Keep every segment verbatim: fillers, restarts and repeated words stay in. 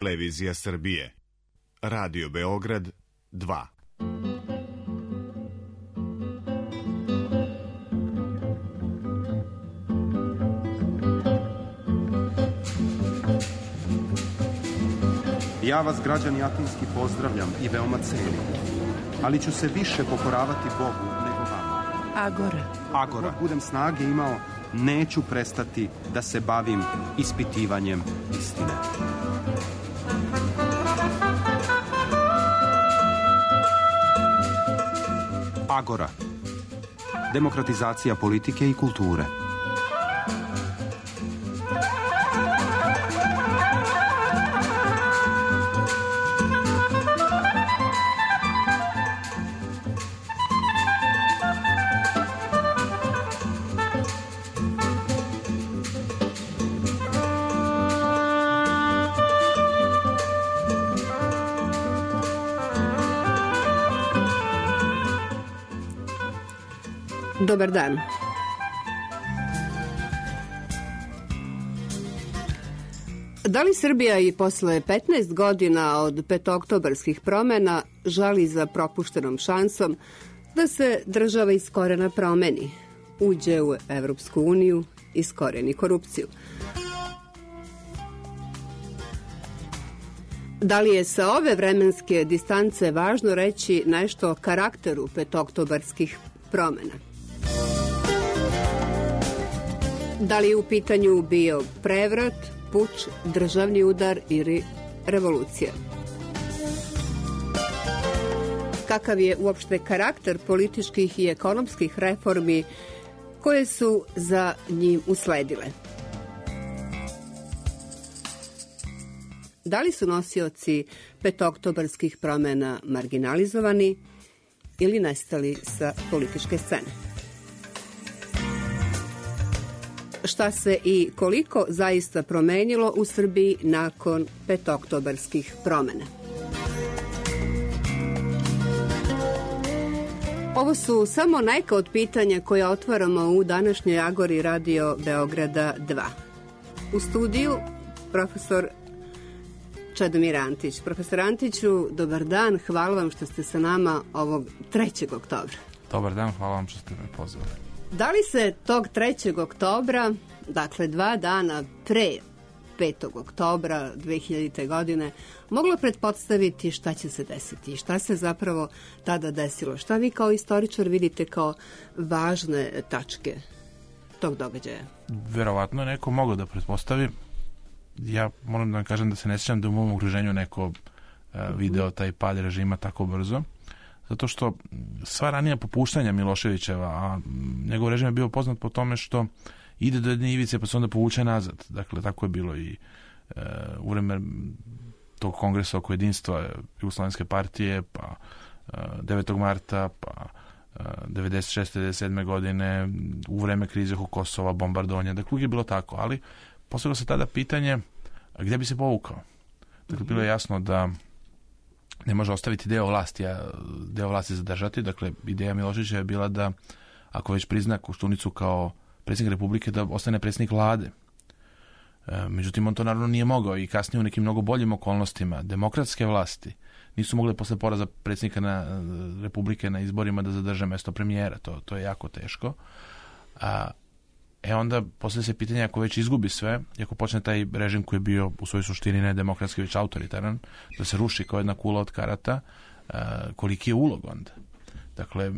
Televizija Srbije. Radio Beograd dva. Ja vas, građani Atinski, pozdravljam i veoma cenim, ali ću se više pokoravati Bogu nego vama. Agora. Agora. Dok budem snage imao, neću prestati da se bavim ispitivanjem istine. Agora. Demokratizacija politike i kulture. Dobar dan. Da li Srbija i posle petnaest godina od petooktobarskih promena žali za propuštenom šansom da se država iz korena promeni, uđe u Evropsku uniju, iskoreni korupciju? Da li je sa ove vremenske distance važno reći nešto o karakteru petooktobarskih promena? Da li je u pitanju bio prevrat, puč, državni udar ili revolucija? Kakav je uopšte karakter političkih i ekonomskih reformi koje su za njim usledile? Da li su nosioci petooktobarskih promena marginalizovani ili nestali sa političke scene? Šta se i koliko zaista promenilo u Srbiji nakon petooktobarskih promena? Ovo su samo neka od pitanja koja otvaramo u današnjoj Agori Radio Beograda dva. U studiju profesor Čedomir Antić. Profesor Antiću, dobar dan, hvala vam što ste sa nama ovog trećeg oktobra. Dobar dan, hvala vam što ste me pozvali. Da li se tog trećeg oktobra, dakle dva dana pre petog oktobra dve hiljadite. godine, moglo pretpostaviti šta će se desiti? Šta se zapravo tada desilo? Šta vi kao istoričar vidite kao važne tačke tog događaja? Verovatno neko mogao da pretpostavi. Ja moram da vam kažem da se ne sjećam da u mom okruženju neko uh, video taj pad režima tako brzo. Zato što sva ranija popuštanja Miloševićeva, a njegov režim je bio poznat po tome što ide do jedne ivice pa se onda povuče nazad. Dakle, tako je bilo i e, u vreme tog kongresa oko jedinstva Jugoslovenske partije, pa e, devetog marta, pa e, devedeset šeste devedeset sedme godine, u vreme krize oko Kosova, bombardovanja. Dakle, uvijek je bilo tako, ali postavilo se tada pitanje gdje bi se povukao. Dakle, bilo je jasno da ne može ostaviti deo vlasti, a deo vlasti zadržati. Dakle, ideja Miloševića je bila da, ako već prizna Koštunicu kao predsjednik Republike, da ostane predsjednik vlade. E, međutim, on to naravno nije mogao i kasnije u nekim mnogo boljim okolnostima demokratske vlasti nisu mogle posle poraza predsjednika na, Republike na izborima da zadrže mesto premijera. To, to je jako teško. A, e onda poslije se pitanja, ako već izgubi sve i ako počne taj režim koji je bio u svojoj suštini ne demokratski, već autoritaran, da se ruši kao jedna kula od karata, a, koliki je ulog onda? Dakle,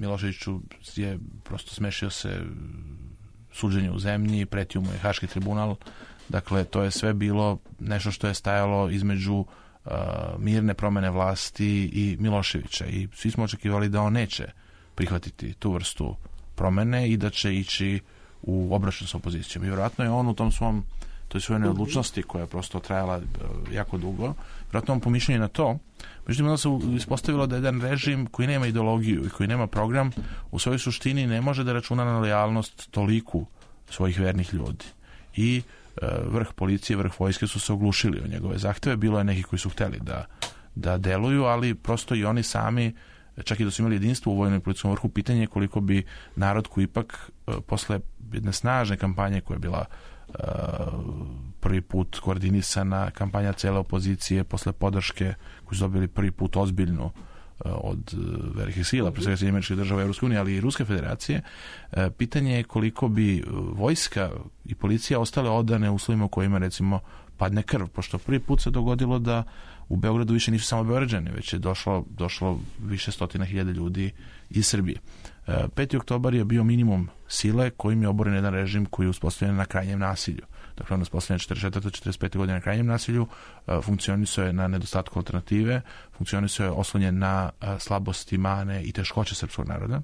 Miloševiću je prosto smešio se suđenje u zemlji, pretio mu je Haški tribunal. Dakle, to je sve bilo nešto što je stajalo između uh, mirne promene vlasti i Miloševića. I svi smo očekivali da on neće prihvatiti tu vrstu promene i da će ići u obračun sa opozicijom. I vjerojatno je on u tom svom, toj svojoj neodlučnosti koja je prosto trajala uh, jako dugo, vjerojatno on pomišljanje na to. Međutim, onda se ispostavilo da jedan režim koji nema ideologiju i koji nema program u svojoj suštini ne može da računa na lojalnost toliku svojih vernih ljudi. I e, vrh policije, vrh vojske su se oglušili o njegove zahteve. Bilo je neki koji su hteli da, da deluju, ali prosto i oni sami, čak i da su imali jedinstvo u vojnom i policijskom vrhu, pitanje je koliko bi narod koji ipak e, posle jedne snažne kampanje koja je bila prvi put koordinisana kampanja cele opozicije posle podrške koju su dobili prvi put ozbiljnu od velikih sila, pre svega Sjedinjenih Američkih Država, Evropske unije, ali i Ruske federacije. Pitanje je koliko bi vojska i policija ostale odane uslovima u kojima, recimo, padne krv, pošto prvi put se dogodilo da u Beogradu više nisu samo Beograđani, već je došlo, došlo više stotina hiljada ljudi iz Srbije. peti oktobar je bio minimum sile kojim je oboren jedan režim koji je uspostavljen na krajnjem nasilju. Dakle, on je uspostavljen četrdeset četvrte četrdeset pete godine na krajnjem nasilju, funkcionisao je na nedostatku alternative, funkcionisao je oslonjen na slabosti, mane i teškoće srpskog naroda.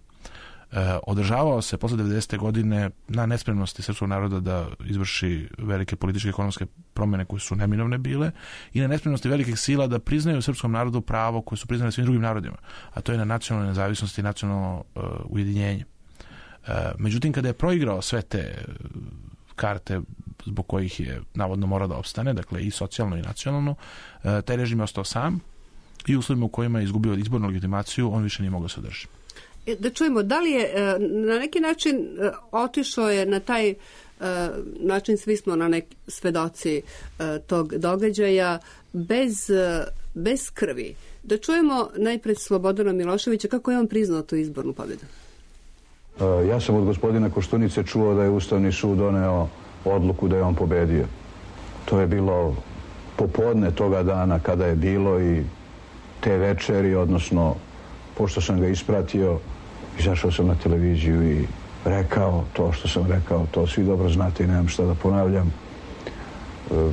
Održavao se posle devedesete godine na nespremnosti srpskog naroda da izvrši velike političke i ekonomske promjene koje su neminovne bile i na nespremnosti velikih sila da priznaju srpskom narodu pravo koje su priznane svim drugim narodima, a to je na nacionalnoj nezavisnosti i nacionalno uh, ujedinjenje. Uh, međutim, kada je proigrao sve te karte zbog kojih je navodno mora da opstane, dakle i socijalno i nacionalno, uh, taj režim je ostao sam i u uslovima u kojima je izgubio izbornu legitimaciju, on više nije mogao se održati. Da čujemo, da li je na neki način otišao je na taj način, svi smo na neki svedoci tog događaja, bez, bez krvi. Da čujemo najpred Slobodana Miloševića kako je on priznao tu izbornu pobjedu. Ja sam od gospodina Koštunice čuo da je Ustavni sud doneo odluku da je on pobedio. To je bilo popodne toga dana kada je bilo i te večeri, odnosno pošto sam ga ispratio, izašao sam na televiziju i rekao to što sam rekao, to svi dobro znate i nemam šta da ponavljam. E,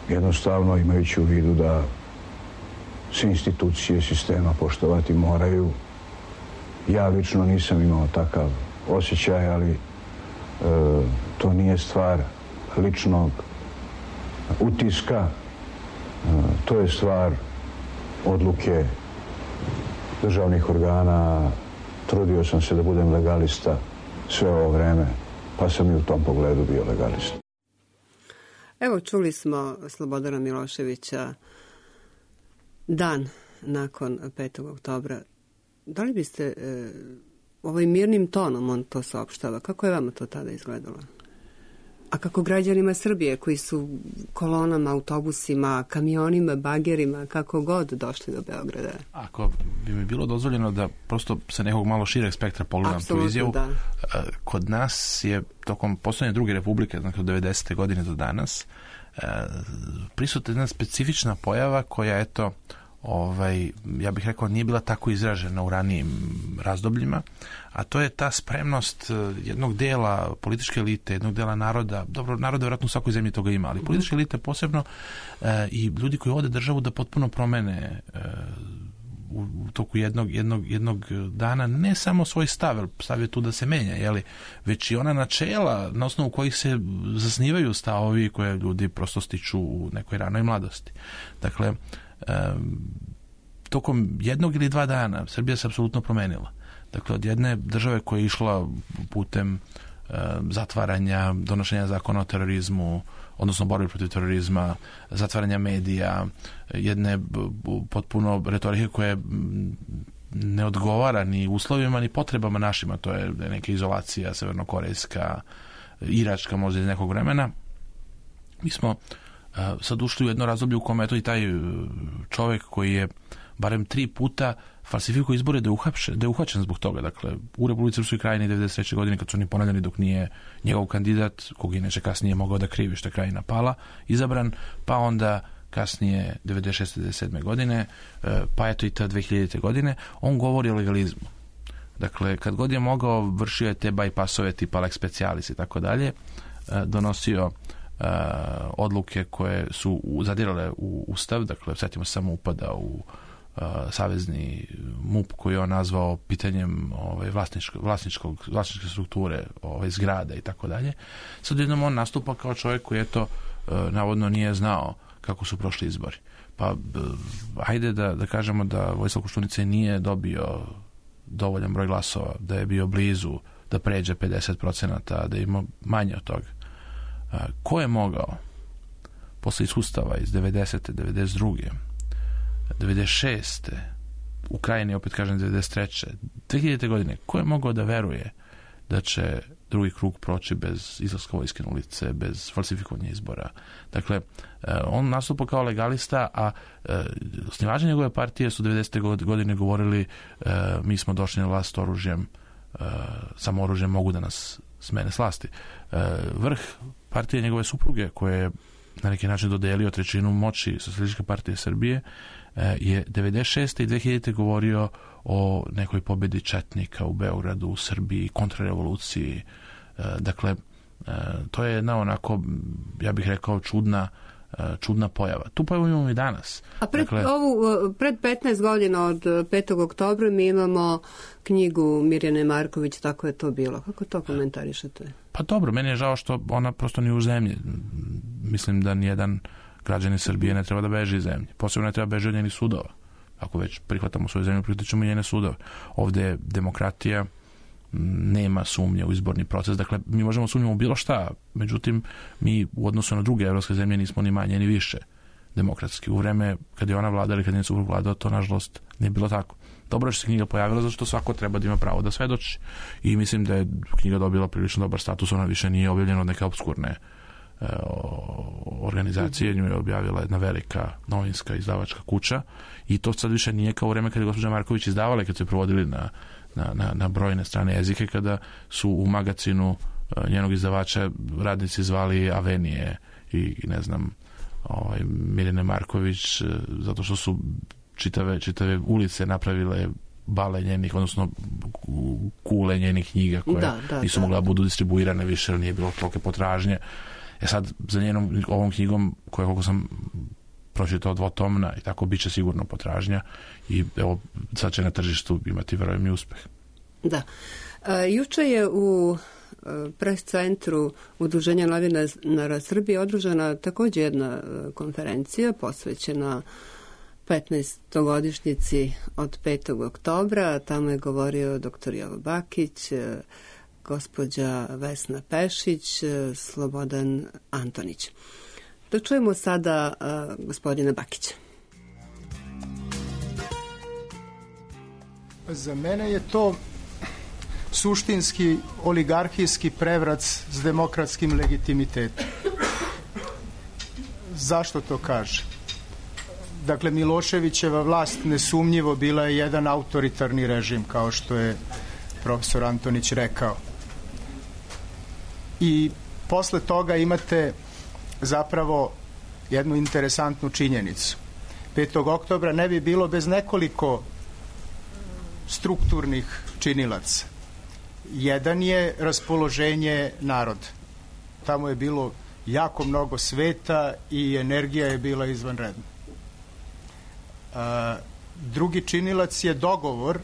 jednostavno imajući u vidu da sve institucije sistema poštovati moraju. Ja lično nisam imao takav osjećaj, ali e, to nije stvar ličnog utiska, e, to je stvar odluke državnih organa. Trudio sam se da budem legalista sve ovo vreme, pa sam i u tom pogledu bio legalista. Evo, čuli smo Slobodana Miloševića dan nakon petog oktobra. Da li biste e, ovim mirnim tonom on to saopštava? Kako je vama to tada izgledalo? A kako građanima Srbije koji su kolonama, autobusima, kamionima, bagerima, kako god došli do Beograda? Ako bi mi bilo dozvoljeno da prosto sa nekog malo šireg spektra pogledam tu izjavu, da. Kod nas je tokom poslednje druge republike, znači od devedesete godine do danas, prisutna jedna specifična pojava koja, eto, ovaj, ja bih rekao, nije bila tako izražena u ranijim razdobljima, a to je ta spremnost jednog dela političke elite, jednog dela naroda, dobro, naroda vjerojatno u svakoj zemlji toga ima, ali političke elite posebno e, i ljudi koji vode državu da potpuno promene e, u, u toku jednog, jednog, jednog dana ne samo svoj stav, jer stav je tu da se menja, jeli, već i ona načela na osnovu kojih se zasnivaju stavovi koje ljudi prosto stiču u nekoj ranoj mladosti. Dakle, Um, tokom jednog ili dva dana Srbija se apsolutno promenila. Dakle, od jedne države koja je išla putem um, zatvaranja, donošenja zakona o terorizmu, odnosno borbi protiv terorizma, zatvaranja medija, jedne potpuno retorike koje ne odgovara ni uslovima ni potrebama našima, to je neka izolacija severnokorejska, iračka možda iz nekog vremena. Mi smo sad ušli u jedno razdoblje u kome je to i taj čovjek koji je barem tri puta falsifikuje izbore da je, uhapšen, da je uhvaćen zbog toga. Dakle, u Republici Srpskoj Krajini devedeset treće godine kad su oni ponavljani dok nije njegov kandidat, kog inače kasnije mogao da krivi što je Krajina pala, izabran, pa onda kasnije devedeset šeste devedeset sedme godine, pa eto i ta dve hiljadite godine, on govori o legalizmu. Dakle, kad god je mogao, vršio je te bajpasove tipa lex specialis i tako dalje, donosio Uh, odluke koje su zadirale u Ustav, dakle, sjetimo se samo upada u uh, savezni M U P koji je on nazvao pitanjem ovaj, vlasničkog, vlasničkog, vlasničke strukture ovaj, zgrada i tako dalje. Sad jednom on nastupa kao čovjek koji je to uh, navodno nije znao kako su prošli izbori. Pa uh, ajde da, da kažemo da Vojislav Koštunica nije dobio dovoljan broj glasova, da je bio blizu da pređe pedeset procenata, da je imao manje od toga. Ko je mogao posle iskustava iz devedesete, devedeset druge, devedeset šeste u Krajini, opet kažem devedeset treće, dve hiljadite godine, ko je mogao da veruje da će drugi krug proći bez izlaska vojske na ulice, bez falsifikovanja izbora. Dakle, on nastupa kao legalista, a osnivači njegove partije su devedesete godine govorili mi smo došli na vlast oružjem, samo oružjem mogu da nas smene s vlasti. Vrh partije njegove supruge, koje je na neki način dodelio trećinu moći Socijalističke partije Srbije, je devedeset šeste i dve hiljadite govorio o nekoj pobedi četnika u Beogradu, u Srbiji, kontrarevoluciji. Dakle, to je jedna onako, ja bih rekao, čudna čudna pojava. Tu pojavu imamo i danas. A pred, dakle, ovu, pred petnaest godina od petog oktobra mi imamo knjigu Mirjane Marković, tako je to bilo. Kako to komentarišete? Pa dobro, meni je žao što ona prosto nije u zemlji. Mislim da nijedan građanin Srbije ne treba da beži iz zemlje. Posebno ne treba beži od njenih sudova. Ako već prihvatamo svoju zemlju, prihvaćamo i njene sudove. Ovde je demokratija, nema sumnje u izborni proces. Dakle, mi možemo sumnjamo u bilo šta, međutim, mi u odnosu na druge evropske zemlje nismo ni manje ni više demokratski. U vreme kad je ona vladala ili kad je suprug vladao, to nažalost nije bilo tako. Dobro je što se knjiga pojavila, zato što svako treba da ima pravo da svedoči. I mislim da je knjiga dobila prilično dobar status, ona više nije objavljena od neke obskurne e, organizacije, nju je objavila jedna velika novinska izdavačka kuća i to sad više nije kao u vreme kad je gospođa Marković izdavala, kad su je provodili na Na, na, na brojne strane jezike, kada su u magazinu uh, njenog izdavača radnici zvali Avenije i, i ne znam ovaj, Mirjane Marković uh, zato što su čitave, čitave ulice napravile bale njenih, odnosno kule njenih knjiga koje da, da, nisu da, mogla da budu distribuirane više, jer nije bilo tolike potražnje. E sad, za njenom ovom knjigom, koja koliko sam pročitao dvotomna i tako biće sigurno potražnja i evo sad će na tržištu imati verujem i uspeh. Da. E, juče je u pres centru Udruženja novinara Srbije održana također jedna konferencija posvećena petnaestogodišnjici od petog oktobra. Tamo je govorio doktor Jovo Bakić, gospođa Vesna Pešić, Slobodan Antonić. Da čujemo sada uh, gospodina Bakića. Za mene je to suštinski oligarhijski prevrat s demokratskim legitimitetom. Zašto to kaže? Dakle, Miloševićeva vlast nesumnjivo bila je jedan autoritarni režim, kao što je profesor Antonić rekao. I posle toga imate zapravo jednu interesantnu činjenicu. petog oktobra ne bi bilo bez nekoliko strukturnih činilaca. Jedan je raspoloženje naroda. Tamo je bilo jako mnogo sveta i energija je bila izvanredna. A, drugi činilac je dogovor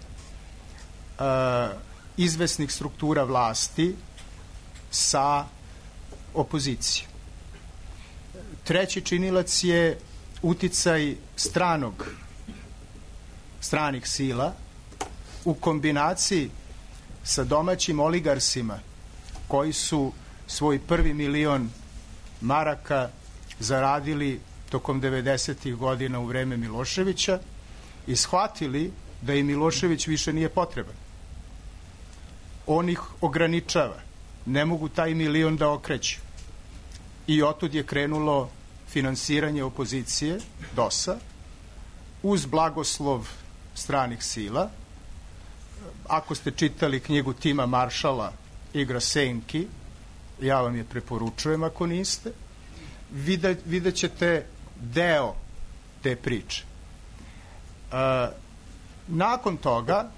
a, izvesnih struktura vlasti sa opozicijom. Treći činilac je uticaj stranog, stranih sila u kombinaciji sa domaćim oligarsima koji su svoj prvi milion maraka zaradili tokom devedesetih godina u vreme Miloševića i shvatili da i Milošević više nije potreban. On ih ograničava. Ne mogu taj milion da okreću. I otud je krenulo finansiranje opozicije, D O S-a, uz blagoslov stranih sila. Ako ste čitali knjigu Tima Maršala Igra senki, ja vam je preporučujem ako niste, Vide, vidjet ćete deo te priče. E, nakon toga,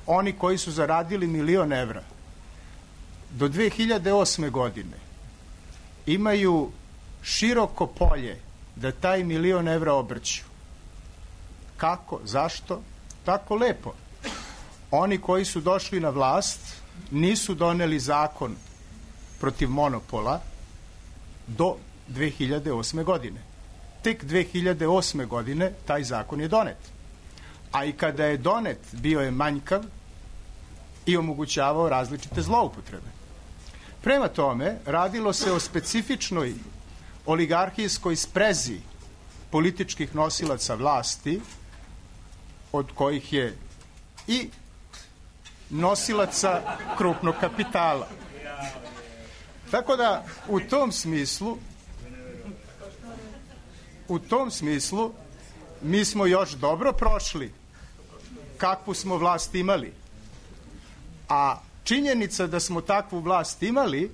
oni koji su zaradili milion evra do dve hiljade osme godine imaju široko polje da taj milion evra obrću. Kako? Zašto? Tako lepo. Oni koji su došli na vlast nisu doneli zakon protiv monopola do dve hiljade osme godine. Tek dve hiljade osme godine taj zakon je donet. A i kada je donet, bio je manjkav i omogućavao različite zloupotrebe. Prema tome, radilo se o specifičnoj oligarhijskoj sprezi političkih nosilaca vlasti, od kojih je i nosilaca krupnog kapitala. Tako da u tom smislu u tom smislu mi smo još dobro prošli kakvu smo vlast imali. A činjenica da smo takvu vlast imali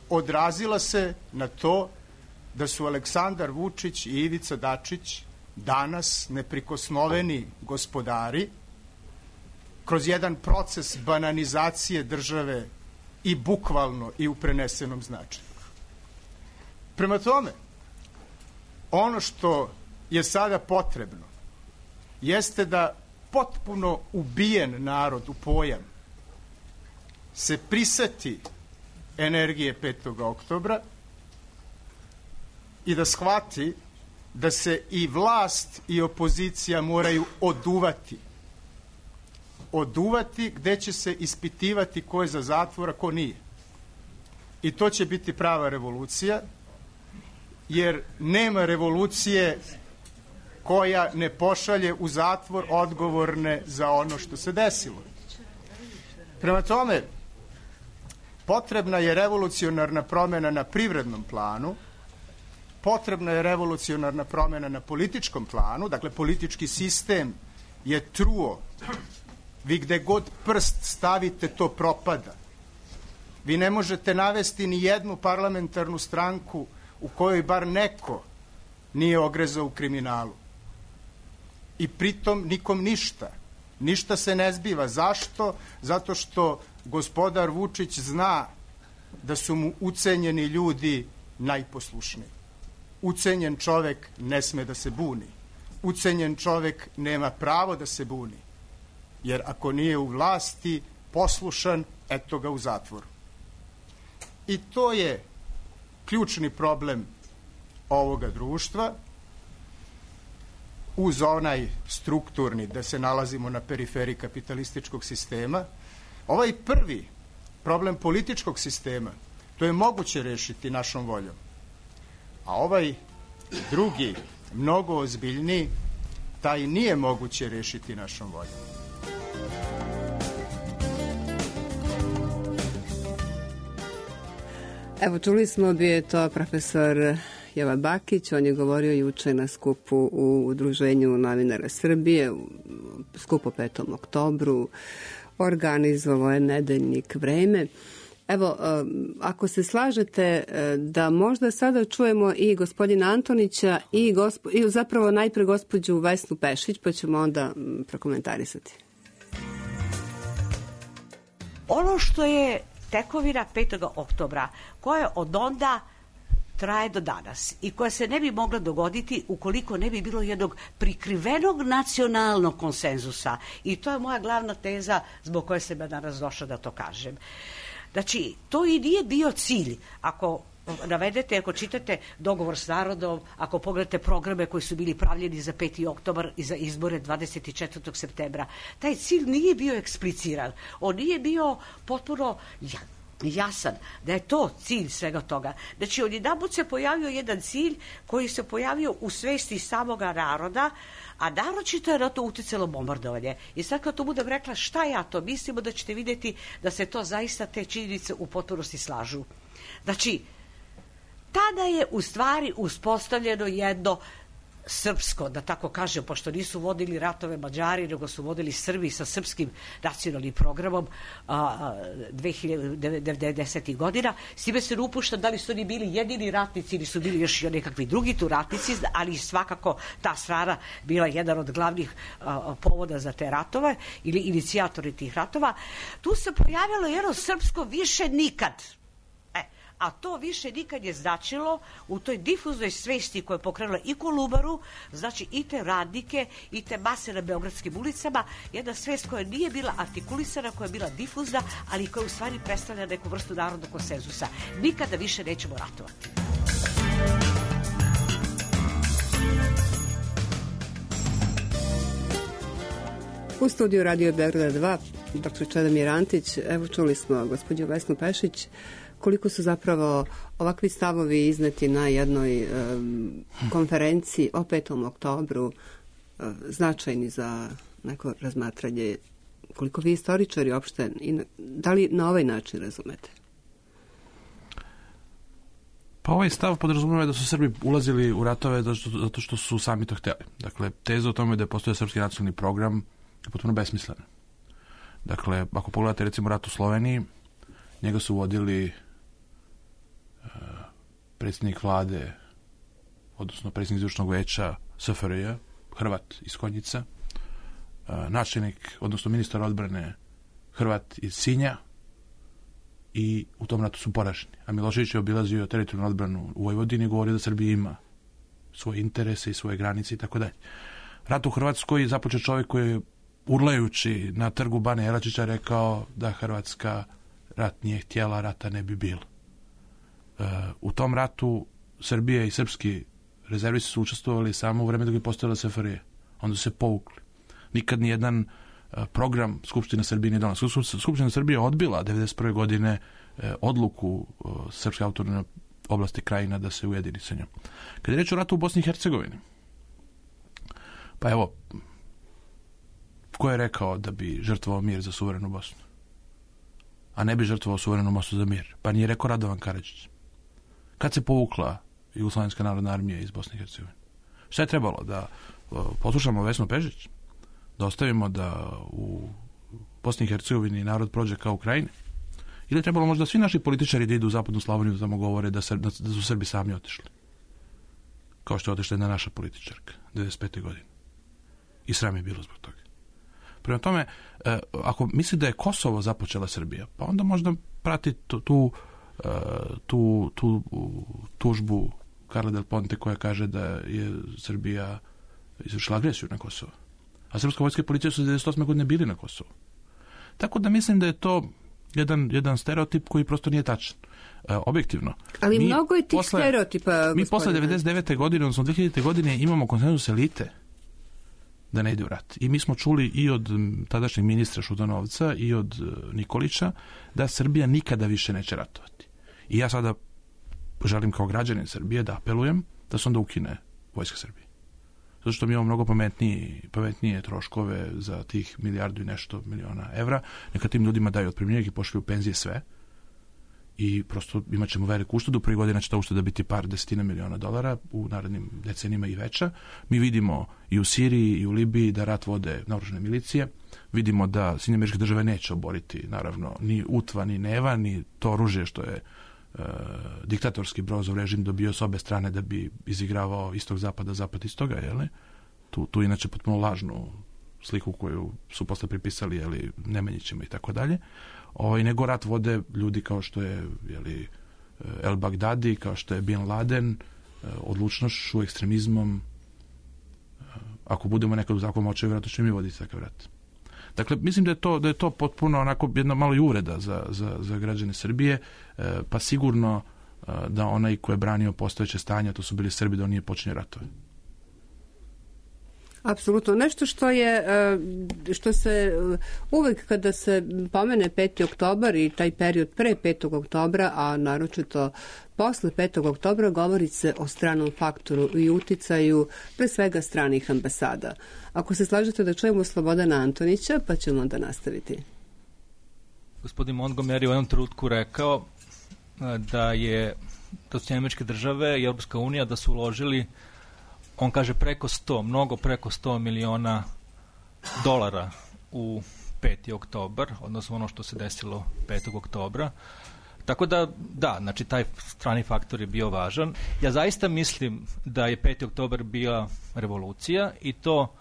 odrazila se na to da su Aleksandar Vučić i Ivica Dačić danas neprikosnoveni gospodari kroz jedan proces bananizacije države i bukvalno i u prenesenom značaju. Prema tome, ono što je sada potrebno jeste da potpuno ubijen narod u pojam se priseti energije petog oktobra i da shvati da se i vlast i opozicija moraju oduvati. Oduvati gde će se ispitivati ko je za zatvor, a ko nije. I to će biti prava revolucija, jer nema revolucije koja ne pošalje u zatvor odgovorne za ono što se desilo. Prema tome, potrebna je revolucionarna promjena na privrednom planu, potrebna je revolucionarna promjena na političkom planu, dakle politički sistem je truo, vi gde god prst stavite to propada. Vi ne možete navesti ni jednu parlamentarnu stranku u kojoj bar neko nije ogrezao u kriminalu. I pritom nikom ništa. Ništa se ne zbiva. Zašto? Zato što gospodar Vučić zna da su mu ucenjeni ljudi najposlušniji. Ucenjen čovek ne sme da se buni. Ucenjen čovek nema pravo da se buni. Jer ako nije u vlasti, poslušan, eto ga u zatvoru. I to je ključni problem ovoga društva, uz onaj strukturni, da se nalazimo na periferiji kapitalističkog sistema. Ovaj prvi problem političkog sistema, to je moguće rešiti našom voljom. A ovaj drugi, mnogo ozbiljniji, taj nije moguće rešiti našom voljom. Evo, čuli smo, bio je to profesor Jova Bakić, on je govorio juče na skupu u Udruženju novinara Srbije, u skupu petom oktobru, organizovao je nedeljnik Vreme. Evo, ako se slažete da možda sada čujemo i gospodina Antonića i, gospo, i zapravo najpre gospođu Vesnu Pešić, pa ćemo onda prokomentarisati. Ono što je tekovina petog oktobra, koja od onda traje do danas i koja se ne bi mogla dogoditi ukoliko ne bi bilo jednog prikrivenog nacionalnog konsenzusa. I to je moja glavna teza zbog koje sam ja danas došla da to kažem. Znači, to i nije bio cilj. Ako navedete, ako čitate dogovor s narodom, ako pogledate programe koji su bili pravljeni za peti oktobar i za izbore dvadeset četvrtog septembra, taj cilj nije bio ekspliciran. On nije bio potpuno jasan da je to cilj svega toga. Znači, odjedanput se pojavio jedan cilj koji se pojavio u svesti samoga naroda, a naročito je na to uticalo bombardovanje. I sad kad to budem rekla šta ja to mislimo, da ćete vidjeti da se to zaista te činjenice u potpunosti slažu. Znači, tada je u stvari uspostavljeno jedno srpsko, da tako kažem, pošto nisu vodili ratove Mađari, nego su vodili Srbi sa srpskim nacionalnim programom dve hiljade devedesetih godina. S time se ne upušta da li su oni bili jedini ratnici ili su bili još i nekakvi drugi tu ratnici, ali svakako ta strana bila jedan od glavnih a, povoda za te ratove ili inicijatori tih ratova. Tu se pojavilo jedno srpsko više nikad. A to više nikad je značilo u toj difuznoj svesti koja je pokrenula i Kolubaru, znači i te radnike, i te mase na beogradskim ulicama, jedna svest koja nije bila artikulisana, koja je bila difuzna, ali koja u stvari predstavlja neku vrstu narodnog konsenzusa. Nikada više nećemo ratovati. U studiju Radio Beograda dva, doktor Čedomir Antić, evo čuli smo gospođu Vesnu Pešić, koliko su zapravo ovakvi stavovi izneti na jednoj um, konferenciji o petom oktobru uh, značajni za neko razmatranje koliko vi istoričari opšte, da li na ovaj način razumete? Pa ovaj stav podrazumijeva da su Srbi ulazili u ratove zato što su sami to htjeli. Dakle, teza o tome da je postojao srpski nacionalni program je potpuno besmislena. Dakle, ako pogledate recimo rat u Sloveniji, njega su vodili uh, predsjednik vlade, odnosno predsjednik izvršnog veća S F R J, Hrvat iz Konjica, uh, načelnik, odnosno ministar odbrane Hrvat iz Sinja, i u tom ratu su poraženi. A Milošević je obilazio teritorijalnu odbranu u Vojvodini i govorio da Srbija ima svoje interese i svoje granice i tako dalje. Rat u Hrvatskoj započeo čovjek koji je urlajući na trgu Bane Jelačića rekao da Hrvatska rat nije htjela, rata ne bi bilo. E, u tom ratu Srbija i srpski rezervisti su učestvovali samo u vreme dok je postojala S F R J. Onda su se povukli. Nikad ni jedan program Skupština Srbije nije donala. Skupština Srbije je odbila devedeset prve godine e, odluku e, Srpske autonomne oblasti Krajina da se ujedini sa njom. Kad je reč o ratu u Bosni i Hercegovini, pa evo, ko je rekao da bi žrtvovao mir za suverenu Bosnu? A ne bi žrtvovao suverenu Bosnu za mir? Pa nije rekao Radovan Karadžić. Kad se povukla Jugoslovenska narodna armija iz Bosne i Hercegovine? Šta je trebalo? Da e, poslušamo Vesnu Pešić? Da ostavimo da u Bosni i Hercegovini narod prođe kao u Krajini? Ili je trebalo možda svi naši političari da idu u zapadnu Slavoniju da tamo govore da, da su Srbi sami otišli? Kao što je otišla jedna naša političarka devedeset pete godine. I sram je bilo zbog toga. Prema tome, ako misli da je Kosovo započela Srbija, pa onda možda prati tu, tu, tu, tu tužbu Karla Del Ponte koja kaže da je Srbija izvršila agresiju na Kosovo. A srpska vojska i policija su devedeset osme godine bili na Kosovu. Tako da mislim da je to jedan, jedan stereotip koji prosto nije tačan. E, objektivno. Ali mi mnogo je tih posle, stereotipa, Mi gospodine. posle devedeset devete godine, odnosno dve hiljadite godine, imamo konsenzus elite da ne ide u rat. I mi smo čuli i od tadašnjeg ministra Šutanovca i od Nikolića da Srbija nikada više neće ratovati. I ja sada želim kao građanin Srbije da apelujem da se onda ukine vojska Srbije. Zato što mi imamo mnogo pametnije, pametnije troškove za tih milijardu i nešto miliona evra. Neka tim ljudima daju otpremnine i pošalju penzije sve. I prosto imat ćemo veliku uštedu. Prvi godina će ta ušteda biti par desetina miliona dolara, u narednim decenijima i veća. Mi vidimo i u Siriji i u Libiji da rat vode naoružane milicije. Vidimo da Sjedinjene Američke Države neće oboriti, naravno, ni Utva, ni Neva, ni to oružje što je e, diktatorski Brozov režim dobio s obe strane da bi izigravao istog zapada, zapad istoga, jeli? Tu, tu inače potpuno lažnu sliku koju su posle pripisali, jeli, Nemanjićima i tako dalje. Ovaj, nego rat vode ljudi kao što je, jeli, El Bagdadi, kao što je Bin Laden, odlučnošću, ekstremizmom. Ako budemo nekad u zakonu očevi, vjerojatno ćemo mi voditi takav rat. Dakle, mislim da je to, da je to potpuno onako jedna malo i uvreda za, za, za građane Srbije, pa sigurno da onaj ko je branio postojeće stanje, to su bili Srbi, da on nije počinje ratove. Apsolutno. Nešto što je, što se uvek kada se pomene peti oktobar i taj period pre petog oktobra, a naročito posle petog oktobra, govori se o stranom faktoru i uticaju pre svega stranih ambasada. Ako se slažete da čujemo Slobodana Antonića, pa ćemo onda nastaviti. Gospodin Montgomery u jednom trenutku rekao da je da su Američke Države i Europska unija da su uložili, on kaže, preko sto, mnogo preko sto miliona dolara u peti oktobar, odnosno ono što se desilo petog oktobra. Tako da, da, znači taj strani faktor je bio važan. Ja zaista mislim da je peti oktobar bila revolucija i to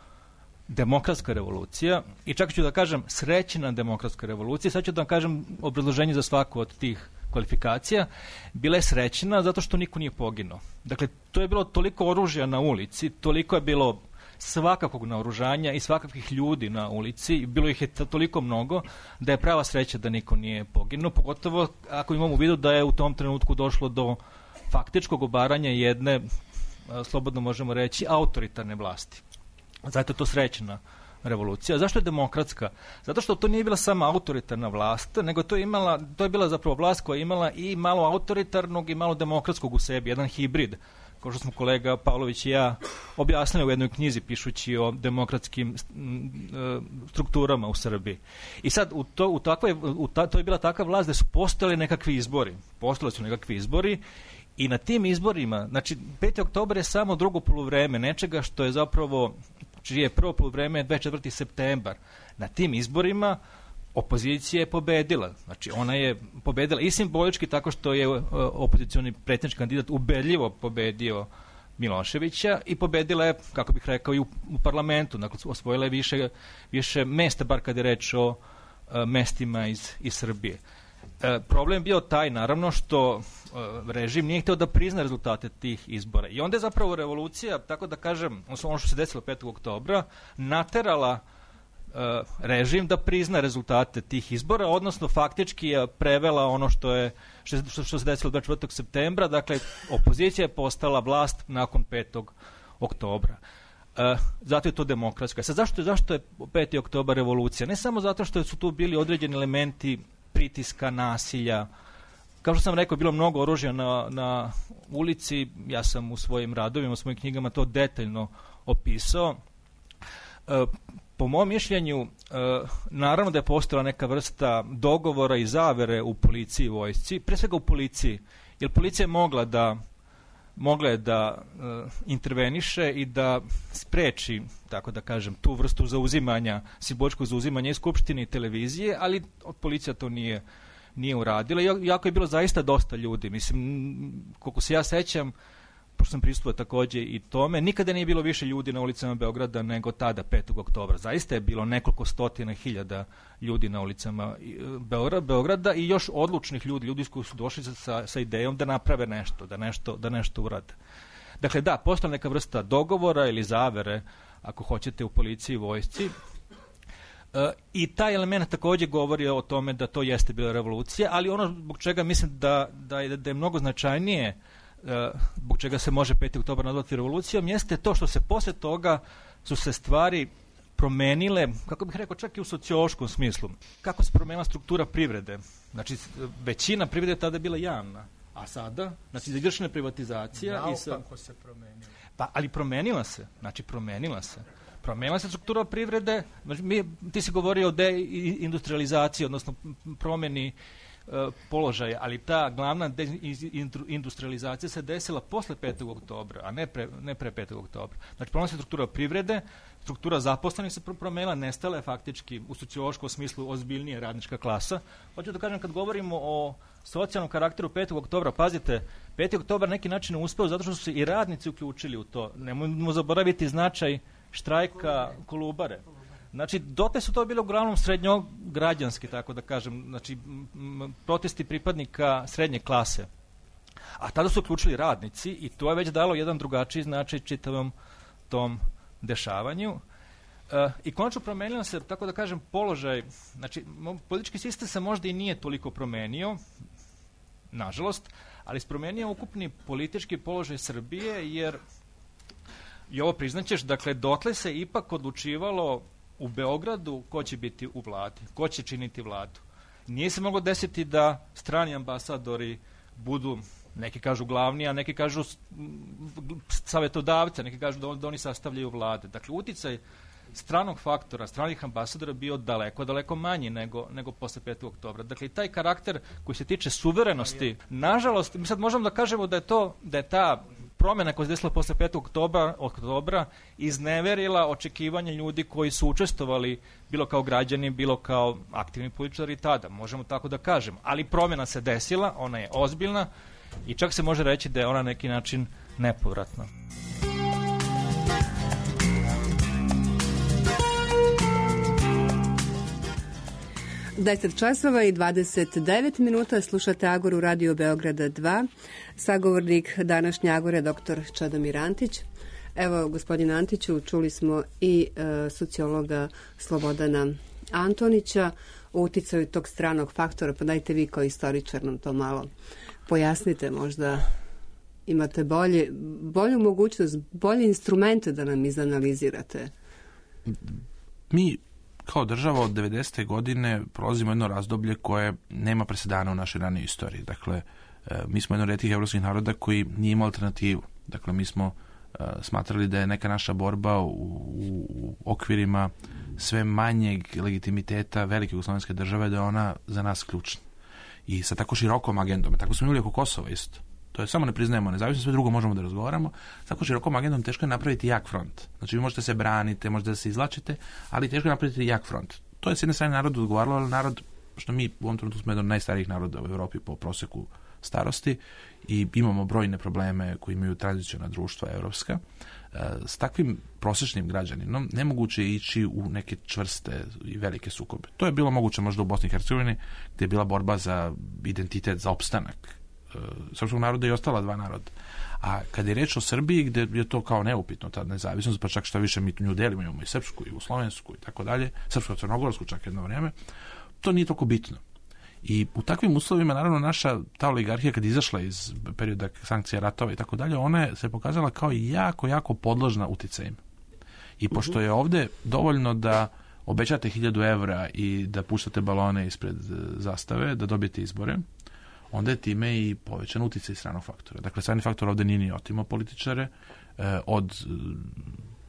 demokratska revolucija i čak ću da kažem srećna demokratska revolucija. Sad ću da vam kažem obrazloženje za svaku od tih kvalifikacija. Bila je srećna zato što niko nije poginuo. Dakle, to je bilo toliko oružja na ulici, toliko je bilo svakakvog naoružanja i svakakvih ljudi na ulici i bilo ih je toliko mnogo da je prava sreća da niko nije poginuo, pogotovo ako imamo u vidu da je u tom trenutku došlo do faktičkog obaranja jedne, slobodno možemo reći, autoritarne vlasti. Zato je to srećna revolucija. Zašto je demokratska? Zato što to nije bila sama autoritarna vlast, nego to je, imala, to je bila zapravo vlast koja je imala i malo autoritarnog i malo demokratskog u sebi, jedan hibrid kao što smo kolega Pavlović i ja objasnili u jednoj knjizi pišući o demokratskim strukturama u Srbiji. I sad u to, u takvoj, u ta, to je bila takva vlast da su postojali nekakvi izbori. Postojali su nekakvi izbori i na tim izborima, znači peti oktobar je samo drugo poluvreme nečega što je zapravo, čije je prvo poluvreme dvadeset četvrti septembar. Na tim izborima opozicija je pobedila. Znači ona je pobedila i simbolički tako što je opozicioni predsjednički kandidat ubedljivo pobedio Miloševića i pobedila je, kako bih rekao, i u, u parlamentu. Dakle, osvojila je više, više mesta, bar kad je reč o a, mestima iz, iz Srbije. E, problem je bio taj, naravno, što a, režim nije hteo da prizna rezultate tih izbora. I onda je zapravo revolucija, tako da kažem, ono što se desilo petog oktobra, naterala režim da prizna rezultate tih izbora, odnosno faktički je prevela ono što je što, što se desilo dvadeset četvrtog septembra, dakle opozicija je postala vlast nakon petog oktobra. E, zato je to demokratsko. Sad, zašto, zašto je peti oktobar revolucija? Ne samo zato što su tu bili određeni elementi pritiska, nasilja. Kao što sam rekao, bilo mnogo oružja na, na ulici, ja sam u svojim radovima, u svojim knjigama to detaljno opisao. E, Po mom mišljenju, naravno da je postojala neka vrsta dogovora i zavere u policiji i vojsci, pre svega u policiji, jer policija je mogla da, mogla je da interveniše i da spreči, tako da kažem, tu vrstu zauzimanja, simboličkog zauzimanja i skupštine i televizije, ali policija to nije, nije uradila. Iako je bilo zaista dosta ljudi, mislim, koliko se ja sećam, pošto sam prisutvovao takođe i tome, nikada nije bilo više ljudi na ulicama Beograda nego tada, petog oktobra. Zaista je bilo nekoliko stotina hiljada ljudi na ulicama Beograda i još odlučnih ljudi, ljudi koji su došli sa, sa idejom da naprave nešto, da nešto, da nešto urade. Dakle, da, postala neka vrsta dogovora ili zavere, ako hoćete, u policiji i vojsci. E, I taj element takođe govori o tome da to jeste bila revolucija, ali ono zbog čega mislim da, da, je, da je mnogo značajnije, zbog čega se može peti oktobar nazvati revolucijom, jeste to što se posle toga su se stvari promenile, kako bih rekao, čak i u sociološkom smislu. Kako se promenila struktura privrede? Znači, većina privrede je tada bila javna, a sada, znači, izvršena privatizacija. Naopako se promenila. Pa, ali promenila se, znači, promenila se. Promenila se struktura privrede, znači, mi, ti si govorio o deindustrializaciji, odnosno promeni položaja, ali ta glavna industrializacija se desila posle petog oktobra, a ne pre, ne pre petog oktobra. Znači, promenila se struktura privrede, struktura zaposlenih se promenila, nestala je faktički u sociološkom smislu ozbiljnija radnička klasa. Hoću da kažem, kad govorimo o socijalnom karakteru petog oktobra, pazite, peti oktobar neki način je uspeo zato što su se i radnici uključili u to. Nemojmo zaboraviti značaj štrajka Kolubare. Znači, dotle su to bile uglavnom srednjograđanski, tako da kažem, znači, m, protesti pripadnika srednje klase. A tada su uključili radnici i to je već dalo jedan drugačiji značaj čitavom tom dešavanju. E, I konačno promenilo se, tako da kažem, položaj, znači, politički sistem se možda i nije toliko promenio, nažalost, ali se promenio ukupni politički položaj Srbije, jer, i ovo priznaćeš, dakle, dotle se ipak odlučivalo u Beogradu ko će biti u vladi, ko će činiti vladu. Nije se moglo desiti da strani ambasadori budu, neki kažu glavni, a neki kažu savjetodavci, neki kažu da, on, da oni sastavljaju vlade. Dakle, uticaj stranog faktora, stranih ambasadora bio daleko, daleko manji nego, nego posle petog oktobra. Dakle, i taj karakter koji se tiče suverenosti, nažalost, mi sad možemo da kažemo da je to, da je ta promjena koja se desila posle petog oktobra, oktobra izneverila očekivanja ljudi koji su učestvovali bilo kao građani, bilo kao aktivni političari tada. Možemo tako da kažemo. Ali promjena se desila, ona je ozbiljna i čak se može reći da je ona na neki način nepovratna. deset časova i dvadeset devet minuta, slušate Agoru Radio Beograda dva. Sagovornik današnje Agore, doktor Čedomir Antić. Evo, gospodine Antiću, čuli smo i e, sociologa Slobodana Antonića o uticaju tog stranog faktora, pa dajte vi kao istoričar nam to malo pojasnite, možda imate bolje, bolju mogućnost, bolje instrumente da nam izanalizirate. Mi kao država od devedesete godine prolazimo jedno razdoblje koje nema presedana u našoj ranijoj istoriji. Dakle, mi smo jedno od retkih evropskih naroda koji nije imao alternativu. Dakle, mi smo uh, smatrali da je neka naša borba u, u okvirima sve manjeg legitimiteta velike jugoslovenske države, da je ona za nas ključna. I sa tako širokom agendom, tako smo imali oko Kosova isto. To je samo ne priznajemo nezavisno, sve drugo možemo da razgovaramo. Tako širokom agendom teško je napraviti jak front. Znači vi možete se branite, možete da se izlačite, ali teško je napraviti jak front. To je s jedne strane narodu odgovaralo, ali narod, što mi u ovom trenutku smo jedan od najstarijih naroda u Evropi po proseku starosti i imamo brojne probleme koji imaju tradicionalna društva evropska. S takvim prosječnim građaninom nemoguće je ići u neke čvrste i velike sukobe. To je bilo moguće možda u Bosni i Hercegovini, gdje je bila borba za identitet, za opstanak srpskog naroda i ostala dva naroda. A kad je reč o Srbiji, gdje je to kao neupitno, ta nezavisnost, pa čak što više mi nju delimo, imamo i srpsku, i jugoslovensku i tako dalje, srpsko-crnogorsku čak jedno vrijeme, to nije toliko bitno. I u takvim uslovima, naravno, naša ta oligarhija kad je izašla iz perioda sankcija, ratova i tako dalje, ona je se pokazala kao jako, jako podložna uticajima. I pošto je ovdje dovoljno da obećate hiljadu evra i da puštate balone ispred zastave, da dobijete izbore, onda je time i povećan uticaj stranog faktora. Dakle, strani faktor ovdje nije ni otimo političare eh, od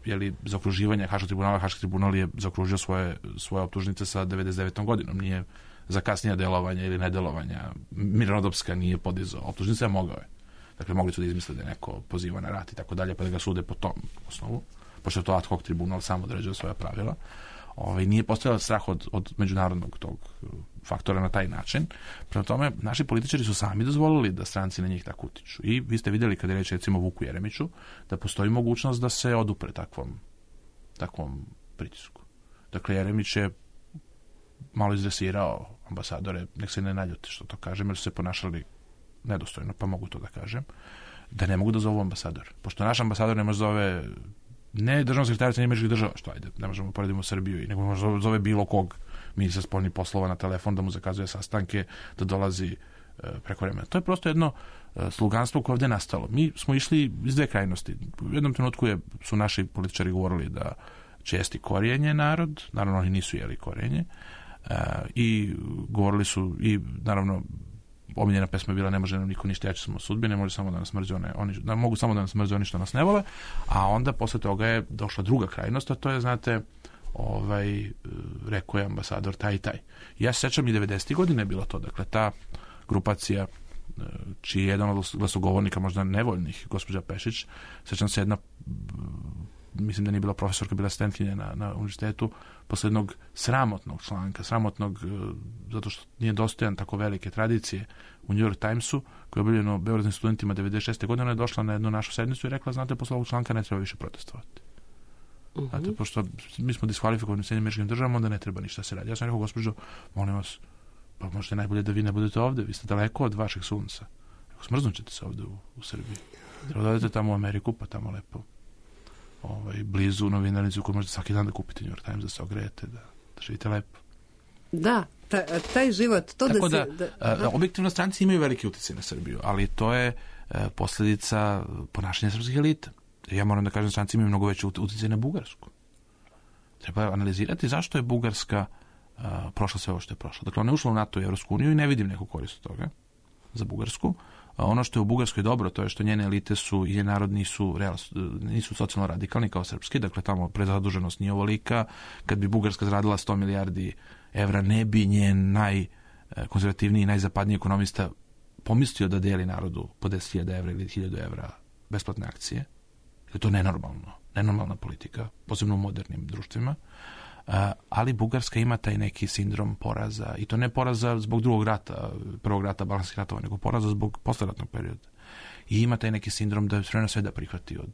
jeli, zaokruživanja Haškog tribunala. Haški tribunal je zaokružio svoje, svoje optužnice sa devedeset devetom godinom. Nije za kasnije delovanja ili nedelovanja. Mirnodopska nije podizao optužnice, a mogao je. Dakle, mogli su da izmisle da je neko poziva na rat i tako dalje, pa da ga sude po tom osnovu, pošto je to ad hoc tribunal sam određuje svoja pravila. Ovaj, nije postojao strah od, od međunarodnog tog faktora na taj način. Prema tome, naši političari su sami dozvolili da stranci na njih tako utiču. I vi ste vidjeli kada je reč recimo Vuku Jeremiću, da postoji mogućnost da se odupre takvom, takvom pritisku. Dakle, Jeremić je malo izdresirao ambasadore, nek se ne naljuti što to kažem, jer su se ponašali nedostojno, pa mogu to da kažem, da ne mogu da zovu ambasador. Pošto naš ambasador ne može zove ne državnog sekretarica američkih država, što ajde, ne možemo poredimo Srbiju, i nego može zove bilo kog ministra spoljnih poslova na telefon, da mu zakazuje sastanke, da dolazi e, preko vremena. To je prosto jedno e, sluganstvo koje ovdje je nastalo. Mi smo išli iz dve krajnosti. U jednom trenutku je, su naši političari govorili da će jesti korijenje narod, naravno oni nisu jeli korijenje, e, i govorili su, i naravno omiljena pesma je bila ne može nam niko ništa, jači smo sudbine, može samo da nas mrze one, oni, da mogu samo da nas mrze oni što nas ne vole, a onda posle toga je došla druga krajnost, a to je, znate, ovaj, rekao je ambasador taj i taj. Ja se sećam i devedesetih godine je bilo to, dakle, ta grupacija čiji je jedan od glasogovornika, možda nevoljnih, gospođa Pešić, sećam se jedna, mislim da nije bila profesorka, bila studentkinja na, na univerzitetu, posle jednog sramotnog članka, sramotnog, zato što nije dostojan tako velike tradicije u New York Timesu, koje je objavljeno beogradskim studentima devedeset šeste godine, ona je došla na jednu našu sednicu i rekla, znate, posle ovog članka ne treba više protestovati. Uh-huh. Znate, pošto mi smo diskvalifikovani u Sjedinjenim Američkim Državama, onda ne treba ništa se radi. Ja sam rekao, gospođo, molim vas, pa možete najbolje da vi ne budete ovde, vi ste daleko od vašeg sunca. Rekao, smrznut ćete se ovde u, u Srbiji. Treba da odete tamo u Ameriku, pa tamo lepo ovaj, blizu novinarnicu koju možete svaki dan da kupite New York Times, da se ogrejete, da, da živite lepo. Da, ta, taj život, to tako da, da se... Da, da, objektivno stranci imaju veliki utjecaj na Srbiju, ali to je e, posljedica ponašanja srpskih elita. Ja moram da kažem, stranci imaju mnogo veći utjecaj na Bugarsku. Treba analizirati zašto je Bugarska uh, prošla sve ovo što je prošla. Dakle, ona je ušla u NATO i Evropsku uniju i ne vidim neku korist od toga za Bugarsku. Uh, ono što je u Bugarskoj dobro, to je što njene elite su i njen narod nisu, real, nisu socijalno radikalni kao srpski, dakle tamo prezaduženost nije ovolika. Kad bi Bugarska zaradila sto milijardi evra, ne bi njen najkonzervativniji i najzapadniji ekonomista pomislio da deli narodu po deset hiljada evra ili hiljadu evra besplatne akcije. Je to nenormalno, nenormalna politika, posebno u modernim društvima, uh, ali Bugarska ima taj neki sindrom poraza, i to ne poraza zbog drugog rata, prvog rata, balkanskih ratova, nego poraza zbog posleratnog perioda. I ima taj neki sindrom da je sve na sve da prihvati od,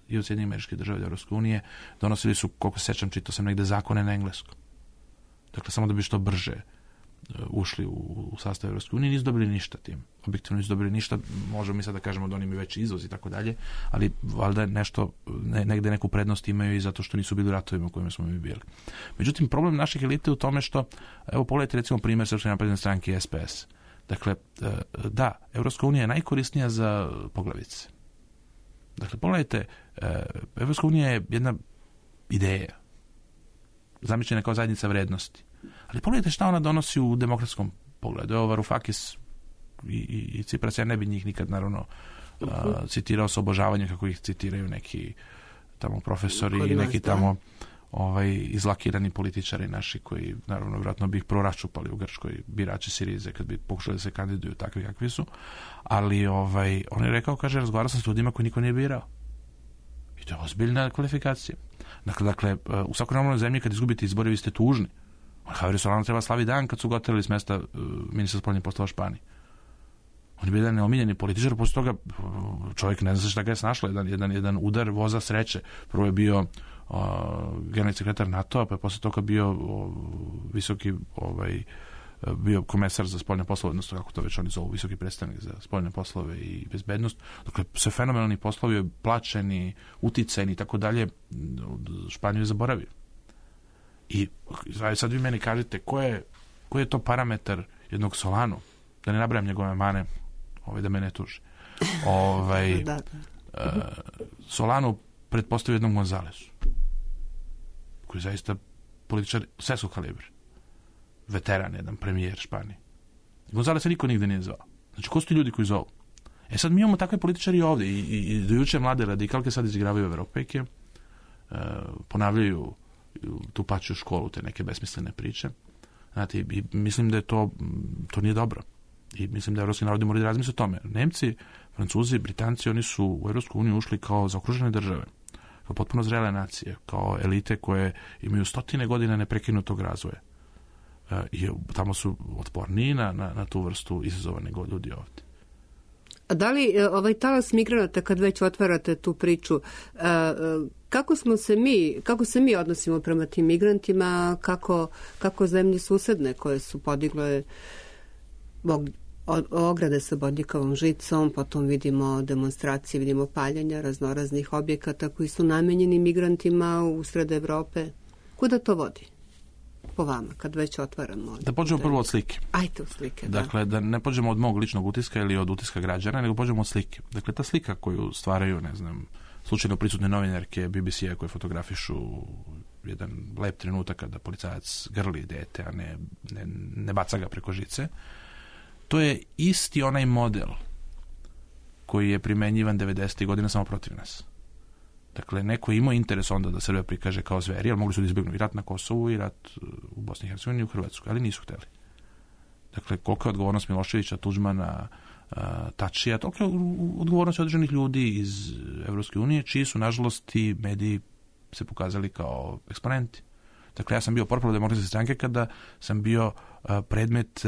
i od Sjedinjenih Američkih Država i Evropske unije. Donosili su, koliko se sećam, čitao sam negde zakone na engleskom. Dakle, samo da bi što brže ušli u, u sastav Evropske unije, nisu dobili ništa tim. Objektivno nisu dobili ništa, možemo mi sad da kažemo da oni imaju veći izvoz i tako dalje, ali valjda nešto, ne, negde neku prednost imaju i zato što nisu bili u ratovima u kojima smo mi bili. Međutim, problem naših elite je u tome što, evo pogledajte recimo primjer Srpske napredne stranke i S P S. Dakle, da, Evropska unija je najkorisnija za poglavice. Dakle, pogledajte, Evropska unija je jedna ideja, zamišljena kao zajednica vrednosti. Ali pogledajte šta ona donosi u demokratskom pogledu. Evo Varoufakis i, i, i Cipras, ja ne bi njih nikad naravno uh, citirao sa obožavanjem kako ih citiraju neki tamo profesori Kod i nas, neki da. tamo ovaj, izlakirani političari naši koji, naravno, vjerojatno bi ih prvo raščupali u Grčkoj, birači Sirize, kad bi pokušali da se kandiduju takvi kakvi su. Ali ovaj, on je rekao, kaže, razgovarao sam s ljudima koji niko nije birao. I to je ozbiljna kvalifikacija. Dakle, dakle u svakoj normalnoj zemlji kad izgubite izbore, vi ste tužni. Javier Solano treba slavi dan kad su ga oterali s mesta uh, ministra spoljnih poslova Španije. On je bio jedan neomiljeni političar, posle toga čovjek ne zna šta ga je snašlo, jedan, jedan, jedan udar voza sreće. Prvo je bio uh, generalni sekretar NATO-a, pa je posle toga bio uh, visoki ovaj, bio komesar za spoljne poslove, odnosno kako to već oni zovu, visoki predstavnik za spoljne poslove i bezbednost. Dakle, sve fenomenalni poslovi, plaćeni, uticajni i tako dalje, Španiju je zaboravio. I sad vi meni kažete ko je, koji je to parametar jednog Solanu, da ne nabrajam njegove mane, ovaj, da me ne tuži. Ovaj, da, da. Uh, Solanu pretpostavio jednog Gonzalesu, koji je zaista političar svetskog kalibra. Veteran, jedan premijer Španije. Gonzalesa niko nigde nije zvao. Znači, ko su ti ljudi koji zovu? E sad mi imamo takve političari ovdje i, i, i do juče mlade radikalke sad izigravaju Evropejke, uh, ponavljaju tu plaću školu, te neke besmislene priče. Znate, i mislim da je to, to nije dobro. I mislim da evropski narodi moraju da razmisle o tome. Nemci, Francuzi, Britanci, oni su u Evropsku uniju ušli kao zaokružene države, kao potpuno zrele nacije, kao elite koje imaju stotine godina neprekinutog razvoja. I tamo su otporniji na, na, na tu vrstu izazova nego ljudi ovdje. A da li ovaj talas migranata, kad već otvarate tu priču, kako smo se mi, kako se mi odnosimo prema tim migrantima, kako, kako zemlje susedne koje su podigle ograde sa bodljikavom žicom, potom vidimo demonstracije, vidimo paljenja raznoraznih objekata koji su namenjeni migrantima usred Evrope. Kuda to vodi? Po vama, kad već otvaramo. Da pođemo prvo od slike. Ajde od slike, da. Dakle, da ne pođemo od mog ličnog utiska ili od utiska građana, nego pođemo od slike. Dakle, ta slika koju stvaraju, ne znam, slučajno prisutne novinarke B B C-a koje fotografišu jedan lep trenutak kada policajac grli dete, a ne, ne, ne baca ga preko žice, to je isti onaj model koji je primenjivan devedesetih godina samo protiv nas. Dakle, neko je imao interes onda da Srbija prikaže kao zveri, ali mogli su da izbjegnu i rat na Kosovu i rat u Bosni i Hercegovini i u Hrvatskoj, ali nisu hteli. Dakle, koliko je odgovornost Miloševića, Tuđmana, Tačija, toliko je odgovornost određenih ljudi iz Evropske unije, čiji su, nažalost, ti mediji se pokazali kao eksponenti. Dakle, ja sam bio portparol Demokratske stranke kada sam bio predmet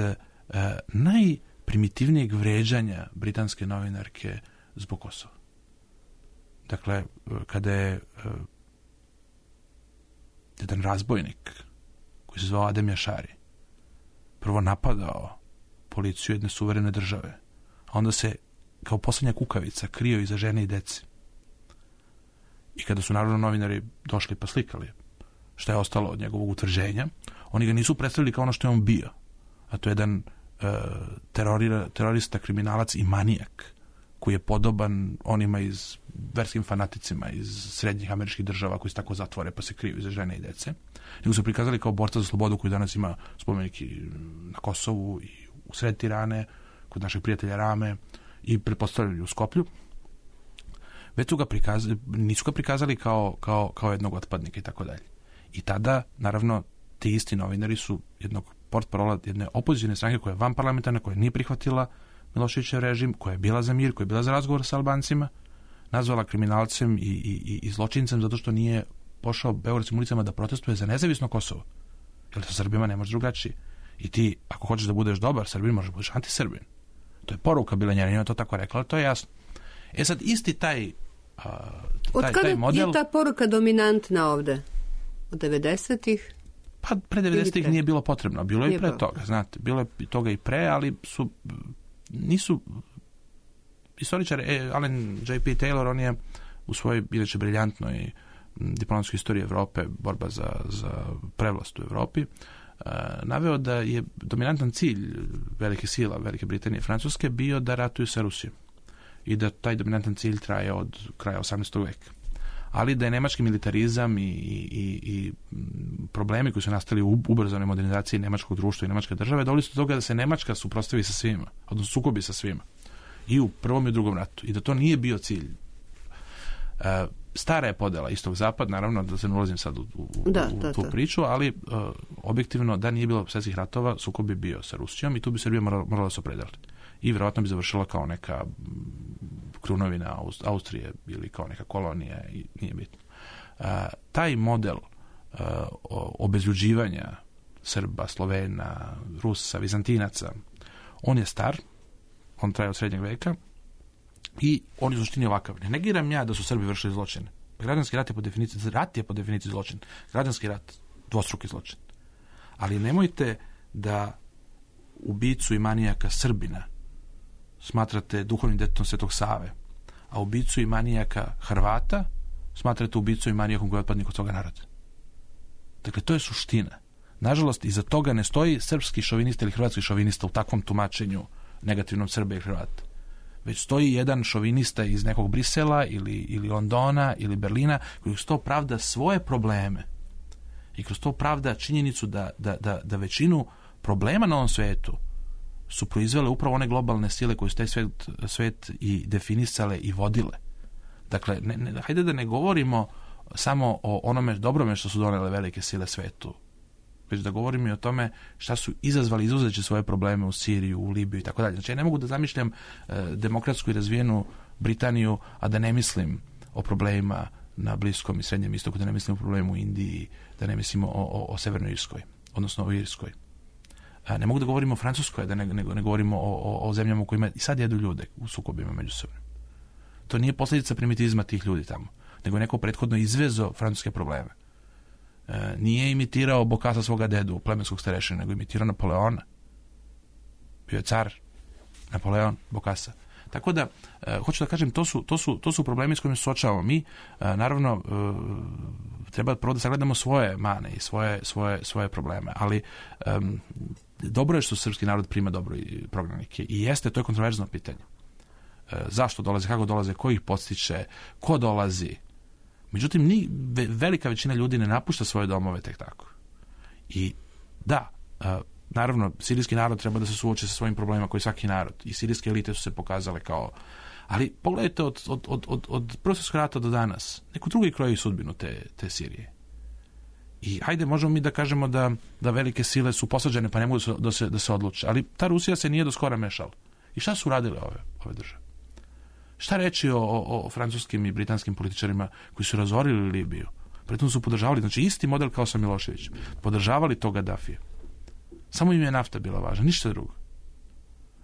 najprimitivnijeg vređanja britanske novinarke zbog Kosova. Dakle, kada je uh, jedan razbojnik koji se zvao Adem Jašari prvo napadao policiju jedne suverene države, a onda se kao posljednja kukavica krio iza žene i dece. I kada su naravno novinari došli pa slikali šta je ostalo od njegovog utvrđenja, oni ga nisu predstavili kao ono što je on bio, a to je jedan uh, terorira, terorista, kriminalac i manijak koji je podoban onima iz verskim fanaticima iz srednjih američkih država koji se tako zatvore pa se kriju iza žene i dece. Nego su prikazali kao borca za slobodu koji danas ima spomenik na Kosovu i u sred Tirane, kod našeg prijatelja Rame i pretpostavljaju u Skoplju. Već su ga prikazali, nisu ga prikazali kao, kao, kao jednog otpadnika i tako dalje. I tada, naravno, ti isti novinari su jednog portparola jedne opozicijne stranke koja je vanparlamentarna, koja nije prihvatila Miloševićev režim, koja je bila za mir, koja je bila za razgovor sa Albancima, nazvala kriminalcem i, i, i zločincem zato što nije pošao beogradskim ulicama da protestuje za nezavisno Kosovo. Jer sa Srbima ne može drugačije. I ti, ako hoćeš da budeš dobar Srbin, možeš da budeš antisrbin. To je poruka bila njena, njena to tako rekla, ali to je jasno. E sad, isti taj, uh, taj, taj model... Od kada je ta poruka dominantna ovde? Od devedesetih? Pa pre devedesetih nije bilo potrebno. Bilo je i pre toga, znate. Bilo je toga i pre, ali su... nisu historičar eh, Alan J P Taylor, on je u svojoj inače briljantnoj diplomatskoj istoriji Evrope, borba za, za prevlast u Evropi, eh, naveo da je dominantan cilj velike sila Velike Britanije i Francuske bio da ratuju sa Rusijom i da taj dominantan cilj traje od kraja osamnaestog veka. Ali da je nemački militarizam i, i, i problemi koji su nastali u ubrzanoj modernizaciji nemačkog društva i nemačke države doveli su do toga da se Nemačka suprotstavi sa svima, odnosno sukobi sa svima. I u prvom i u drugom ratu. I da to nije bio cilj. E, stara je podela istog-zapad, naravno da se ne ulazim sad u, u, da, u da, tu da. priču, ali e, objektivno da nije bilo svjetskih ratova, sukob bi bio sa Rusijom i tu bi Srbija morala, morala se opredjeliti. I vjerojatno bi završila kao neka krunovina Austrije ili kao neka kolonija i nije bitno. E, taj model e, obezljuđivanja Srba, Slovena, Rusa, Vizantinaca, on je star, on traje od srednjeg veka i on je u suštini ovakav. Ne negiram ja da su Srbi vršili zločine. Građanski rat je po definiciji, rat je po definiciji zločin. Građanski rat, dvostruki zločin. Ali nemojte da ubicu i manijaka Srbina smatrate duhovnim detetom Svetog Save, a ubicu i manijaka Hrvata smatrate ubicu i manijakom koji je otpadnik od toga naroda. Dakle, to je suština. Nažalost, iza toga ne stoji srpski šovinista ili hrvatski šovinista u takvom tumačenju negativnom Srba i Hrvata. Već stoji jedan šovinista iz nekog Brisela ili, ili Londona ili Berlina koji kroz to pravda svoje probleme i kroz to pravda činjenicu da, da, da, da većinu problema na ovom svetu su proizvele upravo one globalne sile koje su taj svet, svet i definisale i vodile. Dakle, ne, ne, hajde da ne govorimo samo o onome dobrome što su donele velike sile svetu, već da govorim i o tome šta su izazvali izuzeći svoje probleme u Siriju, u Libiju i tako dalje. Znači, ja ne mogu da zamišljam e, demokratsku i razvijenu Britaniju, a da ne mislim o problemima na Bliskom i Srednjem istoku, da ne mislim o problemu u Indiji, da ne mislim o, o, o Severnoj Irskoj, odnosno o Irskoj. A ne mogu da govorim o Francuskoj, da ne, ne, ne govorimo o, o, o zemljama u kojima i sad jedu ljude u sukobima međusobno. To nije posljedica primitivizma tih ljudi tamo, nego neko prethodno izvezo francuske probleme. E, nije imitirao Bokassa svoga dedu, plemenskog starešina, nego imitirao Napoleona. Bio je car Napoleon Bokassa. Tako da, e, hoću da kažem, to su, to su, to su problemi s kojima se suočavamo. Mi, e, naravno, e, treba prvo da sagledamo svoje mane i svoje, svoje, svoje probleme, ali e, dobro je što srpski narod prima dobro i prognanike. I jeste, to je kontroverzno pitanje. E, zašto dolaze, kako dolaze, ko ih podstiče, ko dolazi. Međutim, ni, velika većina ljudi ne napušta svoje domove tek tako. I da, e, naravno, sirijski narod treba da se suoči sa svojim problemima koji svaki narod. I sirijske elite su se pokazale kao... Ali pogledajte od, od, od, od, od Prvog svjetskog rata do danas. Neko drugi kroji sudbinu te, te Sirije. I hajde, možemo mi da kažemo da, da velike sile su posađene pa ne mogu da se, da se odluče. Ali ta Rusija se nije do skora mešala. I šta su radile ove, ove države? Šta reći o, o, o francuskim i britanskim političarima koji su razorili Libiju? Pritom su podržavali, znači isti model kao sa Miloševićem. Podržavali to Gaddafija. Samo im je nafta bila važna, ništa drugo.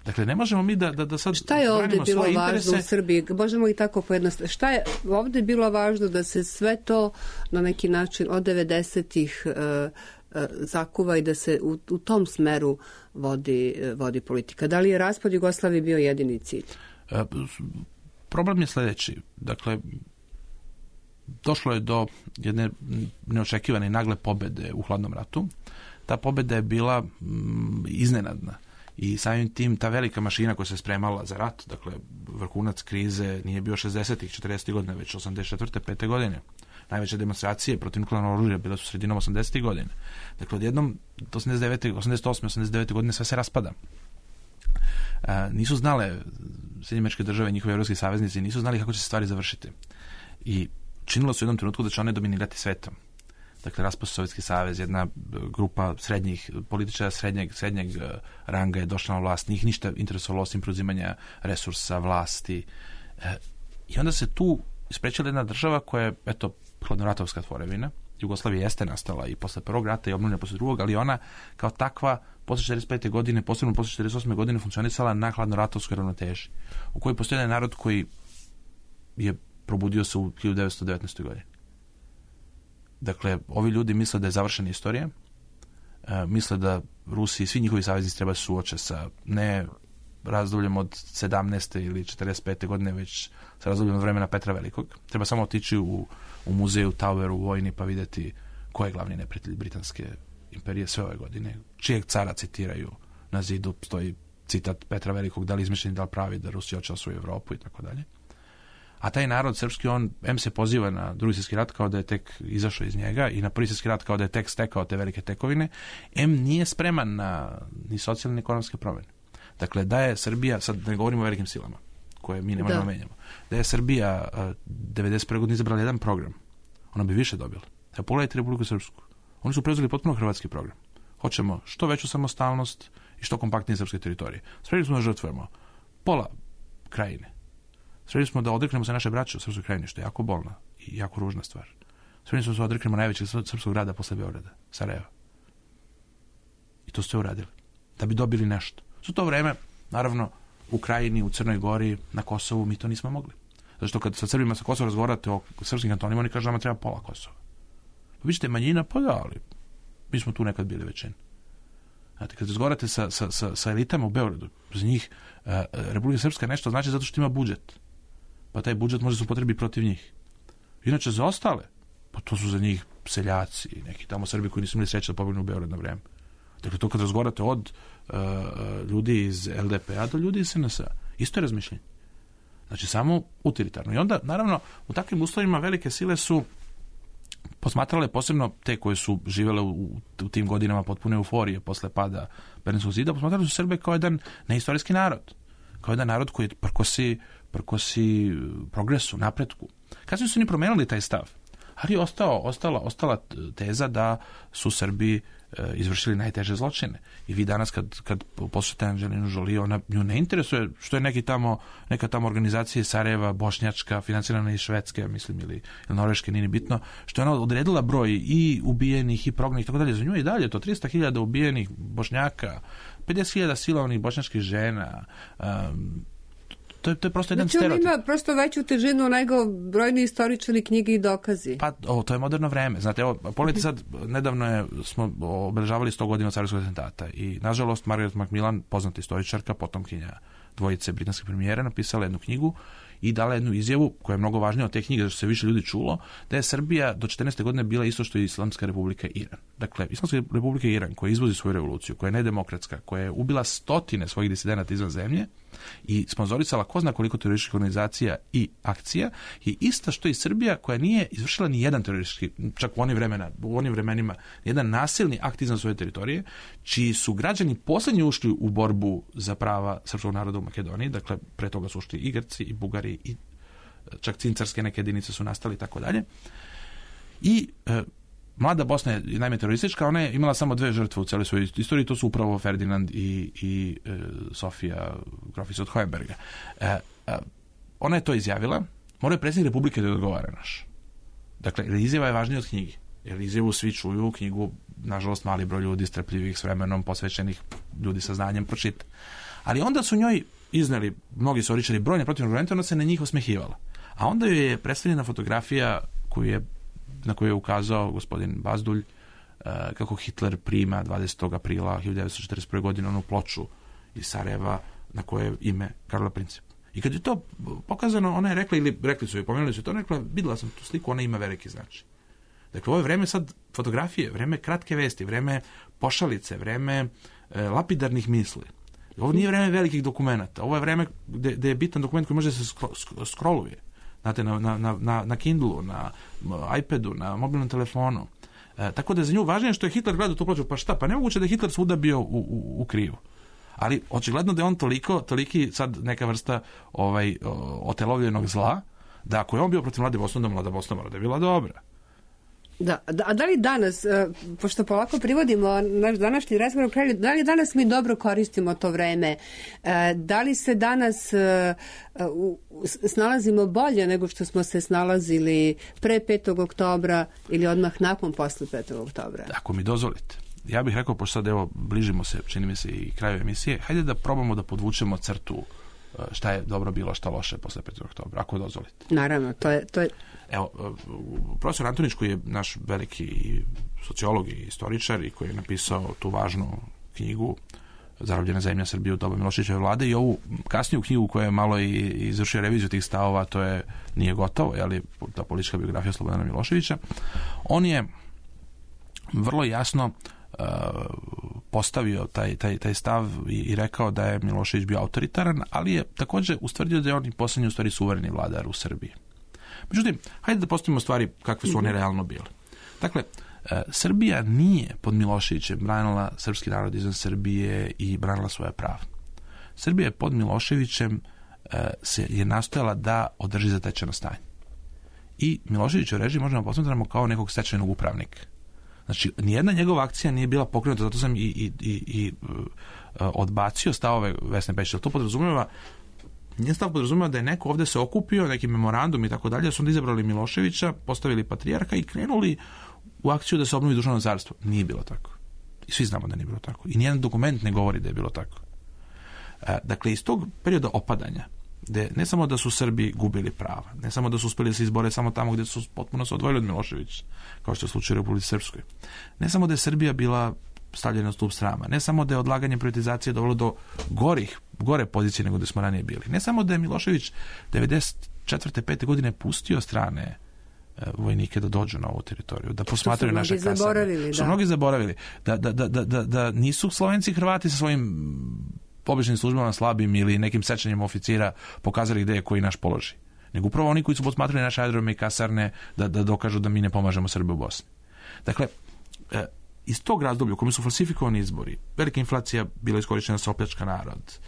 Dakle, ne možemo mi da, da, da sad... Šta je ovdje bilo važno interese... u Srbiji? Možemo i tako pojednostaviti. Šta je ovdje bilo važno da se sve to na neki način od devedesetih uh, uh, zakuva i da se u, u tom smeru vodi, uh, vodi politika? Da li je raspad Jugoslavije bio jedini cilj? Uh, problem je sljedeći. Dakle, došlo je do jedne neočekivane i nagle pobede u hladnom ratu. Ta pobjeda je bila mm, iznenadna i samim tim ta velika mašina koja se spremala za rat, dakle vrhunac krize nije bio šezdesetih, četrdesetih godine, već osamdeset četvrte pete godine. Najveće demonstracije protiv nuklearnog oružja bile su sredinom osamdesetih godine. Dakle, odjednom do osamdeset devete, osamdeset osme, osamdeset devete godine sve se raspada. A, nisu znale Sjedinjene Američke Države i njihovi evropski saveznici, nisu znali kako će se stvari završiti. I činilo se u jednom trenutku da će one dominirati svetom. Dakle, raspao se Sovjetski savez, jedna grupa srednjih političara srednjeg, srednjeg ranga je došla na vlast, njih ništa interesovalo osim preuzimanja resursa, vlasti. E, I onda se tu isprečila jedna država koja je, eto, hladnoratovska tvorevina. Jugoslavija jeste nastala i posle prvog rata i obnovljena posle drugog, ali ona kao takva posle četrdeset pete godine, posebno posle četrdeset osme godine funkcionisala na hladnoratovskoj ravnoteži, u kojoj postoji jedan narod koji je probudio se u hiljadu devetsto devetnaestoj godini. Dakle, ovi ljudi misle da je završena istorija, e, misle da Rusi i svi njihovi saveznici treba se suoče sa ne razdobljem od sedamnaeste ili četrdeset pete godine, već sa razdobljem od vremena Petra Velikog. Treba samo otići u, u muzeju Toweru u vojni pa vidjeti ko je glavni neprijatelj Britanske imperije sve ove godine. Čijeg cara citiraju na zidu, stoji citat Petra Velikog, da li izmišljeni, da li pravi, da Rusija hoće osvoji Evropu i tako dalje. A taj narod srpski, on em se poziva na Drugi svjetski rat kao da je tek izašao iz njega i na Prvi svjetski rat kao da je tek stekao te velike tekovine, em nije spreman na ni socijalne ni ekonomske promjene. Dakle, da je Srbija, sad ne govorimo o velikim silama, koje mi ne možemo menjamo. Da je Srbija devedeset prve godine izabrala jedan program, ona bi više dobila. Evo, pogledajte Republiku Srpsku. Oni su preuzeli potpuno hrvatski program. Hoćemo što veću samostalnost i što kompaktnije srpske teritorije. Spremni smo da žrtvujemo pola krajine. Spremni smo da odreknemo se naše braće u srpskoj krajini, što je jako bolna i jako ružna stvar. Spremni smo da odreknemo najvećeg srpskog grada posle Beograda, Sarajeva. I to ste uradili. Da bi dobili nešto. Za to vreme, naravno, u Krajini, u Crnoj Gori, na Kosovu, mi to nismo mogli. Zato što kad sa Srbima sa Kosova razgovarate o srpskim kantonima, oni kažu da nama treba pola Kosova. Pa vi ćete manjina, pa da, ali mi smo tu nekad bili većina. Znate, kad razgovarate sa, sa, sa, sa elitama u Beogradu, za njih uh, Republika Srpska nešto znači zato što ima budžet. Pa taj budžet može se upotrebiti protiv njih. Inače, za ostale, pa to su za njih seljaci, neki tamo Srbi koji nisu imali sreće da pobegnu u Beograd na vreme. Dakle, to kad razgovarate od uh, ljudi iz el de pe a do ljudi iz es en es a, isto je razmišljenje. Znači, samo utilitarno. I onda, naravno, u takvim uslovima velike sile su posmatrale posebno te koje su živele u, u tim godinama potpune euforije posle pada Berlinskog zida, posmatrali su Srbe kao jedan neistorijski narod. Kao jedan narod koji prkosi, prkosi progresu, napretku. Kasnije su oni promenili taj stav. Ali je ostao, ostala, ostala teza da su Srbi e, izvršili najteže zločine. I vi danas kad, kad poslušate Angelinu Jolie, ona nju ne interesuje što je neki tamo, neka tamo organizacija iz Sarajeva, bošnjačka, financirana iz Švedske, mislim, ili, ili Norveške, nije bitno, što je ona odredila broj i ubijenih i prognanih i tako dalje. Za nju je i dalje to tristo hiljada ubijenih Bošnjaka, pedeset hiljada silovanih bošnjačkih žena, um, To je, to je prosto jedan znači, stereotip. Znači on ima prosto veću težinu nego brojni istoričari, knjige i dokazi. Pa ovo, to je moderno vreme. Znate, evo, pogledajte sad, nedavno je, smo obeležavali sto godina carskog atentata i, nažalost, Margaret Macmillan, poznata istoričarka, potomkinja dvojice britanskih premijera, napisala jednu knjigu i dala jednu izjavu koja je mnogo važnija od te knjige, zato što se više ljudi čulo, da je Srbija do četrnaeste godine bila isto što i Islamska republika Iran. Dakle, Islamska republika Iran, koja izvozi svoju revoluciju, koja je nedemokratska, koja je ubila stotine svojih disidenata izvan zemlje i sponzorisala ko zna koliko terorističkih organizacija i akcija, je ista što i Srbija, koja nije izvršila ni jedan teroristički, čak u onim vremena, u onim vremenima, jedan nasilni akt izvan svoje teritorije, čiji su građani poslednji ušli u borbu za prava srpskog naroda u Makedoniji, dakle, pre toga su ušli i Grci, i Bugari, i čak cincarske neke jedinice su nastali i tako dalje. I e, mlada Bosna je najme teroristička, ona je imala samo dve žrtve u celoj svojoj istoriji, to su upravo Ferdinand i, i e, Sofija Grofica od Hohenberga. E, e, ona je to izjavila, mora je predsjednik Republike da odgovara naš. Dakle, izjava je važnija od knjige. Jer izjavu svi čuju, knjigu, nažalost, mali broj ljudi strpljivih s vremenom, posvećenih ljudi sa znanjem pročita. Ali onda su njoj izneli mnogi istoričari brojne protivne argumente, ona se na njih osmehivala. A onda joj je predstavljena fotografija koju je, na koju je ukazao gospodin Bazdulj, uh, kako Hitler prima dvadesetog aprila hiljadu devetsto četrdeset prve. godine onu ploču iz Sarajeva na koje je ime Karla Princip. I kad je to pokazano, ona je rekla, ili rekli su joj, pomenuli su to, ona je rekla, videla sam tu sliku, ona ima veliki značaj. Dakle, ovo je vreme sad fotografije, vreme kratke vesti, vreme pošalice, vreme e, lapidarnih misli. Ovo nije vreme velikih dokumenta. Ovo je vreme gde, gde je bitan dokument koji može da se skro, scrolluje. Znate, na, na, na, na Kindlu, na iPadu, na mobilnom telefonu. E, tako da je za nju važnije što je Hitler gledao tu ploču. Pa šta? Pa nemoguće da je Hitler svuda bio u, u, u krivu. Ali očigledno da je on toliko, toliki sad neka vrsta ovaj, otelovljenog zla, da ako je on bio protiv Mlade Bosne, onda Mlada Bosna mora da je bila dobra. Da, da, a da li danas, pošto polako privodimo naš današnji razgovor u kraju, da li danas mi dobro koristimo to vreme? Da li se danas snalazimo bolje nego što smo se snalazili pre petog oktobra ili odmah nakon posle petog oktobra? Ako mi dozvolite. Ja bih rekao, pošto sad evo bližimo se, čini mi se i kraju emisije, hajde da probamo da podvučemo crtu šta je dobro bilo, šta loše posle petog oktobra, ako dozvolite. Naravno, to je... To je... Evo, profesor Antonić, koji je naš veliki sociolog i istoričar i koji je napisao tu važnu knjigu Zarobljena zemlja Srbije u doba Miloševićeve vlade i ovu kasniju knjigu koja je malo i izvršio reviziju tih stavova, to je Nije gotovo, jeli, ta politička biografija Slobodana Miloševića, on je vrlo jasno uh, postavio taj, taj, taj stav i, i rekao da je Milošević bio autoritaran, ali je također ustvrdio da je on i poslednji u stvari suvereni vladar u Srbiji. Međutim, hajde da postavimo stvari kakve su one realno bile. Dakle, e, Srbija nije pod Miloševićem branila srpski narod izvan Srbije i branila svoja prava. Srbija je pod Miloševićem se je nastojala da održi zatečeno stanje. I Miloševićev režim možemo posmatramo kao nekog stečajnog upravnika. Znači, nijedna njegova akcija nije bila pokrenuta, zato sam i, i, i, i odbacio stavove Vesne Pešić. To podrazumijeva, njen stav podrazumijeva da je neko ovdje se okupio, neki memorandum i tako dalje, su onda izabrali Miloševića, postavili patrijarha i krenuli u akciju da se obnovi duševno carstvo. Nije bilo tako. I svi znamo da nije bilo tako. I nijedan dokument ne govori da je bilo tako. Dakle, iz tog perioda opadanja, gde ne samo da su Srbi gubili prava, ne samo da su uspjeli da se izbore samo tamo gdje su potpuno se odvojili od Miloševića, kao što je slučaj u Republici Srpskoj. Ne samo da je Srbija bila stavljena na stup srama, ne samo da je odlaganje privatizacije dovelo do gorih, gore pozicije nego da smo ranije bili. Ne samo da je Milošević devedeset četvrte pete godine pustio strane vojnike da dođu na ovu teritoriju, da posmatraju naše kasarne. Što mnogi zaboravili. Da, da, da, da, da nisu Slovenci i Hrvati sa svojim običnim službama slabim ili nekim sečanjem oficira pokazali gde je koji naš položaj. Nego upravo oni koji su posmatrali naše aerodrome i kasarne da, da dokažu da mi ne pomažemo Srbe u Bosni. Dakle, iz tog razdoblja u kojem su falsifikovani izbori, velika inflacija bila iskorištena sa opljačka narod,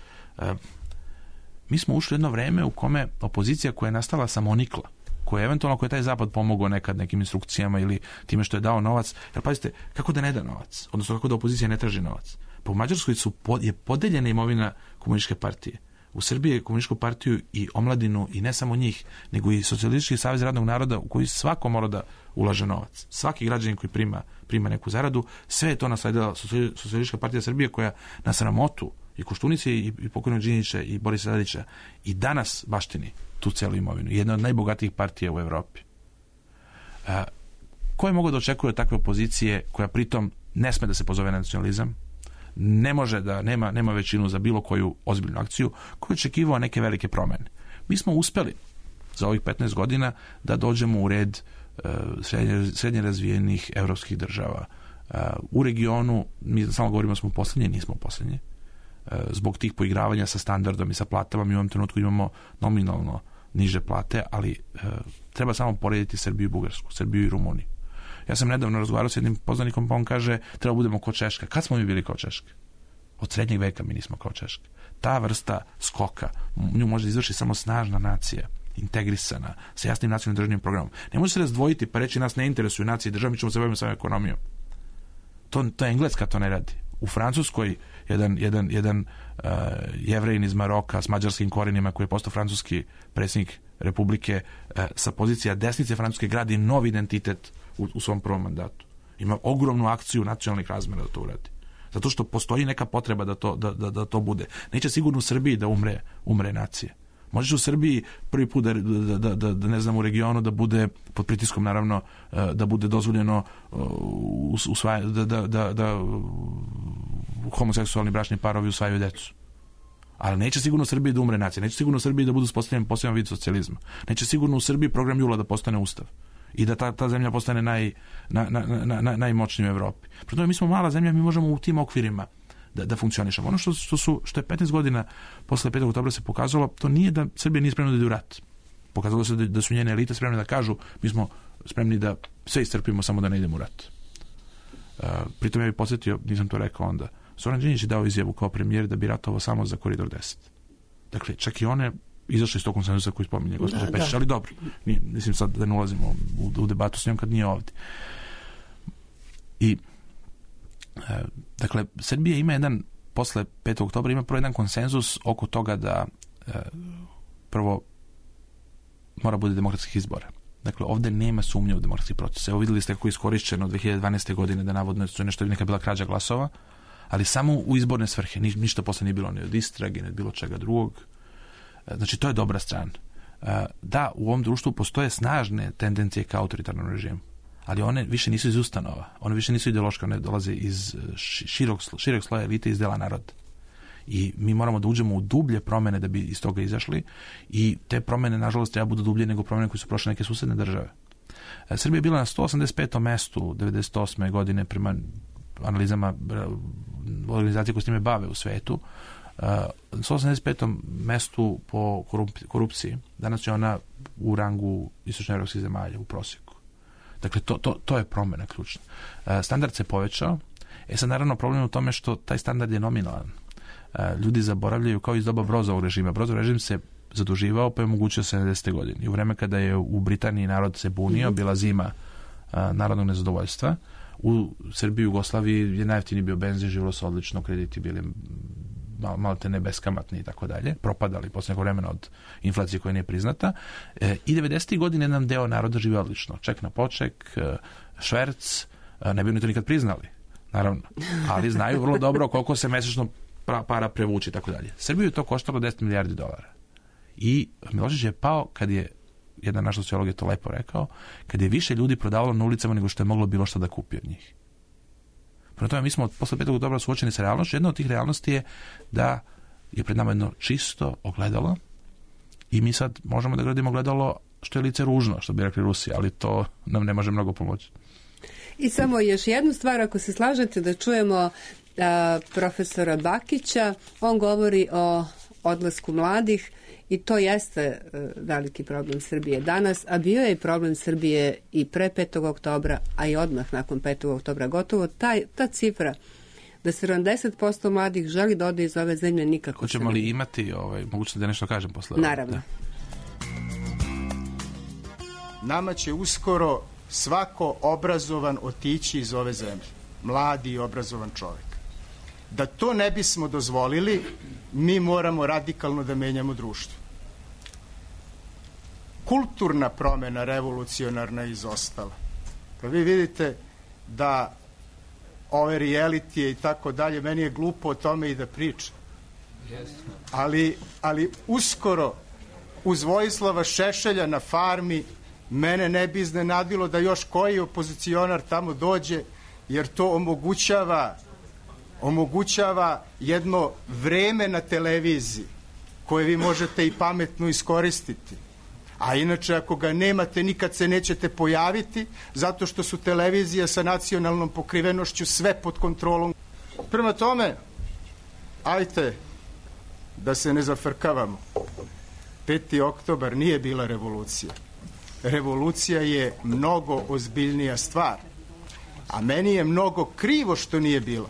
mi smo ušli jedno vreme u kome opozicija koja je nastala samonikla, koja je eventualno, koja je taj zapad pomogao nekad nekim instrukcijama ili time što je dao novac, jer pazite, kako da ne da novac? Odnosno, kako da opozicija ne traži novac? Pa u Mađarskoj su pod, je podeljena imovina komunističke partije. U Srbiji je komunističku partiju i omladinu, i ne samo njih, nego i Socijalistički savez radnog naroda u koji svako mora da ulaže novac. Svaki građanin koji prima, prima neku zaradu, sve je to nasledila Socijalistička partija Srbije koja na sramotu i Koštunice i, i pokojnog Đinđića i Borisa Tadića i danas baštini tu celu imovinu. Jedna od najbogatijih partija u Evropi. A, ko je mogao da očekuje od takve opozicije koja pritom ne sme da se pozove nacionalizam, ne može da nema, nema većinu za bilo koju ozbiljnu akciju, koji je očekivao neke velike promene. Mi smo uspeli za ovih petnaest godina da dođemo u red uh, srednje, srednje razvijenih evropskih država. Uh, u regionu, mi samo govorimo smo posljednje, nismo posljednje. Uh, zbog tih poigravanja sa standardom i sa platama, mi u ovom trenutku imamo nominalno niže plate, ali uh, treba samo porediti Srbiju i Bugarsku, Srbiju i Rumuniju. Ja sam nedavno razgovarao s jednim poznanikom, pa on kaže, treba budemo kao Češka. Kad smo mi bili kao Češka? Od srednjeg veka mi nismo kao Češka. Ta vrsta skoka, nju može izvršiti samo snažna nacija, integrisana, sa jasnim nacionalnim državnim programom. Ne može se razdvojiti pa reći nas ne interesuju nacije i države, mi ćemo se baviti samo ekonomijom. To, to je Engleska to ne radi. U Francuskoj jedan, jedan, jedan uh, jevrejin iz Maroka s mađarskim korenima koji je postao francuski predsjednik Republike uh, sa pozicija desnice Francuske gradi novi identitet u, u svom prvom mandatu. Ima ogromnu akciju nacionalnih razmera da to uradi. Zato što postoji neka potreba da to, da, da, da to bude. Neće sigurno u Srbiji da umre, umre nacije. Možeš u Srbiji prvi put da, da, da, da, da ne znam u regionu da bude pod pritiskom naravno da bude dozvoljeno usvaja, da, da, da, da homoseksualni bračni parovi usvajaju decu. Ali neće sigurno u Srbiji da umre nacija. Neće sigurno u Srbiji da budu uspostavljeni poseban vid socijalizma. Neće sigurno u Srbiji program Jula da postane ustav. I da ta, ta zemlja postane naj, na, na, na, na, najmoćnija u Evropi. Prema tome, mi smo mala zemlja, mi možemo u tim okvirima da, da funkcionišemo. Ono što, što, su, što je petnaest godina posle petog oktobra se pokazalo, to nije da Srbija nije spremna da ide u rat. Pokazalo se da, da su njene elite spremne da kažu, mi smo spremni da sve istrpimo samo da ne idemo u rat. Uh, pritom ja bih podsjetio, nisam to rekao onda, Zoran Đinđić je dao izjavu kao premijer da bi ratovao samo za koridor deset. Dakle, čak i one izašli iz tog konsenzusa koji spominje gospođa Pešić, ali dobro, nije, mislim sad da ne ulazimo u, u debatu s njom kad nije ovdje. I e, dakle, Srbija ima jedan, posle petog oktobra ima prvo jedan konsenzus oko toga da e, prvo mora bude demokratskih izbora. Dakle, ovdje nema sumnje u demokratski proces. Evo vidjeli ste kako je iskorišćeno dve hiljade dvanaeste. godine da navodno su nešto neka bila krađa glasova, ali samo u izborne svrhe. Ni, ništa posle nije bilo ni od istrage, ni od bilo čega drugog. Znači, to je dobra strana. Da, u ovom društvu postoje snažne tendencije ka autoritarnom režimu, ali one više nisu iz ustanova, one više nisu ideološke, one dolaze iz širog, širog sloja elite, iz dela naroda. I mi moramo da uđemo u dublje promene da bi iz toga izašli i te promene, nažalost, treba budu dublje nego promene koje su prošle neke susedne države. Srbija je bila na sto osamdeset petom mestu devedeset osme. godine prema analizama organizacije koje s time bave u svetu. na sto osamdeset petom mestu po korupciji. Danas je ona u rangu istočnoevropskih zemalja u prosjeku. Dakle, to, to, to je promjena ključna. Standard se povećao. E sad, naravno, problem je u tome što taj standard je nominalan. Ljudi zaboravljaju, kao iz doba Brozovog režima. Brozov režim se zaduživao, pa je omogućio sedamdesete godine. I u vreme kada je u Britaniji narod se bunio, bila zima a, narodnog nezadovoljstva, u Srbiji i Jugoslaviji je najjeftiniji bio benzin, živjelo se odlično, krediti bili mal, malo te ne beskamatni i tako dalje, propadali posle nekog vremena od inflacije koja nije priznata. E, I devedesetih godine jedan deo naroda živi odlično. Ček na poček, e, šverc, e, ne bi oni to nikad priznali, naravno, ali znaju vrlo dobro koliko se mesečno pra, para prevuči i tako dalje. Srbiju je to koštalo deset milijardi dolara. I Milošević je pao kad je, jedan naš sociolog je to lepo rekao, kad je više ljudi prodavalo na ulicama nego što je moglo bilo šta da kupi od njih. Prema tome, mi smo posle petog oktobra suočeni sa realnošću. Jedna od tih realnosti je da je pred nama jedno čisto ogledalo i mi sad možemo da gradimo ogledalo što je lice ružno, što bi rekli Rusi, ali to nam ne može mnogo pomoći. I samo još jednu stvar, ako se slažete, da čujemo a, profesora Bakića. On govori o odlasku mladih i to jeste uh, veliki problem Srbije danas, a bio je i problem Srbije i pre petog oktobra, a i odmah nakon petog oktobra. Gotovo taj, ta cifra da sedamdeset posto mladih želi da ode iz ove zemlje nikako. Hoćemo li imati ovaj, mogućnost da nešto kažem posle? Naravno. Da. Nama će uskoro svako obrazovan otići iz ove zemlje. Mladi i obrazovan čovjek. Da to ne bismo dozvolili, mi moramo radikalno da menjamo društvo. Kulturna promjena revolucionarna je izostala. Pa vi vidite da ove realitije i tako dalje, meni je glupo o tome i da pričam. Ali, ali uskoro uz Vojislava Šešelja na farmi mene ne bi iznenadilo da još koji opozicionar tamo dođe, jer to omogućava omogućava jedno vreme na televiziji koje vi možete i pametno iskoristiti. A inače, ako ga nemate, nikad se nećete pojaviti, zato što su televizije sa nacionalnom pokrivenošću sve pod kontrolom. Prema tome, ajte da se ne zafrkavamo. peti oktobar nije bila revolucija. Revolucija je mnogo ozbiljnija stvar. A meni je mnogo krivo što nije bila.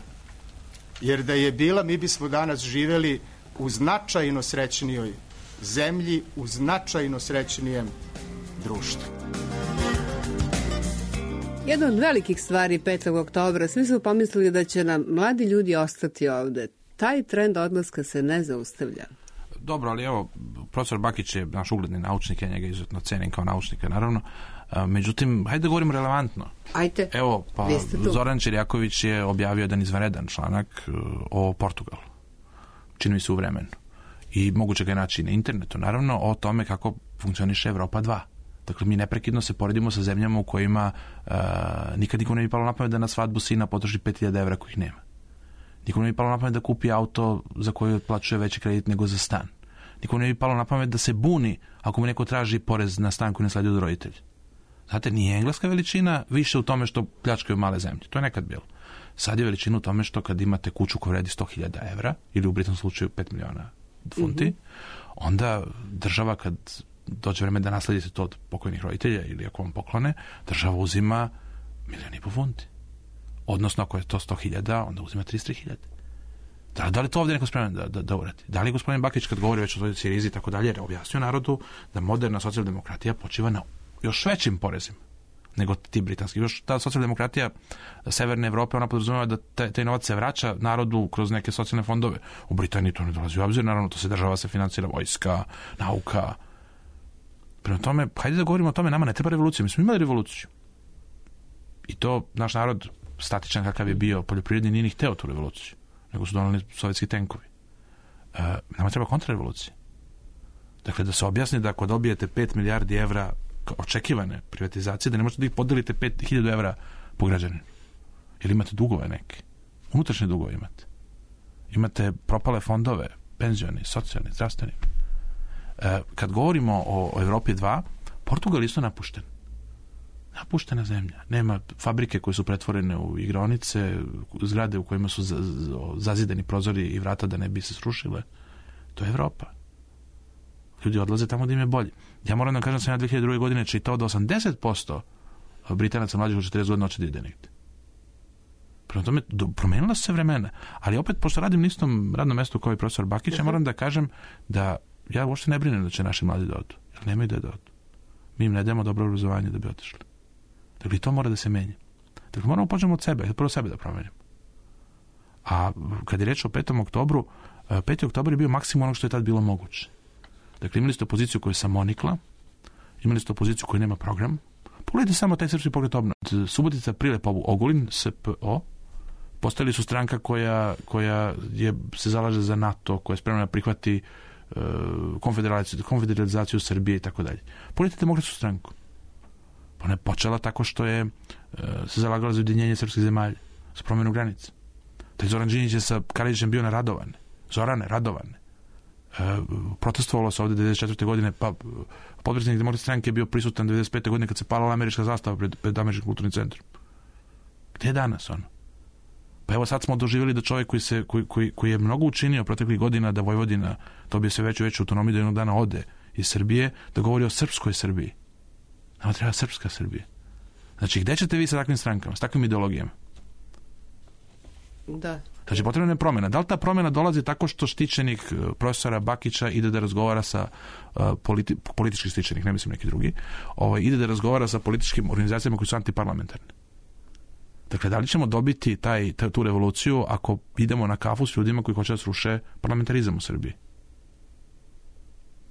Jer da je bila, mi bismo danas živeli u značajno srećnijoj zemlji, u značajno srećnijem društvu. Jedna od velikih stvari petog oktobra, svi su pomislili da će nam mladi ljudi ostati ovde. Taj trend odlaska se ne zaustavlja. Dobro, ali evo, profesor Bakić je naš ugledni naučnik, ja njega izuzetno cenim kao naučnika, naravno. A, međutim, hajde da govorimo relevantno. Ajde. Evo, pa Zoran Čirjaković je objavio jedan izvanredan članak uh, o Portugalu. Čini mi se u vremenu. I moguće ga je naći na internetu, naravno, o tome kako funkcioniše Evropa dva. Dakle, mi neprekidno se poredimo sa zemljama u kojima uh, nikad nikom ne bi palo na pamet da na svadbu sina potroši pet hiljada evra kojih nema. Nikom ne bi palo na pamet da kupi auto za koji otplaćuje veći kredit nego za stan. Nikom ne bi palo na pamet da se buni ako mu neko traži porez na stan koji ne sledi od roditelja. Znate, nije engleska veličina više u tome što pljačkaju male zemlje. To je nekad bilo. Sad je veličina u tome što kad imate kuću koja vredi sto hiljada evra ili u Britanskom slučaju pet miliona funti, mm-hmm. onda država kad dođe vreme da nasledite to od pokojnih roditelja ili ako vam poklone, država uzima milijon i po funti. Odnosno, ako je to sto hiljada, onda uzima trideset hiljada. Da, da li to ovdje neko spreman da, da, da uradi? Da li gospodin Bakić, kad govori već o toj Sirizi i tako dalje, objasnio narodu da moderna socijaldemokratija počiva na još većim porezima nego ti britanski. Još ta socijaldemokratija Severne Evrope, ona podrazumeva da taj, taj novac se vraća narodu kroz neke socijalne fondove. U Britaniji to ne dolazi u obzir, naravno, to se država se financira, vojska, nauka. Prema tome, hajde da govorimo o tome, nama ne treba revolucija. Mi smo imali revoluciju. I to naš narod, statičan kakav je bio poljoprivredni, nije ni hteo tu revoluciju, nego su donali sovjetski tenkovi. E, nama treba kontrarevolucija. Dakle, da se objasni da ako dobijete pet milijardi evra očekivane privatizacije, da ne možete da ih podelite pet hiljada evra po građaninu. Ili imate dugove neke. Unutrašnje dugove imate. Imate propale fondove, penzioni, socijalni, zdravstveni. E, kad govorimo o, o Evropi dva, Portugal isto napušten. Napuštena zemlja. Nema fabrike koje su pretvorene u igraonice, zgrade u kojima su zazidani prozori i vrata da ne bi se srušile. To je Evropa. Ljudi odlaze tamo da im je bolje. Ja moram da kažem da sam ja dve hiljade druge godine čitao da osamdeset posto Britanaca mlađih od četrdeset godina hoće da ide negde. Prema tome, promenila su se vremena. Ali opet, pošto radim na istom radnom mestu kao i profesor Bakić, ja moram da kažem da ja uopšte ne brinem da će naši mladi da odu, jer nemaju da odu. Mi im ne dajemo dobro obrazovanje da bi otišli. Dakle, to mora da se menja. Dakle, moramo počnemo od sebe, prvo sebe da promenimo. A kad je reč o petom oktobru, peti oktobar je bio maksimum onog što je tad bilo moguće. Dakle, imali ste opoziciju koja je samonikla, imali ste opoziciju koja nema program. Pogledajte samo taj srpski pokret obnove. Subotica, Prilep, Ogulin, S P O, postali su stranka koja, koja je, se zalaže za NATO, koja je spremna da prihvati uh, konfederalizaciju, konfederalizaciju Srbije i tako dalje. Pogledajte demokratsku stranku. Ona je počela tako što je uh, se zalagala za ujedinjenje srpskih zemalja, za promjenu granica. Taj Zoran Đinđić je sa Karadžićem bio na Radovane. Zorane, Radovane. E, protestovalo se ovde devedeset četvrte godine, pa potpredsjednik demokratske stranke je bio prisutan devedeset pete godine kad se palala američka zastava pred, pred američkim kulturnim centrom. Gde je danas ono? Pa evo sad smo doživjeli da čovjek koji, se, koji, koji, koji je mnogo učinio proteklih godina da Vojvodina dobije sve veću veću autonomiju, da jednog dana ode iz Srbije, da govori o srpskoj Srbiji. Nama treba srpska Srbija. Znači, gde ćete vi sa takvim strankama, s takvim ideologijama? Da. Znači, potrebna je promjena. Da li ta promjena dolazi tako što štićenik profesora Bakića ide da razgovara sa uh, politi politički štićenik, ne mislim neki drugi, ovaj, ide da razgovara sa političkim organizacijama koji su antiparlamentarne? Dakle, da li ćemo dobiti taj, tu revoluciju ako idemo na kafu s ljudima koji hoće da sruše parlamentarizam u Srbiji?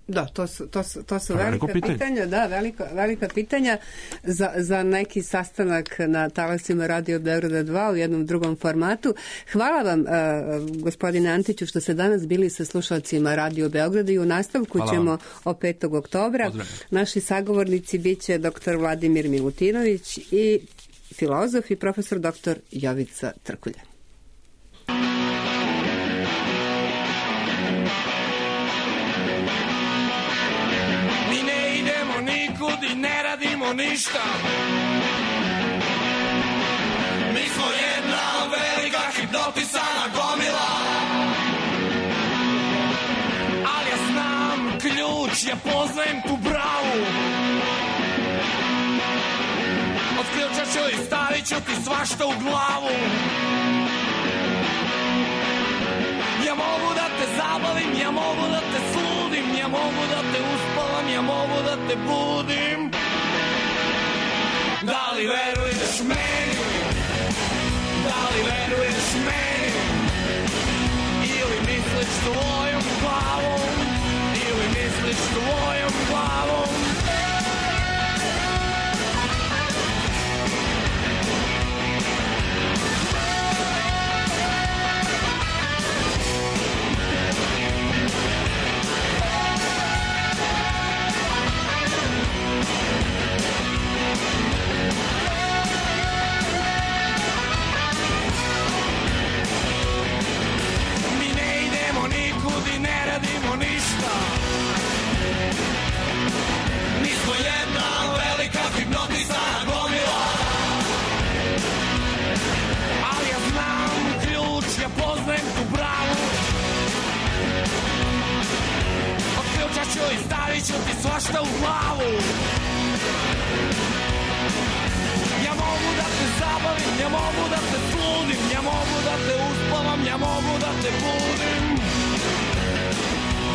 Da, to su, to su, to su velika pitanja. pitanja, da, velika, velika pitanja za, za neki sastanak na talasima Radio Beograda dva u jednom drugom formatu. Hvala vam, uh, gospodine Antiću, što ste danas bili sa slušalcima Radio Beograda i u nastavku Hvala ćemo vam. O petog oktobra. Pozdravim. Naši sagovornici biće doktor Vladimir Milutinović i filozof i profesor doktor Jovica Trkulja. I ne radimo ništa. Mi smo jedna velika hipnotisana gomila. Ali ja znam ključ, ja poznajem tu bravu. Od ključa ću i stavit ću ti svašta u glavu. Ja mogu da te zabavim, ja mogu da te sludim, ja mogu da te uspavam, ja mogu da te budim. Da li veruješ meni? Da li veruješ meni? Ili misliš tvojom glavom? Ili misliš tvojom glavom? I stavit ću ti svašta u glavu. Ja mogu da te zabavim, ja mogu da te sludim, ja mogu da te uspavam, ja mogu da te budim.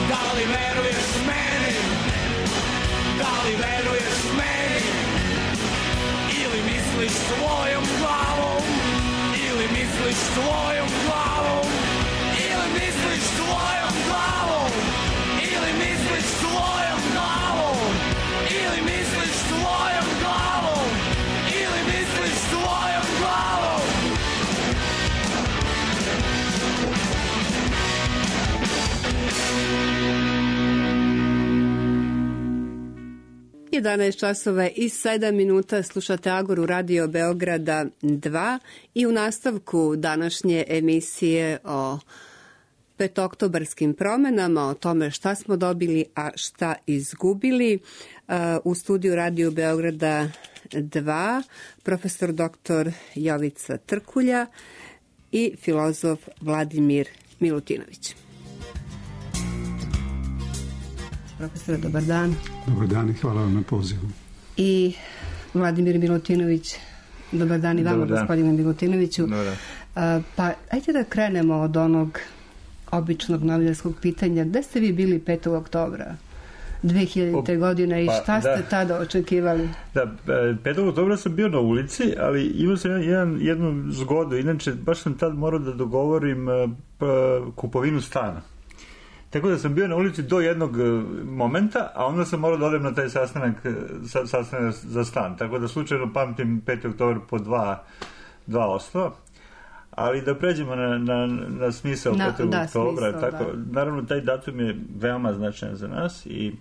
Da li veruješ meni? Da li veruješ meni? Ili misliš svojom glavom? Ili misliš svojom glavom? Ili misliš svojom glavom? Ili misliš svojom glavom? Ili misliš svojom glavom? Ili misliš svojom glavom? jedanaest časova i sedam minuta slušate Agoru Radio Beograda dva i u nastavku današnje emisije o petoktobarskim promenama, o tome šta smo dobili, a šta izgubili. U studiju Radio Beograda dva profesor doktor Jovica Trkulja i filozof Vladimir Milutinović. Profesore, dobar dan. Dobar dan i hvala vam na pozivu. I Vladimir Milutinović, dobar dan i vama, gospodine Milutinoviću. Dobar dan. Pa, ajde da krenemo od onog običnog novinarskog pitanja. Gde ste vi bili petog oktobra dve hiljadite. godine i pa, šta ste da. tada očekivali? Da, petog oktobra sam bio na ulici, ali imao sam jedan, jednu zgodu. Inače, baš sam tad morao da dogovorim pa, kupovinu stana. Tako da sam bio na ulici do jednog momenta, a onda sam morao da odem na taj sastanak, sastanak za stan. Tako da slučajno pamtim petog oktobra po dva, dva osnova. Ali da pređemo na, na, na smisao na, petog da, oktobra. Smisao, tako, da. Naravno, taj datum je veoma značajan za nas i,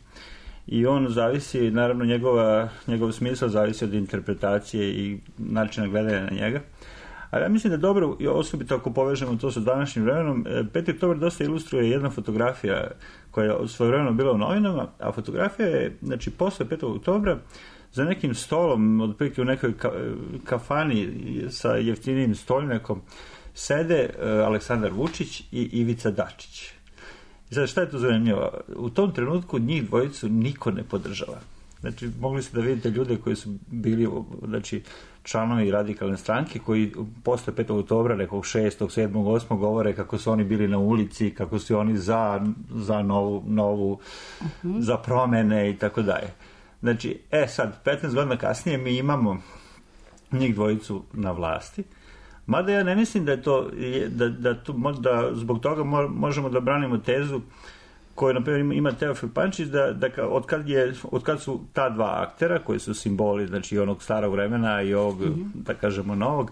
i on zavisi, naravno, njegova, njegov smisao zavisi od interpretacije i načina gledanja na njega. Ali ja mislim da dobro, osobito ako povežemo to sa današnjim vremenom, petog oktobra dosta ilustruje jedna fotografija koja je svojevremeno bila u novinama, a fotografija je, znači, posle petog oktobra za nekim stolom, otprilike u nekoj kafani sa jeftinijim stolnjakom, sede Aleksandar Vučić i Ivica Dačić. I sad, šta je to zanimljivo? U tom trenutku njih dvojicu niko ne podržava. Znači, mogli ste da vidite ljude koji su bili, znači, članovi radikalne stranke, koji posle petog oktobra, nekog šestog, sedmog, osmog govore kako su oni bili na ulici, kako su oni za, za novu, novu uh-huh. za promene i tako dalje. Znači, e sad, petnaest godina kasnije mi imamo njih dvojicu na vlasti, mada ja ne mislim da je to, da, da, to, da zbog toga možemo da branimo tezu koju, na primjer, ima Teofil Pančić, da, da od, kad je, od kad su ta dva aktera, koji su simboli, znači onog starog vremena i ovog, mm-hmm. da kažemo, novog,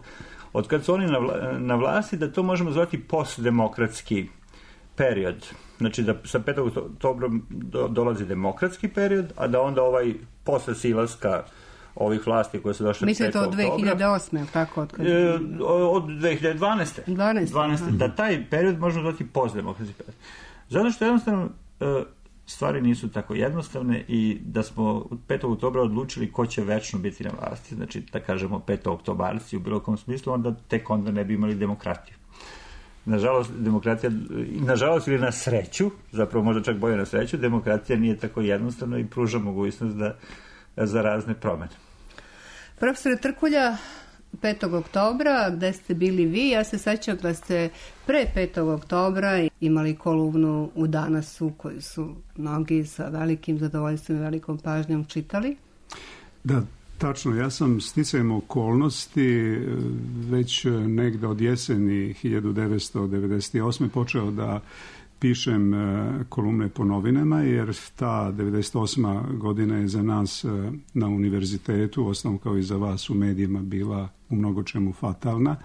od kad su oni na, vla, na vlasti, da to možemo zvati postdemokratski period. Znači da sa petog oktobra do, dolazi demokratski period, a da onda ovaj posle silaska ovih vlasti koje su došle Mislite petog oktobra. Mislite od dve hiljade osme, tako? Od, kad... e, od dve hiljade dvanaeste. dvanaeste. dvanaeste. Da taj period možemo zvati postdemokratski period. Zato što jednostavno stvari nisu tako jednostavne i da smo od petog oktobra odlučili ko će večno biti na vlasti, znači da kažemo petooktobarci u bilo kom smislu, onda tek onda ne bi imali demokratiju. Nažalost, demokratija, nažalost ili na sreću, zapravo možda čak bolje na sreću, demokratija nije tako jednostavna i pruža mogućnost da, za razne promene. Profesore Trkulja, petog oktobra, gde ste bili vi? Ja se sećam da ste pre petog oktobra imali kolumnu u Danasu koju su mnogi sa velikim zadovoljstvom i velikom pažnjom čitali. Da, tačno. Ja sam sticajem okolnosti već negde od jeseni hiljadu devetsto devedeset osme počeo da pišem kolumne po novinama, jer ta devedeset osma godina je za nas na univerzitetu, osnovno kao i za vas u medijima, bila u mnogo čemu fatalna,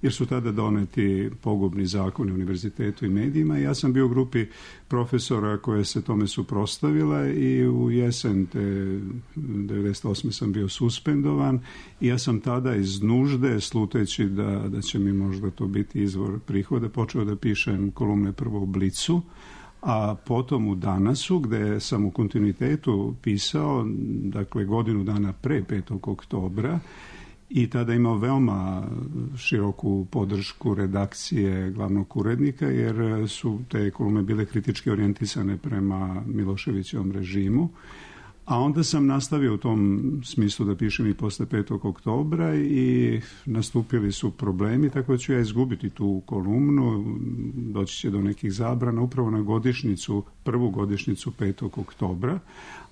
jer su tada doneti pogubni zakoni u univerzitetu i medijima. Ja sam bio u grupi profesora koje se tome suprotstavila i u jesen te devedeset osme sam bio suspendovan i ja sam tada iz nužde, sluteći da, da će mi možda to biti izvor prihoda, počeo da pišem kolumne prvo u Blicu, a potom u Danasu, gde sam u kontinuitetu pisao, dakle godinu dana pre petog oktobra, i tada imao veoma široku podršku redakcije glavnog urednika, jer su te kolumne bile kritički orijentisane prema Miloševićevom režimu. A onda sam nastavio u tom smislu da pišem i posle petog oktobra i nastupili su problemi, tako da ću ja izgubiti tu kolumnu, doći će do nekih zabrana upravo na godišnjicu, prvu godišnjicu petog oktobra.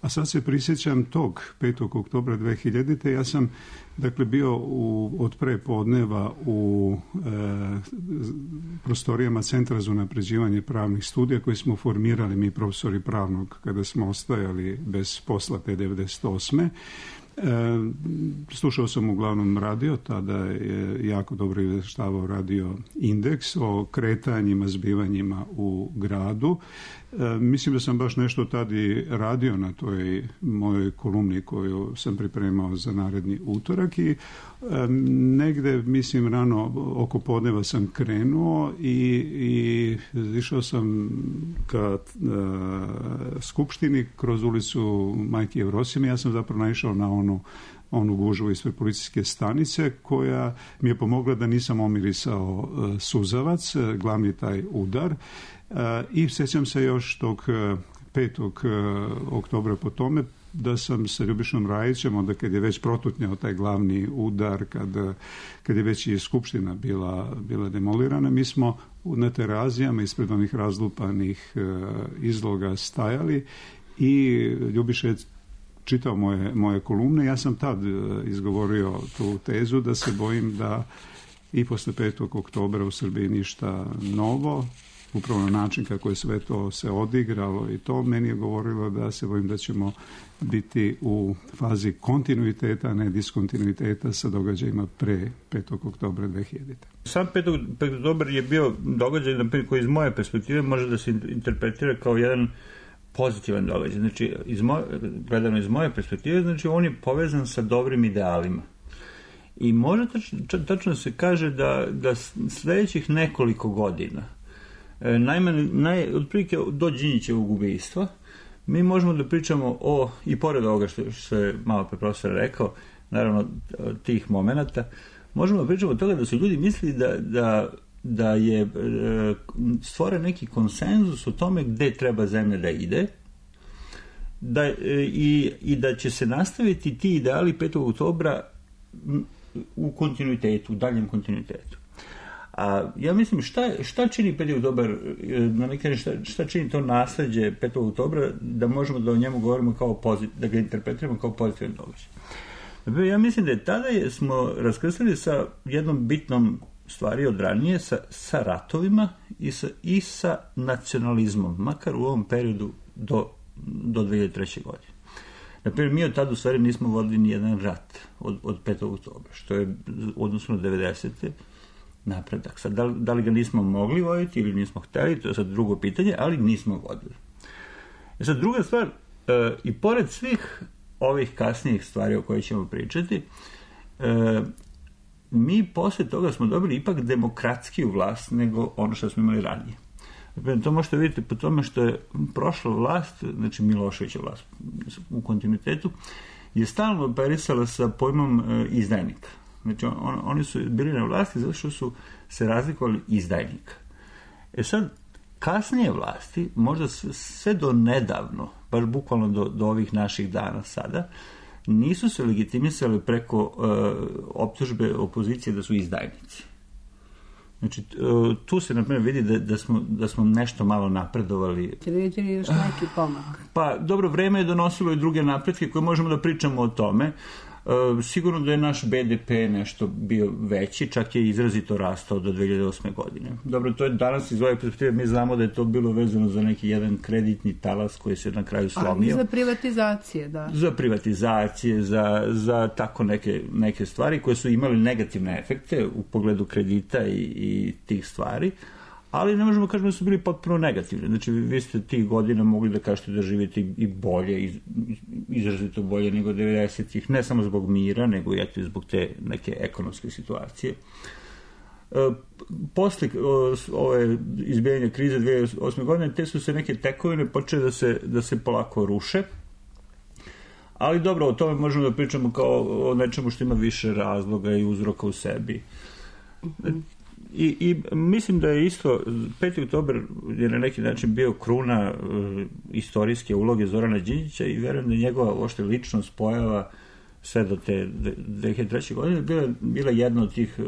A sad se prisjećam tog petog oktobra dve hiljadite. Ja sam, dakle, bio u, od pre podneva u e, prostorijama Centra za unapređivanje pravnih studija koje smo formirali mi profesori pravnog kada smo ostajali bez posla te devedeset osme. E, slušao sam uglavnom radio, tada je jako dobro izveštavao radio Indeks o kretanjima, zbivanjima u gradu. E, mislim da sam baš nešto tada i radio na toj mojoj kolumni koju sam pripremao za naredni utorak i e, negde, mislim, rano oko podneva sam krenuo i, i išao sam ka e, Skupštini kroz ulicu Majke Jevrosime. Ja sam zapravo naišao na onu onu gužvu ispred policijske stanice koja mi je pomogla da nisam omirisao e, suzavac, e, glavni taj udar. I sjećam se još tog petog oktobra po tome, da sam sa Ljubišom Rajićem, onda kad je već protutnjao taj glavni udar, kad, kad je već i Skupština bila, bila demolirana, mi smo na terazijama ispred onih razlupanih izloga stajali i Ljubiša je čitao moje, moje kolumne. Ja sam tad izgovorio tu tezu da se bojim da i posle petog oktobra u Srbiji ništa novo, upravo na način kako je sve to se odigralo i to meni je govorilo da se bojim da ćemo biti u fazi kontinuiteta, a ne diskontinuiteta sa događajima pre petog oktobra dve hiljadite. Sam petog oktobar je bio događaj koji iz moje perspektive može da se interpretira kao jedan pozitivan događaj. Znači, iz moje, gledano iz moje perspektive, znači on je povezan sa dobrim idealima. I može tačno, tačno se kaže da, da sledećih nekoliko godina, najmanje, naj, otprilike do Đinđićevog ubistva, mi možemo da pričamo o, i pored ovoga što, što je malo pre profesor rekao, naravno tih momenata, možemo da pričamo od toga da su ljudi mislili da, da, da je e, stvoren neki konsenzus o tome gde treba zemlja da ide, da, e, i, i da će se nastaviti ti ideali petog oktobra u kontinuitetu, u daljem kontinuitetu. A ja mislim šta, šta čini petog oktobra, na neki način šta, šta čini to nasleđe petog oktobra da možemo da o njemu govorimo kao pozit, da ga interpretiramo kao pozitivan događaj. Ja mislim da je tada je, smo raskrstili sa jednom bitnom stvari od ranije, sa, sa ratovima i sa, i sa nacionalizmom, makar u ovom periodu do, do dve hiljade treće. godine. Naprimjer, mi od tada u stvari nismo vodili ni jedan rat od, od petog oktobra, što je odnosno na devedesete napredak. Sad, da li, da li ga nismo mogli voditi ili nismo hteli, to je sad drugo pitanje, ali nismo vodili. E sad, druga stvar, e, i pored svih ovih kasnijih stvari o kojoj ćemo pričati, e, mi posle toga smo dobili ipak demokratskiju vlast nego ono što smo imali ranije. To možete vidjeti po tome što je prošla vlast, znači Miloševića vlast u kontinuitetu, je stalno operisala sa pojmom e, izdajnika. Znači on, oni su bili na vlasti zato što su se razlikovali izdajnika. E sad, kasnije vlasti, možda sve do nedavno, baš bukvalno do, do ovih naših dana sada, nisu se legitimisali preko uh, optužbe opozicije da su izdajnici. Znači, uh, tu se, na primjer, vidi da, da, smo, da smo nešto malo napredovali. Će vidjeti li još neki pomak? Pa, dobro, vreme je donosilo i druge napretke koje možemo da pričamo o tome. Uh, sigurno da je naš be de pe nešto bio veći, čak je izrazito rastao do dve hiljade osme. godine. Dobro, to je danas iz ove perspektive, mi znamo da je to bilo vezano za neki jedan kreditni talas koji se na kraju slomio. Ali za privatizacije, da. Za privatizacije, za, za tako neke, neke stvari koje su imali negativne efekte u pogledu kredita i, i tih stvari, ali ne možemo kažemo da su bili potpuno negativni. Znači, vi ste tih godina mogli da kažete da živite i bolje, izrazito bolje nego devedesetih, ne samo zbog mira, nego i eto zbog te neke ekonomske situacije. E, posle ove izbijanja krize dve hiljade osme. godine, te su se neke tekovine počele da se, da se polako ruše, ali dobro, o tome možemo da pričamo kao o nečemu što ima više razloga i uzroka u sebi. I, i mislim da je isto peti oktobar je na neki način bio kruna uh, istorijske uloge Zorana Đinđića i verujem da njegova ošte ličnost pojava sve do te dve hiljade treće. godine bila, bila jedna od tih uh,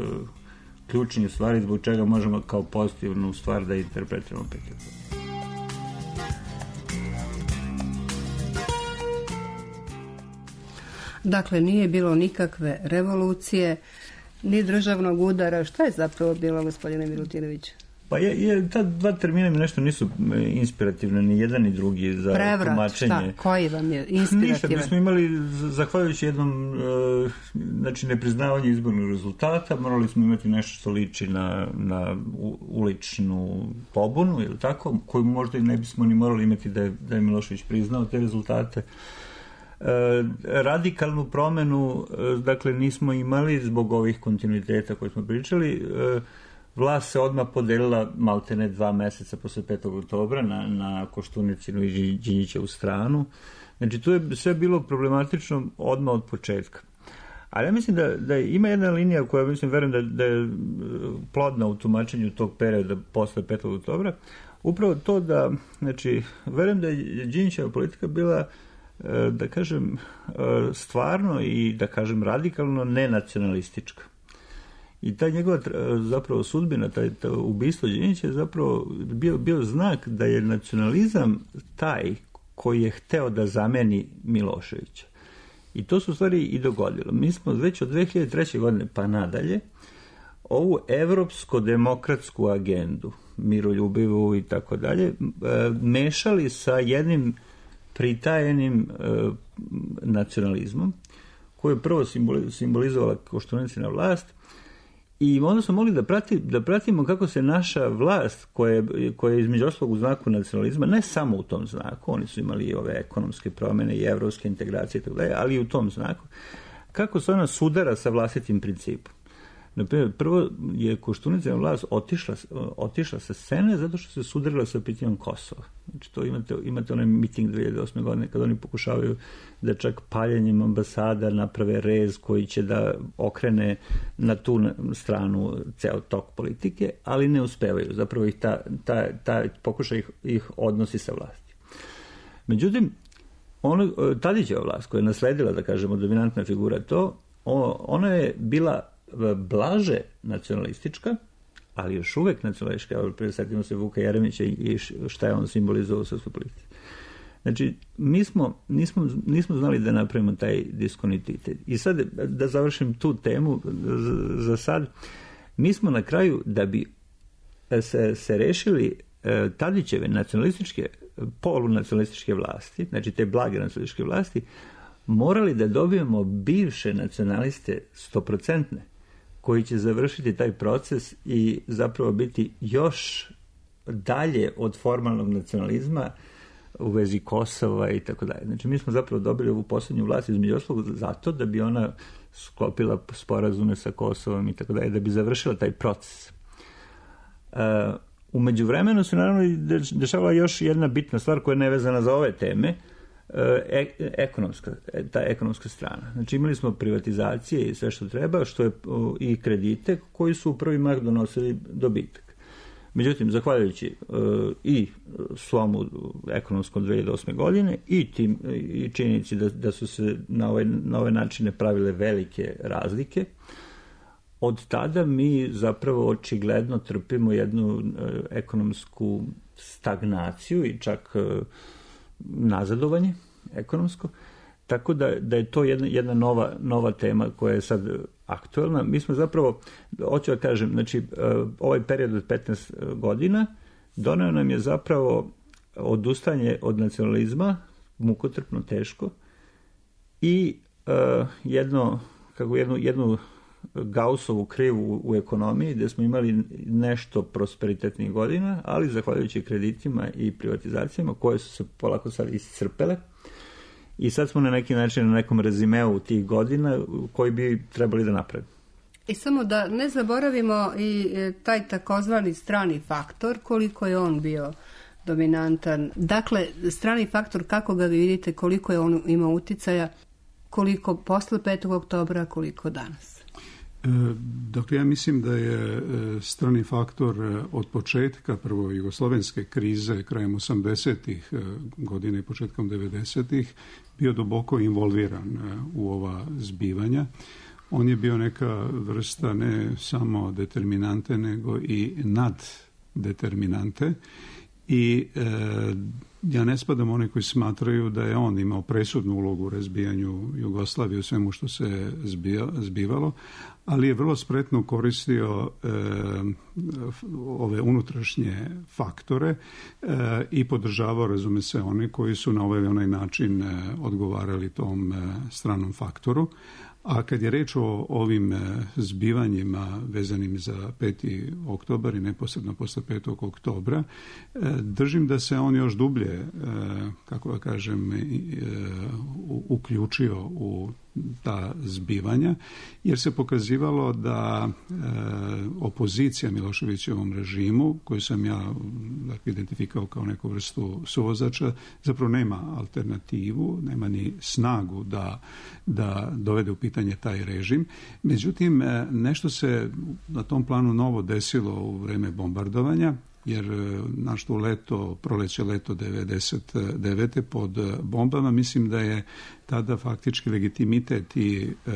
ključnih stvari zbog čega možemo kao pozitivnu stvar da interpretiramo peti oktobar. Dakle, nije bilo nikakve revolucije, ni državnog udara. Šta je zapravo bilo, gospodine Milutinović? Pa je, je, ta dva termina mi nešto nisu inspirativne, ni jedan ni drugi za Prevrat, tumačenje. Šta? Koji vam je inspirativan? Ništa, mi smo imali, zahvaljujući jednom uh, znači nepriznavanju izbornog rezultata, morali smo imati nešto što liči na, na uličnu pobunu, ili tako, koju možda i ne bismo ni morali imati da je, da je Milošević priznao te rezultate. Uh, radikalnu promenu uh, dakle nismo imali zbog ovih kontinuiteta koje smo pričali. Uh, vlast se odmah podelila maltene dva meseca posle petog oktobra na, na Koštunicinu i Đinđićevu stranu. Znači tu je sve bilo problematično odmah od početka. Ali ja mislim da, da ima jedna linija koja mislim, verujem da, da je plodna u tumačenju tog perioda posle petog oktobra. Upravo to da, znači, verujem da je Đinđićeva politika bila da kažem, stvarno i da kažem radikalno nenacionalistička. I ta njegova zapravo sudbina, taj, taj ubistvo Đinđića je zapravo bio, bio znak da je nacionalizam taj koji je hteo da zameni Miloševića. I to se u stvari i dogodilo. Mi smo već od dve hiljade treće. godine pa nadalje ovu evropsko-demokratsku agendu, miroljubivu i tako dalje, mešali sa jednim pritajenim nacionalizmom koji je prvo simbolizovala Koštunicina vlast. I onda smo mogli da, prati, da pratimo kako se naša vlast, koja, koja je između ostalog u znaku nacionalizma, ne samo u tom znaku, oni su imali i ove ekonomske promjene i evropske integracije, tako dalje, ali i u tom znaku, kako se ona sudara sa vlastitim principom. Naprimjer, prvo je Koštunicina vlast otišla, otišla sa scene zato što se sudarila sa pitanjem Kosova. Znači, to imate, imate onaj miting dve hiljade osme. godine kada oni pokušavaju da čak paljenjem ambasada naprave rez koji će da okrene na tu stranu ceo tok politike, ali ne uspevaju. Zapravo ih ta, ta, ta pokušaj ih, ih odnosi sa vlasti. Međutim, ono, Tadićeva vlast koja je nasledila, da kažemo, dominantna figura to, ona je bila blaže nacionalistička, ali još uvek nacionalistička. Evo, presjetimo se Vuka Jeremića i šta je on simbolizovao u srpskoj politici. Znači, mi smo, nismo, nismo znali da napravimo taj diskontinuitet. I sad, da završim tu temu za sad, mi smo na kraju, da bi se, se rešili Tadićeve nacionalističke, polunacionalističke vlasti, znači te blage nacionalističke vlasti, morali da dobijemo bivše nacionaliste stoprocentne, koji će završiti taj proces i zapravo biti još dalje od formalnog nacionalizma u vezi Kosova i tako dalje. Znači, mi smo zapravo dobili ovu posljednju vlast između ostalog zato da bi ona sklopila sporazume sa Kosovom i tako dalje, da bi završila taj proces. Uh, u međuvremenu se naravno dešavala još jedna bitna stvar koja je nevezana za ove teme, E, ekonomska, ta ekonomska strana. Znači, imali smo privatizacije i sve što treba, što je i kredite koji su u prvi mah donosili dobitak. Međutim, zahvaljujući uh, i slomu ekonomskom dve hiljade osme. godine i, tim, i činjenici da, da su se na ove, na ove načine pravile velike razlike, od tada mi zapravo očigledno trpimo jednu uh, ekonomsku stagnaciju i čak uh, nazadovanje ekonomsko, tako da, da je to jedna, jedna nova, nova tema koja je sad aktuelna. Mi smo zapravo, hoću da kažem, znači, ovaj period od petnaest godina doneo nam je zapravo odustanje od nacionalizma, mukotrpno, teško, i uh, jedno, kako jednu, jednu Gaussovu krivu u ekonomiji, gde smo imali nešto prosperitetnih godina, ali zahvaljujući kreditima i privatizacijama koje su se polako sad iscrpele. I sad smo na neki način na nekom rezimeu tih godina koji bi trebali da napravimo. I samo da ne zaboravimo i taj takozvani strani faktor, koliko je on bio dominantan. Dakle, strani faktor, kako ga vi vidite, koliko je on imao uticaja, koliko posle petog oktobra, koliko danas? Dakle, ja mislim da je strani faktor od početka prvo jugoslovenske krize krajem osamdesetih godina i početkom devedesetih bio duboko involviran u ova zbivanja. On je bio neka vrsta ne samo determinante, nego i naddeterminante. I e, ja ne spadam one koji smatraju da je on imao presudnu ulogu u razbijanju Jugoslavije u svemu što se zbija, zbivalo, ali je vrlo spretno koristio e, ove unutrašnje faktore e, i podržavao, razume se, one koji su na ovaj onaj način e, odgovarali tom e, stranom faktoru. A kad je reč o ovim zbivanjima vezanim za peti oktobar i neposredno posle petog oktobra, držim da se on još dublje, kako da kažem, uključio u ta zbivanja, jer se pokazivalo da e, opozicija Miloševićevom režimu, koju sam ja dakle, identifikao kao neku vrstu suvozača, zapravo nema alternativu, nema ni snagu da, da dovede u pitanje taj režim. Međutim, nešto se na tom planu novo desilo u vreme bombardovanja, jer naš to leto, proleće leto devedeset devete pod bombama, mislim da je tada faktički legitimitet i e,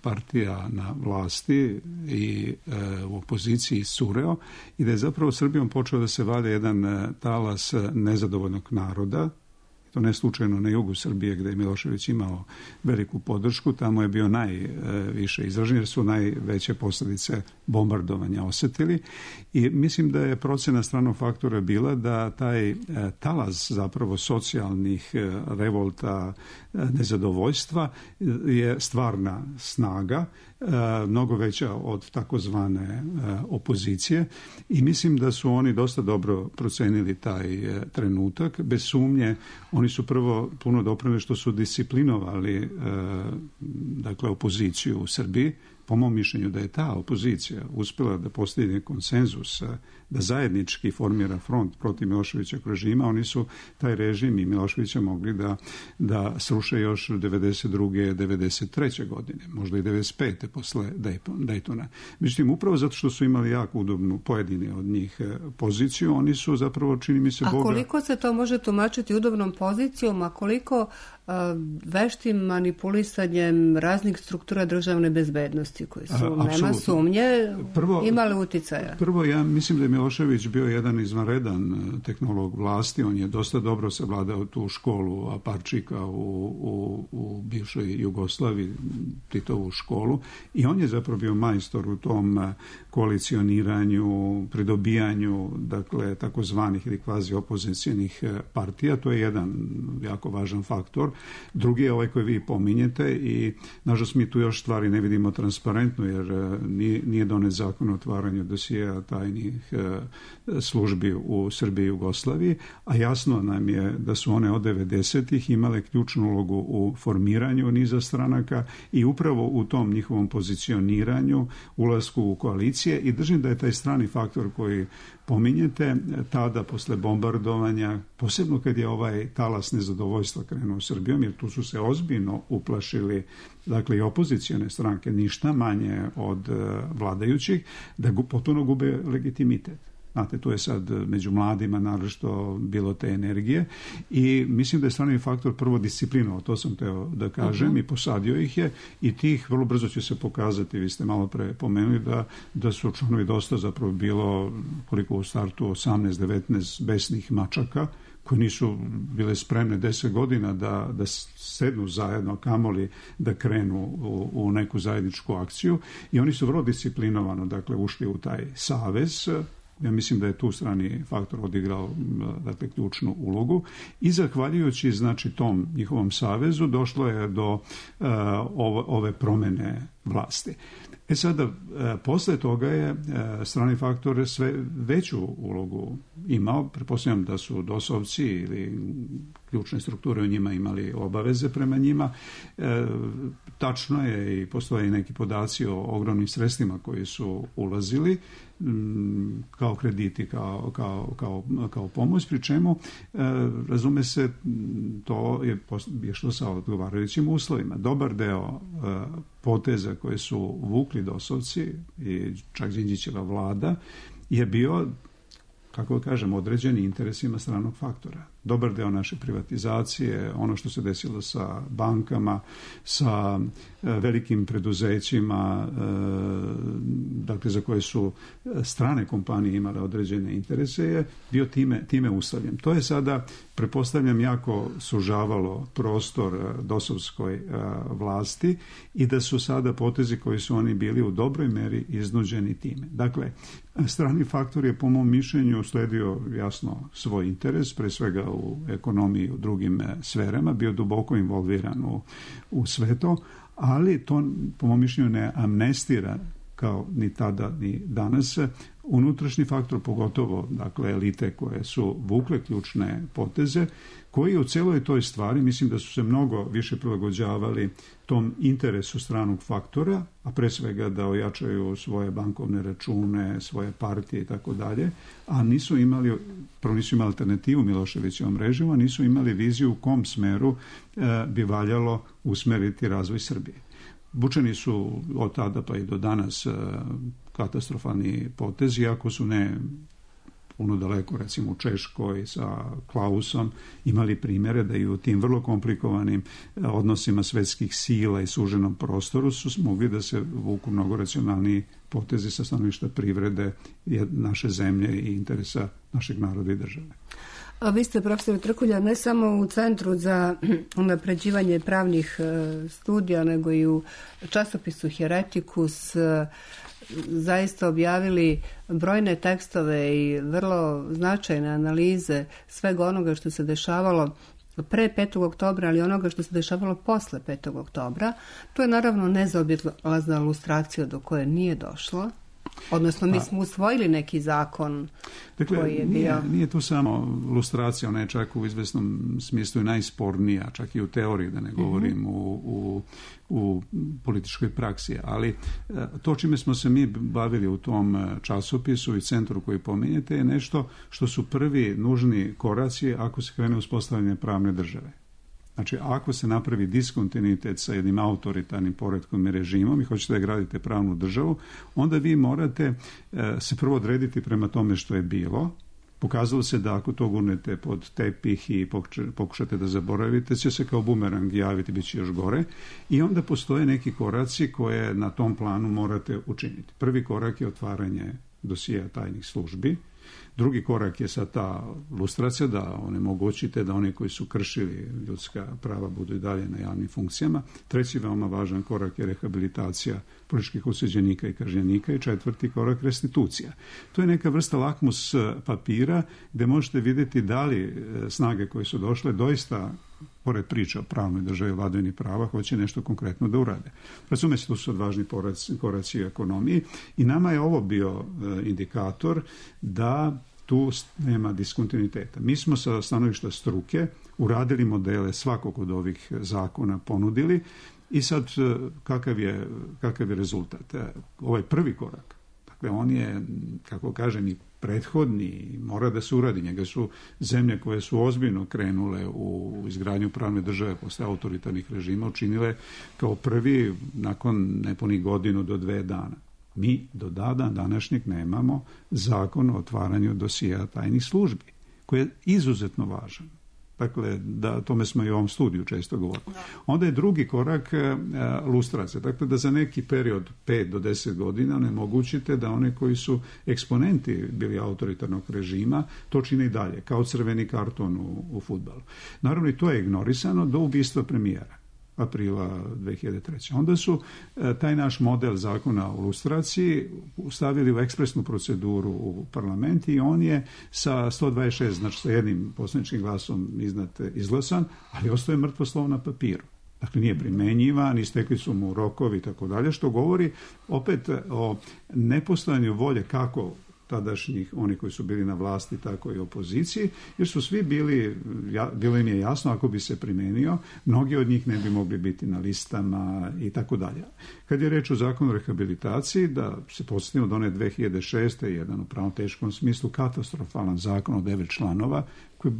partija na vlasti i e, u opoziciji sureo i da je zapravo Srbijom počeo da se valja jedan talas nezadovoljnog naroda. To ne slučajno na jugu Srbije gde je Milošević imao veliku podršku, tamo je bio najviše izražen jer su najveće posljedice bombardovanja osetili i mislim da je procena stranog faktora bila da taj talas zapravo socijalnih revolta, nezadovoljstva je stvarna snaga, mnogo veća od takozvane opozicije i mislim da su oni dosta dobro procenili taj trenutak. Bez sumnje oni su prvo puno doprineli što su disciplinovali dakle opoziciju u Srbiji. Po mom mišljenju da je ta opozicija uspjela da postigne konsenzus, da zajednički formira front protiv Miloševićeg režima, oni su taj režim i Miloševića mogli da, da sruše još devedeset druge devedeset treće godine, možda i devedeset pete posle Daytona. Međutim, upravo zato što su imali jako udobnu pojedini od njih poziciju, oni su zapravo, čini mi se, a Boga... A koliko se to može tumačiti udobnom pozicijom, a koliko uh, veštim manipulisanjem raznih struktura državne bezbednosti koji su, a, nema sumnje, prvo, imali uticaja? Prvo, ja mislim da je Milošević bio jedan izvanredan tehnolog vlasti, on je dosta dobro savladao tu školu Aparčika u, u, u bivšoj Jugoslaviji, Titovu školu, i on je zapravo bio majstor u tom koalicioniranju, pridobijanju, dakle, takozvanih ili kvazi opozicijnih partija. To je jedan jako važan faktor. Drugi je ovaj koji vi pominjete i, nažalost, mi tu još stvari ne vidimo transparentno, jer nije, nije donet zakon o otvaranju dosjea tajnih službi u Srbiji i Jugoslaviji, a jasno nam je da su one od devedesetih imale ključnu ulogu u formiranju niza stranaka i upravo u tom njihovom pozicioniranju, ulasku u koalicije, i držim da je taj strani faktor koji pominjete tada posle bombardovanja, posebno kad je ovaj talas nezadovoljstva krenuo Srbijom, jer tu su se ozbiljno uplašili, dakle, i opozicijone stranke, ništa manje od vladajućih, da potpuno gube legitimitet. Znate, tu je sad među mladima naročito bilo te energije i mislim da je strani faktor prvo disciplinovao, to sam teo da kažem, uh-huh. i posadio ih je, i tih vrlo brzo će se pokazati, vi ste malo pre pomenuli da, da su članovi dosta zapravo bilo, koliko u startu, osamnaest devetnaest besnih mačaka koji nisu bile spremne deset godina da, da sednu zajedno, kamoli da krenu u, u neku zajedničku akciju, i oni su vrlo disciplinovano, dakle, ušli u taj savez. Ja mislim da je tu strani faktor odigrao, dakle, ključnu ulogu i zahvaljujući, znači, tom njihovom savezu došlo je do uh, ove, ove promene vlasti. E sada, uh, posle toga je uh, strani faktor sve veću ulogu imao. Pretpostavljam da su dosovci ili ključne strukture u njima imali obaveze prema njima. E, tačno je i postoje i neki podaci o ogromnim sredstvima koji su ulazili kao krediti, kao, kao, kao, kao pomoć, pri čemu, e, razume se, to je, je što sa odgovarajućim uslovima. Dobar deo e, poteza koje su vukli dosovci i čak Đinđićeva vlada je bio, kako kažem, određeni interesima stranog faktora. Dobar deo naše privatizacije, ono što se desilo sa bankama, sa e, velikim preduzećima, e, dakle, za koje su strane kompanije imale određene interese, je bio time, time uslovljen. To je sada, pretpostavljam, jako sužavalo prostor dosovskoj e, vlasti i da su sada potezi koji su oni bili u dobroj meri iznuđeni time. Dakle, strani faktor je, po mom mišljenju, sledio jasno svoj interes, pre svega u ekonomiji i u drugim sferama, bio duboko involviran u, u sve to, ali to, po mom mišljenju, ne amnestira, kao ni tada ni danas, unutrašnji faktor, pogotovo, dakle, elite koje su vukle ključne poteze, koji u celoj toj stvari, mislim da su se mnogo više prilagođavali tom interesu stranog faktora, a pre svega da ojačaju svoje bankovne račune, svoje partije i tako dalje, a nisu imali, prvo nisu imali alternativu Miloševićevom režimu, a nisu imali viziju u kom smeru e, bi valjalo usmeriti razvoj Srbije. Vučeni su od tada pa i do danas e, katastrofalni potezi, iako su ne puno daleko, recimo u Češkoj sa Klausom, imali primjere da i u tim vrlo komplikovanim odnosima svetskih sila i suženom prostoru su mogli da se vuku mnogo racionalniji potezi sa stanovišta privrede naše zemlje i interesa našeg naroda i države. A vi ste, profesor Trkulja, ne samo u Centru za unapređivanje pravnih studija, nego i u časopisu Heretikus zaista objavili brojne tekstove i vrlo značajne analize svega onoga što se dešavalo pre petog oktobra, ali onoga što se dešavalo posle petog oktobra. To je naravno nezaobilazna lustracija do koje nije došlo. Odnosno, mi smo usvojili neki zakon dakle, koji je nije, bio... Nije tu samo lustracija, ona je čak u izvesnom smislu i najspornija, čak i u teoriji, da ne govorim mm-hmm. u, u, u političkoj praksi. Ali to čime smo se mi bavili u tom časopisu i centru koji pominjete je nešto što su prvi nužni koraci ako se krene uspostavljanje pravne države. Znači, ako se napravi diskontinuitet sa jednim autoritarnim poretkom i režimom i hoćete da gradite pravnu državu, onda vi morate e, se prvo odrediti prema tome što je bilo. Pokazalo se da ako to gurnete pod tepih i pokušate da zaboravite, će se kao bumerang javiti, bit će još gore. I onda postoje neki koraci koje na tom planu morate učiniti. Prvi korak je otvaranje dosija tajnih službi. Drugi korak je sad ta lustracija, da onemogućite da oni koji su kršili ljudska prava budu i dalje na javnim funkcijama. Treći veoma važan korak je rehabilitacija političkih osuđenika i kažnjenika i četvrti korak restitucija. To je neka vrsta lakmus papira gdje možete vidjeti da li snage koje su došle doista, pored priča o pravnoj državi i vladavini prava, hoće nešto konkretno da urade. Razume se, tu su odvažni koraci u ekonomiji i nama je ovo bio indikator da tu nema diskontinuiteta. Mi smo sa stanovišta struke uradili modele svakog od ovih zakona, ponudili i sad kakav je, kakav je rezultat? Ovaj prvi korak, dakle on je, kako kažem, i prethodni, mora da se uradi. Njega su zemlje koje su ozbiljno krenule u izgradnju pravne države posle autoritarnih režima učinile kao prvi nakon nepunih godinu do dve dana. Mi do dana današnjeg nemamo zakon o otvaranju dosija tajnih službi, koji je izuzetno važan. Dakle, da, tome smo i u ovom studiju često govorili. Onda je drugi korak e, lustracija. Dakle, da za neki period pet do deset godina onemogućite da one koji su eksponenti bili autoritarnog režima to čine i dalje, kao crveni karton u, u fudbalu. Naravno, i to je ignorisano do ubistva premijera aprila dve hiljade treće. Onda su e, taj naš model zakona o lustraciji stavili u ekspresnu proceduru u parlament i on je sa sto dvadeset šest, znači sa jednim poslaničkim glasom iznad izglasan, ali ostaje mrtvo slovo na papiru. Dakle, nije primenjivan, istekli su mu rokovi i tako dalje, što govori opet o nepostojanju volje kako tadašnjih, oni koji su bili na vlasti, tako i opoziciji, jer su svi bili, ja, bilo im je jasno, ako bi se primenio, mnogi od njih ne bi mogli biti na listama i tako dalje. Kad je reč o zakonu o rehabilitaciji, da se podsjetimo da one dve hiljade šeste jedan u pravno teškom smislu katastrofalan zakon od devet članova, koji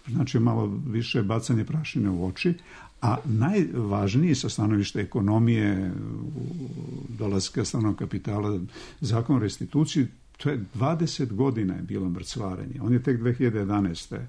znači malo više bacanje prašine u oči, a najvažniji sa stanovišta ekonomije, dolaska stranog kapitala, zakon o restituciji, to je dvadeset godina je bilo mrcvarenje. On je tek dve hiljade jedanaeste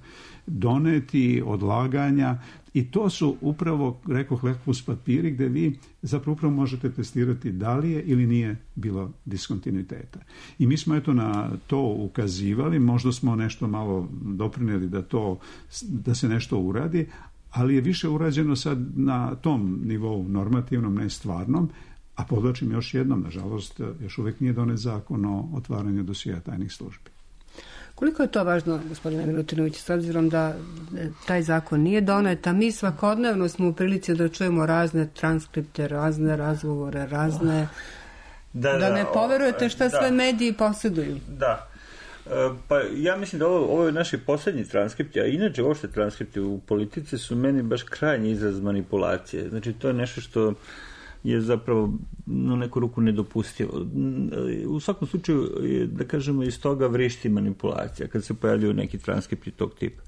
doneti, odlaganja i to su upravo, rekoh, lakmus papiri gdje vi zapravo upravo možete testirati da li je ili nije bilo diskontinuiteta. I mi smo eto na to ukazivali, možda smo nešto malo doprinijeli da, to, da se nešto uradi, ali je više urađeno sad na tom nivou normativnom, ne stvarnom. A podlačim još jednom, nažalost, još uvijek nije donet zakon o otvaranju dosija tajnih službi. Koliko je to važno, gospodine Milutinović, s obzirom da taj zakon nije donet, a mi svakodnevno smo u prilici da čujemo razne transkripte, razne razgovore, razne... Da, da, da ne poverujete šta da, sve mediji posjeduju. Da. Pa ja mislim da ovo, ovo je naši posljednji transkripti, a inače uopšte transkripti u politici su meni baš krajnji izraz manipulacije. Znači, to je nešto što je zapravo na neku ruku nedopustivo. U svakom slučaju, da kažemo, iz toga vrišti manipulacija kad se pojavljaju neki transkripti tog tipa.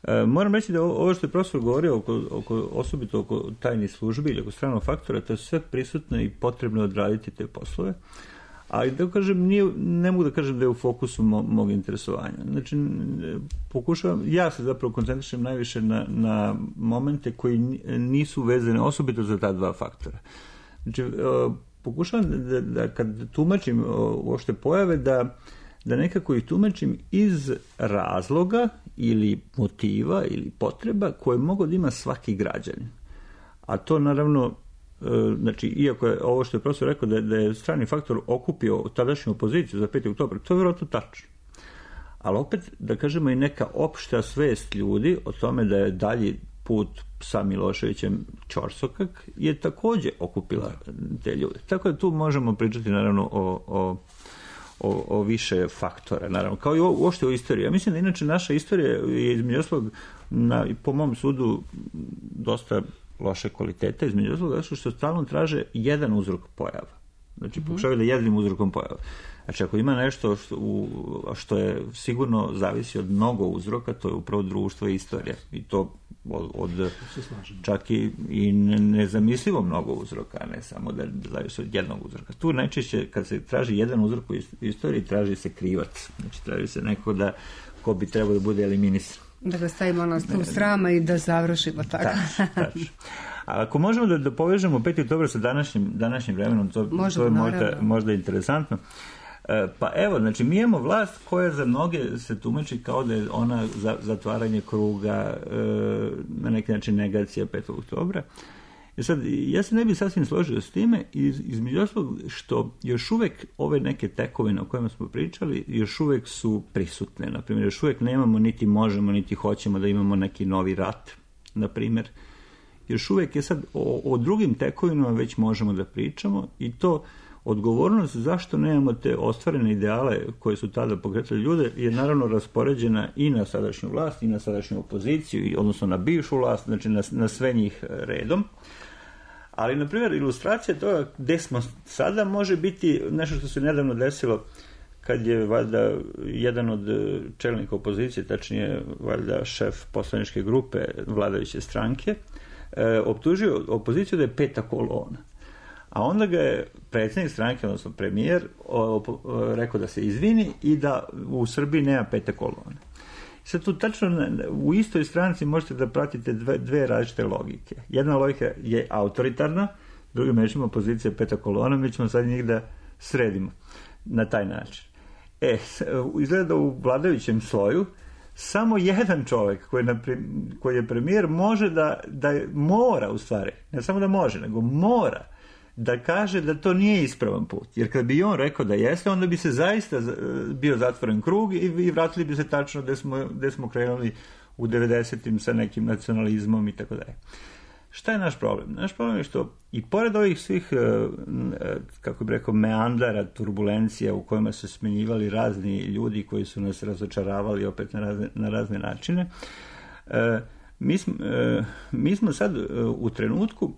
E, moram reći da ovo što je profesor govorio oko, oko, osobito oko tajnih službi ili oko stranog faktora, to je sve prisutno i potrebno odraditi te poslove, Ali da kažem, nije, ne mogu da kažem da je u fokusu mo, mog interesovanja. Znači, pokušavam, ja se zapravo koncentrišem najviše na, na momente koji nisu vezane osobito za ta dva faktora. Znači, pokušavam da, da kad tumačim uopšte pojave, da, da nekako ih tumačim iz razloga ili motiva ili potreba koje mogu da ima svaki građanin. A to naravno, znači, iako je ovo što je profesor rekao da je, da je strani faktor okupio tadašnju opoziciju za peti oktobar, to je vjerojatno tačno. Ali opet, da kažemo, i neka opšta svest ljudi o tome da je dalji put sa Miloševićem ćorsokak je takođe okupila te ljude. Tako da tu možemo pričati naravno o, o, o, o više faktora, naravno, kao i uopšte o istoriji. Ja mislim da inače naša istorija je između ostalog, na, po mom sudu, dosta loše kvaliteta, između ostalog, što stalno traže jedan uzrok pojava. Znači, mm-hmm. pokušavaju da jednim uzrokom pojava. Znači, ako ima nešto što, u, što je sigurno zavisi od mnogo uzroka, to je upravo društvo i istorija. I to od, od čak i, i nezamislivo mnogo uzroka, a ne samo da zavisi od jednog uzroka. Tu najčešće, kad se traži jedan uzrok u istoriji, traži se krivac. Znači, traži se neko da, ko bi trebao da bude eliminisan. Da ga stavimo na stol srama i da završimo tako. Tačno, tačno. A ako možemo da, da povežemo peti oktobar sa današnjim, današnjim vremenom, to, možemo, to je možda, možda interesantno. E, pa evo, znači, mi imamo vlast koja za mnoge se tumači kao da je ona za, zatvaranje kruga, e, na neki način negacija petog oktobra. I sad, ja se ne bi sasvim složio s time, iz, između ostalog što još uvek ove neke tekovine o kojima smo pričali, još uvek su prisutne. Naprimjer, još uvek nemamo, niti možemo, niti hoćemo da imamo neki novi rat, naprimjer. Još uvek je sad, o, o drugim tekovinama već možemo da pričamo i to odgovornost zašto nemamo te ostvarene ideale koje su tada pokretali ljude je naravno raspoređena i na sadašnju vlast i na sadašnju opoziciju, odnosno na bivšu vlast, znači na, na sve njih redom. Ali, na primjer, ilustracija toga gde smo sada može biti nešto što se nedavno desilo kad je valjda jedan od čelnika opozicije, tačnije valjda šef poslaničke grupe vladajuće stranke, e, optužio opoziciju da je peta kolona. A onda ga je predsjednik stranke, odnosno premijer, o, o, rekao da se izvini i da u Srbiji nema pete kolone. Sad tu tačno u istoj stranci možete da pratite dve, dve različite logike. Jedna logika je autoritarna, drugim rečima opozicija peta kolona, mi ćemo sad njih da sredimo na taj način. E, izgleda da u vladajućem sloju samo jedan čovjek koji, koji je premijer može da, da mora u stvari, ne samo da može, nego mora da kaže da to nije ispravan put. Jer kad bi on rekao da jeste, onda bi se zaista bio zatvoren krug i, i vratili bi se tačno gde smo, gde smo krenuli u devedesetim sa nekim nacionalizmom i tako dalje. Šta je naš problem? Naš problem je što i pored ovih svih, kako bih rekao, meandara, turbulencija u kojima su smenjivali razni ljudi koji su nas razočaravali opet na razne, na razne načine, mi smo, mi smo sad u trenutku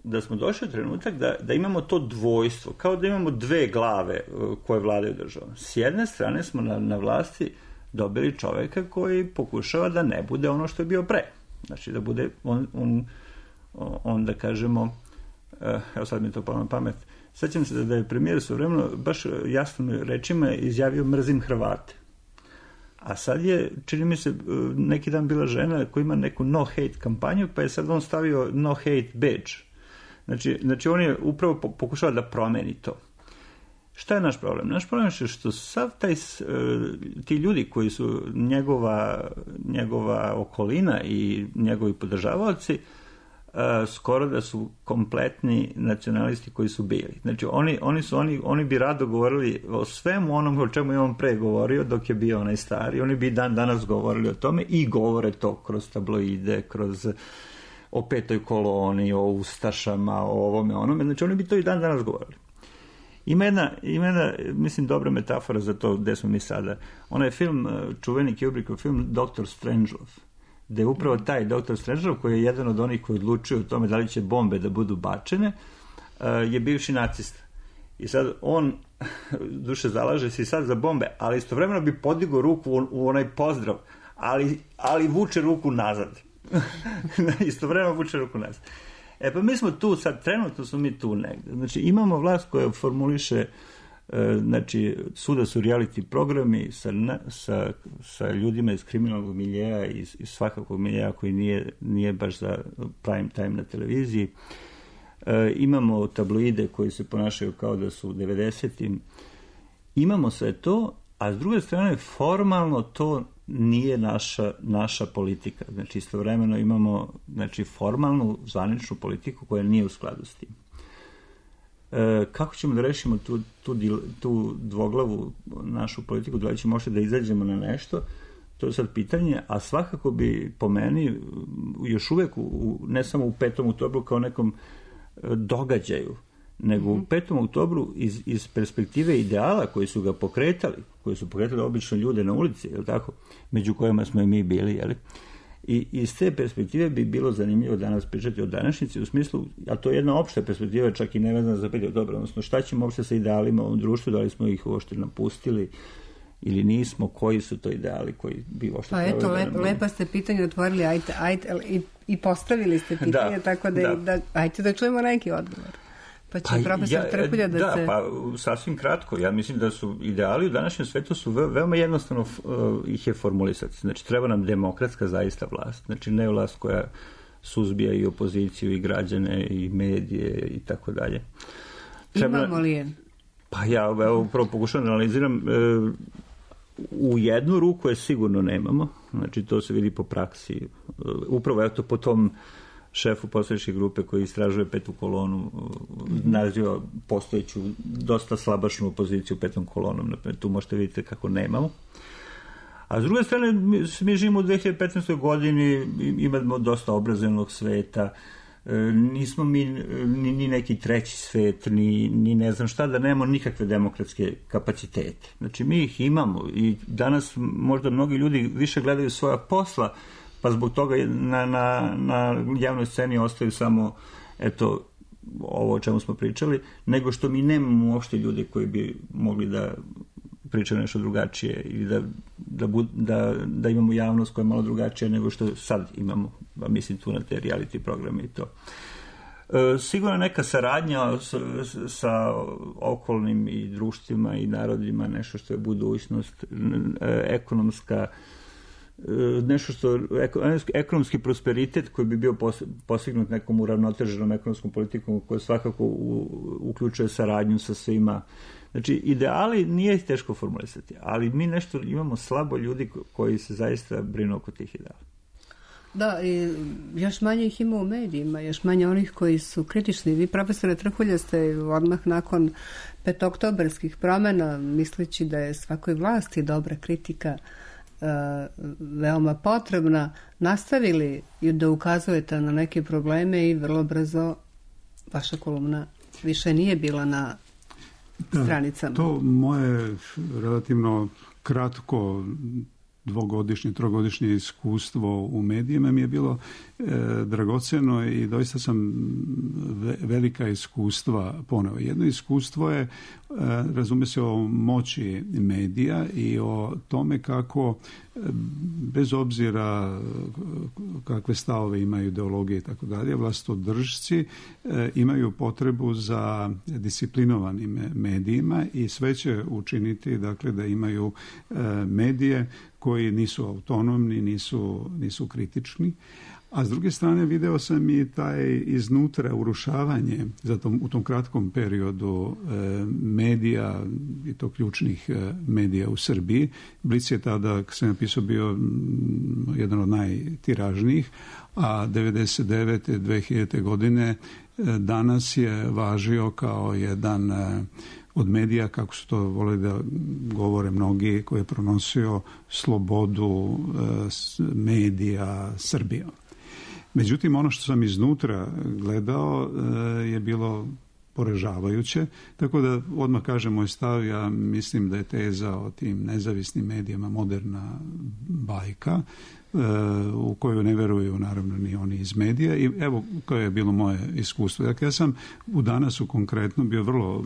da smo došli u trenutak da, da imamo to dvojstvo, kao da imamo dve glave koje vladaju državom. S jedne strane smo na, na vlasti dobili čoveka koji pokušava da ne bude ono što je bio pre. Znači da bude on, on, on da kažemo, evo sad mi to palo na pamet, sećam se da je premijer svojevremeno baš jasnim rečima izjavio mrzim Hrvate. A sad je, čini mi se, neki dan bila žena koja ima neku no hate kampanju, pa je sad on stavio no hate badge. Znači, znači on je upravo pokušao da promeni to. Šta je naš problem? Naš problem je što sav taj, ti ljudi koji su njegova, njegova okolina i njegovi podržavaoci, skoro da su kompletni nacionalisti koji su bili. Znači, oni, oni, su, oni, oni bi rado govorili o svemu onom o čemu je on pre govorio dok je bio onaj stari. Oni bi dan danas govorili o tome i govore to kroz tabloide, kroz o petoj koloni, o ustašama, o ovome, onome. Znači, oni bi to i dan danas govorili. Ima jedna, ima jedna, mislim, dobra metafora za to gde smo mi sada. Ona je film, čuveni Kubrickov film doktor Strangelove, gde je upravo taj doktor Strangelove, koji je jedan od onih koji odlučuju o tome da li će bombe da budu bačene, je bivši nacista. I sad on, duše, zalaže se i sad za bombe, ali istovremeno bi podigao ruku u, u onaj pozdrav, ali, ali vuče ruku nazad. Istovremeno vuče ruku nazad. E pa mi smo tu sad, trenutno smo mi tu negde. Znači imamo vlast koja formuliše Znači, svuda su reality programi sa, sa, sa ljudima iz kriminalnog miljeja, iz, iz svakakvog miljeja koji nije, nije baš za prime time na televiziji. E, imamo tabloide koji se ponašaju kao da su u devedesetim. Imamo sve to, a s druge strane formalno to nije naša, naša politika. Znači, istovremeno imamo znači, formalnu, zvaničnu politiku koja nije u skladu s tim. E, kako ćemo da rešimo tu, tu, tu dvoglavu našu politiku, da li ćemo možda da izađemo na nešto, to je sad pitanje, a svakako bi po meni još uvek, u, ne samo u petom oktobru kao nekom događaju, nego mm-hmm. u petom oktobru iz, iz perspektive ideala koji su ga pokretali, koji su pokretali obično ljude na ulici, je li tako, među kojima smo i mi bili, je li? I iz te perspektive bi bilo zanimljivo danas pričati o današnjici, u smislu, a to je jedna opšta perspektiva, čak i nevezana za pet dobro, odnosno šta ćemo uopšte sa idealima u društvu, da li smo ih uopšte napustili ili nismo, koji su to ideali koji bi uopšte... Pa eto, lep, lepa ste pitanje otvorili ajte, ajte, i, i postavili ste pitanje, da, tako da, da. da ajte da čujemo neki odgovor. Pa će pa, profesor ja, Trkulja da, da se... Da, pa sasvim kratko. Ja mislim da su ideali u današnjem svetu su ve, veoma jednostavno uh, ih je formulisati. Znači, treba nam demokratska zaista vlast. Znači, ne vlast koja suzbija i opoziciju, i građane, i medije, i tako dalje. Treba... Imamo li je? Pa ja, evo, upravo pokušavam da analiziram. Uh, u jednu ruku je sigurno nemamo. Znači, to se vidi po praksi. Uh, upravo, eto, po tom šefu poslaničke grupe koji istražuje petu kolonu, naziva postojeću dosta slabašnu opoziciju petom kolonom. Tu možete vidjeti kako nemamo. A s druge strane, mi, mi živimo u dve hiljade petnaestoj godini, imamo dosta obrazovnog sveta, nismo mi ni, ni neki treći svet, ni, ni ne znam šta, da nemamo nikakve demokratske kapacitete. Znači, mi ih imamo i danas možda mnogi ljudi više gledaju svoja posla, pa zbog toga na, na, na javnoj sceni ostaju samo eto, ovo o čemu smo pričali, nego što mi nemamo uopšte ljude koji bi mogli da pričaju nešto drugačije ili da, da, bud, da, da imamo javnost koja je malo drugačija nego što sad imamo, mislim tu na te reality programe i to. E, sigurno neka saradnja sa, sa okolnim i društvima i narodima, nešto što je budućnost, e, ekonomska, nešto što ekonomski prosperitet koji bi bio postignut nekom uravnoteženom ekonomskom politikom koja svakako u, uključuje saradnju sa svima. Znači, ideali nije ih teško formulisati, ali mi nešto imamo slabo ljudi koji se zaista brinu oko tih ideala. Da, i još manje ih ima u medijima, još manje onih koji su kritični. Vi, profesore Trkulja, ste odmah nakon petoktobarskih promjena, misleći da je svakoj vlasti dobra kritika Uh, veoma potrebna, nastavili da ukazujete na neke probleme i vrlo brzo vaša kolumna više nije bila na da, stranicama. To moje relativno kratko dvogodišnje, trogodišnje iskustvo u medijima mi je bilo e, dragoceno i doista sam ve, velika iskustva poneo. Jedno iskustvo je, e, razume se, o moći medija i o tome kako e, bez obzira kakve stavove imaju, ideologije i tako dalje, vlastodržci e, imaju potrebu za disciplinovanim medijima i sve će učiniti, dakle, da imaju e, medije koji nisu autonomni, nisu, nisu kritični. A s druge strane video sam i taj iznutra urušavanje zato u tom kratkom periodu e, medija i to ključnih e, medija u Srbiji. Blic je tada, kad sam napisao, bio m, jedan od najtiražnijih, a devedeset devete dve hiljadite godine e, danas je važio kao jedan e, od medija, kako su to voleli da govore mnogi, koji je pronosio slobodu e, medija Srbije. Međutim, ono što sam iznutra gledao e, je bilo poražavajuće, tako da odmah kažem moj stav, ja mislim da je teza o tim nezavisnim medijama moderna bajka, u koju ne veruju naravno ni oni iz medija i evo koje je bilo moje iskustvo. Dakle, ja sam u Danasu konkretno bio vrlo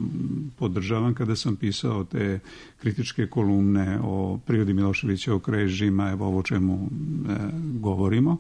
podržavan kada sam pisao te kritičke kolumne o prirodi Miloševićevog režima, evo ovo o čemu e, govorimo.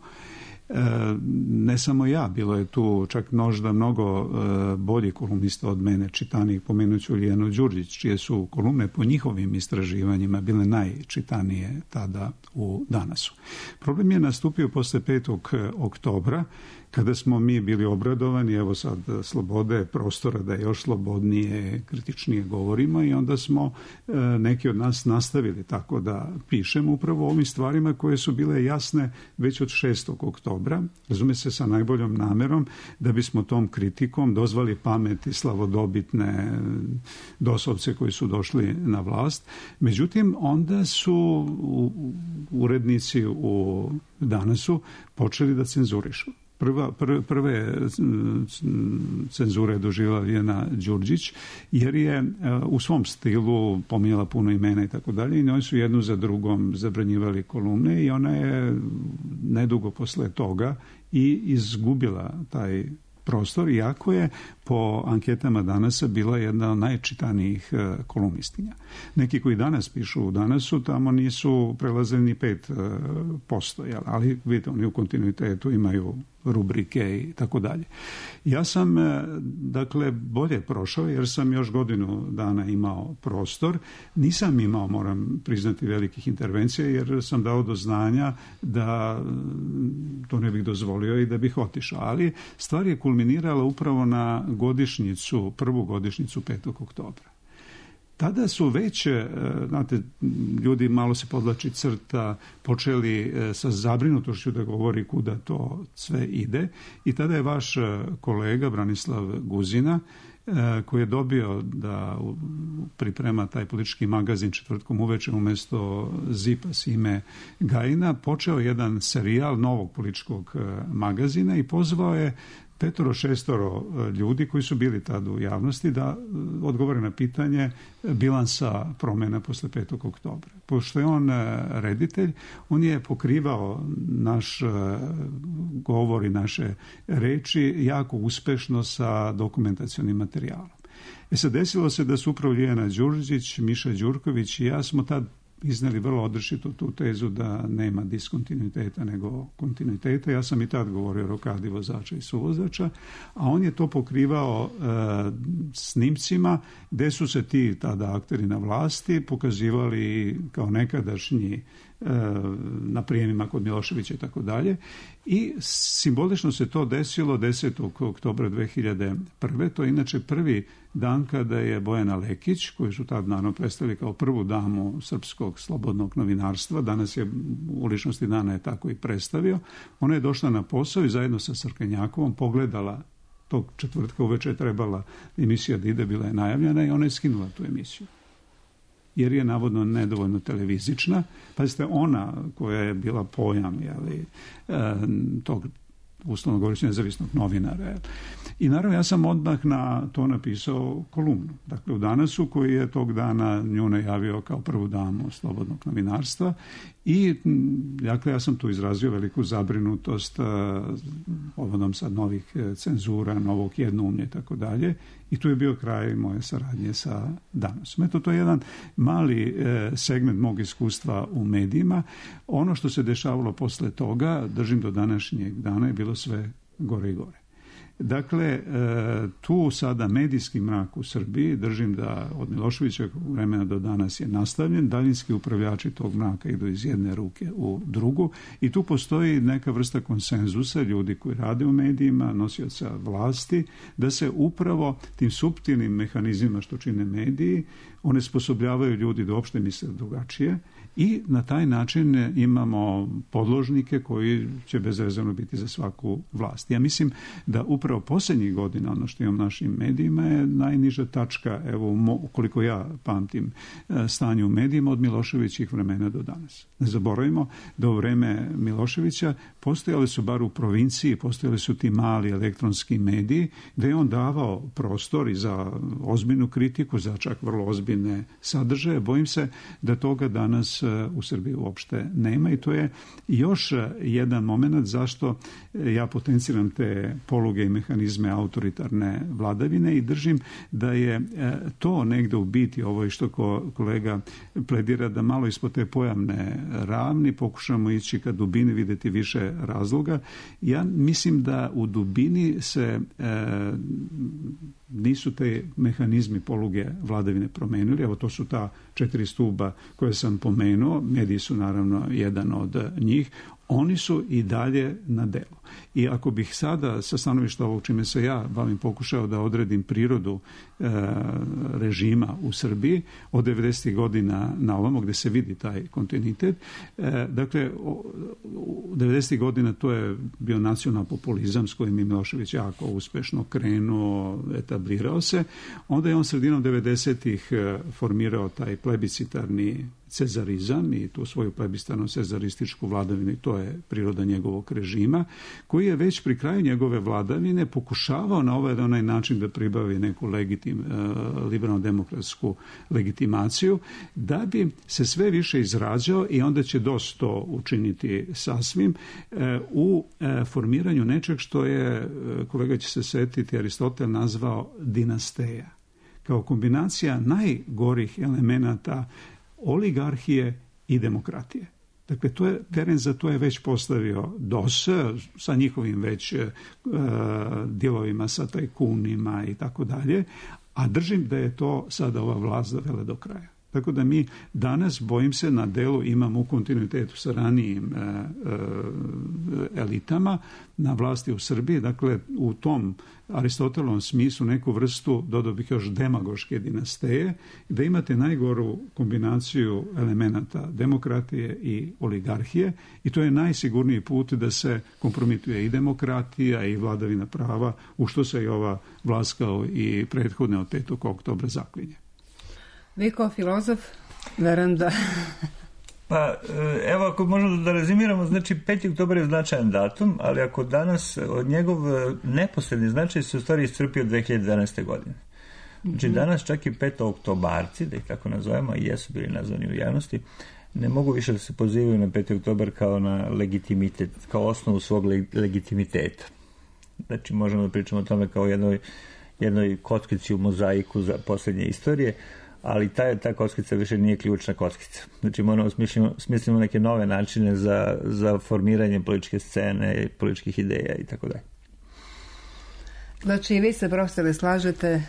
Ne samo ja, bilo je tu čak možda mnogo boljih kolumnista od mene, čitanijih, pomenuću Lijanu Đurđić, čije su kolumne po njihovim istraživanjima bile najčitanije tada u Danasu. Problem je nastupio posle petog oktobra, kada smo mi bili obradovani, evo sad slobode prostora da još slobodnije, kritičnije govorimo, i onda smo e, neki od nas nastavili tako da pišemo upravo o ovim stvarima koje su bile jasne već od šestog oktobra, razume se, sa najboljom namerom da bismo tom kritikom dozvali pameti slavodobitne dosovce koji su došli na vlast. Međutim, onda su urednici u Danasu počeli da cenzurišu. Prva, prve, prve cenzure je doživjela Lijana Đurđić, jer je u svom stilu pominjala puno imena i tako dalje, i njoj su jednu za drugom zabranjivali kolumne, i ona je nedugo posle toga i izgubila taj prostor, iako je po anketama Danasa bila jedna od najčitanijih kolumnistinja. Neki koji danas pišu u Danasu tamo nisu prelazili ni pet posto, ali vidite, oni u kontinuitetu imaju rubrike i tako dalje. Ja sam, dakle, bolje prošao jer sam još godinu dana imao prostor. Nisam imao, moram priznati, velikih intervencija jer sam dao do znanja da to ne bih dozvolio i da bih otišao. Ali stvar je kulminirala upravo na godišnjicu, prvu godišnjicu petog oktobra. Tada su već, znate, ljudi, malo se podlači crta, počeli sa zabrinutošću da govori kuda to sve ide, i tada je vaš kolega Branislav Guzina, koji je dobio da priprema taj politički magazin četvrtkom uveče umjesto Zipa Sime Gajina, počeo jedan serijal novog političkog magazina i pozvao je petoro, šestoro ljudi koji su bili tada u javnosti da odgovore na pitanje bilansa promjena posle petog oktobra. Pošto je on reditelj, on je pokrivao naš govor i naše reči jako uspešno sa dokumentacionim materijalom. E sad, desilo se da su upravo Lijana Đurđić, Miša Đurković i ja smo tad izneli vrlo odrešito tu tezu da nema diskontinuiteta nego kontinuiteta. Ja sam i tad govorio o rokadi vozača i suvozača, a on je to pokrivao e, snimcima gde su se ti tada akteri na vlasti pokazivali kao nekadašnji na prijemima kod Miloševića i tako dalje. I simbolično se to desilo desetog oktobra dve hiljade prve. To je inače prvi dan kada je Bojana Lekić, koju su tad naravno predstavili kao prvu damu srpskog slobodnog novinarstva, danas je u ličnosti dana je tako i predstavio, ona je došla na posao i zajedno sa Srkenjakovom pogledala tog četvrtka uveče, trebala emisija da ide, bila je najavljena, i ona je skinula tu emisiju jer je navodno nedovoljno televizična. Pazite, ona koja je bila pojam, jeli, tog uslovno govoreći nezavisnog novinara. I naravno ja sam odmah na to napisao kolumnu. Dakle, u Danasu, koji je tog dana nju najavio kao prvu damu slobodnog novinarstva, i dakle ja sam tu izrazio veliku zabrinutost povodom sad novih cenzura, novog jednoumlja i tako dalje, i tu je bio kraj moje saradnje sa Danasom. Eto, to je jedan mali segment mog iskustva u medijima. Ono što se dešavalo posle toga, držim do današnjeg dana, je bilo sve gore i gore. Dakle, tu sada medijski mrak u Srbiji, držim da od Miloševićeg vremena do danas je nastavljen, daljinski upravljači tog mraka idu iz jedne ruke u drugu, i tu postoji neka vrsta konsenzusa ljudi koji rade u medijima, nosioca vlasti, da se upravo tim suptilnim mehanizmima što čine mediji onesposobljavaju ljudi da uopšte misle drugačije, i na taj način imamo podložnike koji će bezrezervno biti za svaku vlast. Ja mislim da upravo posljednjih godina ono što imam u našim medijima je najniža tačka, evo, ukoliko ja pamtim stanje u medijima, od Miloševićih vremena do danas. Ne zaboravimo da u vreme Miloševića postojali su, bar u provinciji, postojali su ti mali elektronski mediji gde je on davao prostor i za ozbiljnu kritiku, za čak vrlo ozbiljne sadržaje. Bojim se da toga danas danas u Srbiji uopšte nema i to je još jedan moment zašto ja potenciram te poluge i mehanizme autoritarne vladavine i držim da je to negde u biti, ovo je što kolega pledira, da malo ispod te pojavne ravni pokušamo ići ka dubini, vidjeti više razloga. Ja mislim da u dubini se e, nisu te mehanizmi poluge vladavine promenili. Evo, to su ta četiri stuba koje sam pomenuo, mediji su naravno jedan od njih. Oni su i dalje na delu. I ako bih sada sa stanovišta ovog čime se ja bavim pokušao da odredim prirodu e, režima u Srbiji od devedesetih godina na ovamo gde se vidi taj kontinuitet, e, dakle u devedesetih godina to je bio nacional populizam s kojim je Milošević jako uspešno krenuo, etablirao se. Onda je on sredinom devedesetih formirao taj plebiscitarni cezarizam i tu svoju plebiscitarno cezarističku vladavinu, i to je priroda njegovog režima, koji je već pri kraju njegove vladavine pokušavao na ovaj onaj način da pribavi neku legitim, liberalno-demokratsku legitimaciju, da bi se sve više izrađao, i onda će dosta to učiniti sasvim, u formiranju nečeg što je, kolega će se setiti, Aristotel nazvao dinasteja, kao kombinacija najgorih elemenata oligarhije i demokratije. Dakle, to je, teren za to je već postavio D O S sa njihovim već e, dijelovima sa tajkunima i tako dalje, a držim da je to sada ova vlast dovela do kraja. Tako da mi danas, bojim se, na delu imamo u kontinuitetu sa ranijim e, e, elitama na vlasti u Srbiji, dakle u tom Aristotelovom smislu neku vrstu, dodao bih još, demagoške dinasteje, da imate najgoru kombinaciju elemenata demokratije i oligarhije, i to je najsigurniji put da se kompromituje i demokratija i vladavina prava, u što se i ova vlast kao i prethodne od petog oktobra zaklinje. Vi kao filozof, verujem da... Pa, evo, ako možemo da rezimiramo, znači peti oktobar je značajan datum, ali ako danas od njegov neposredni značaj se u stvari iscrpio dve hiljade jedanaeste. godine. Znači danas čak i petooktobarci, da ih tako nazovemo, i jesu bili nazvani u javnosti, ne mogu više da se pozivaju na peti oktobar kao na legitimitet, kao osnovu svog legitimiteta. Znači možemo da pričamo o tome kao jednoj, jednoj kockici u mozaiku za posljednje istorije, ali ta, ta kockica više nije ključna kockica. Znači moramo smislimo, smislimo neke nove načine za, za formiranje političke scene, političkih ideja i tako dalje. Znači, vi se, profesore, slažete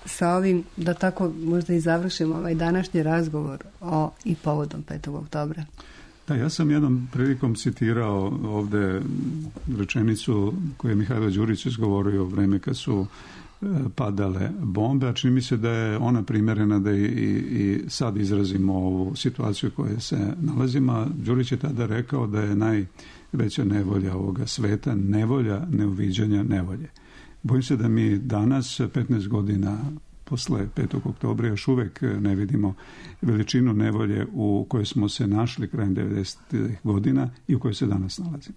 sa ovim, da tako možda i završimo ovaj današnji razgovor o i povodom petog oktobra? Da, ja sam jednom prilikom citirao ovde rečenicu koju je Mihajlo Đurić izgovorio u vreme kad su padale bombe, a čini mi se da je ona primjerena da i, i sad izrazimo ovu situaciju u kojoj se nalazimo. Đurić je tada rekao da je najveća nevolja ovoga sveta nevolja neuviđanja nevolje. Bojim se da mi danas, petnaest godina posle petog oktobra, još uvek ne vidimo veličinu nevolje u kojoj smo se našli krajem devedesetih godina i u kojoj se danas nalazimo.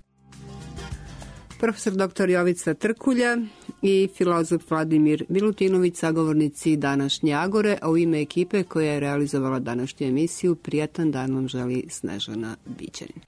Profesor doktor Jovica Trkulja i filozof Vladimir Milutinović, sagovornici današnje Agore, a u ime ekipe koja je realizovala današnju emisiju, prijatan dan vam želi Snežana Bićanin.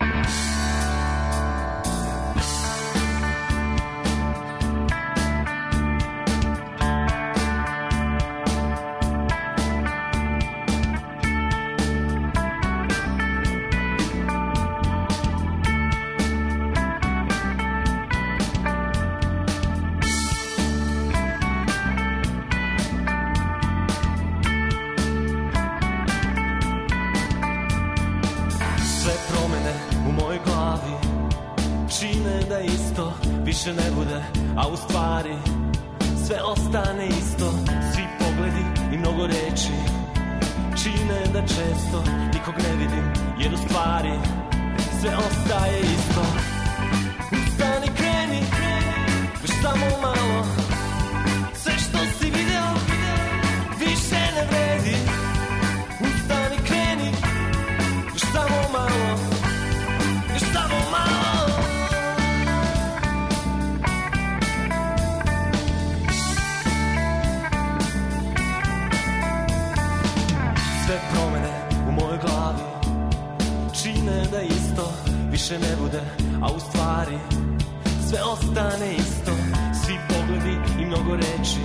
Više ne bude, a u stvari sve ostane isto. Svi pogledi i mnogo reči čine da često nikog ne vidim, jer u stvari sve ostaje isto. Ustani, kreni, još samo malo. Sve što si video više ne vredi. Ustani, kreni, još samo malo. Još samo malo. Sve promene u mojoj glavi više ne bude, a u stvari sve ostane isto. Svi pogledi i mnogo reči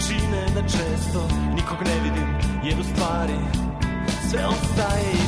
čine da često nikog ne vidim, jer u stvari sve ostaje isto.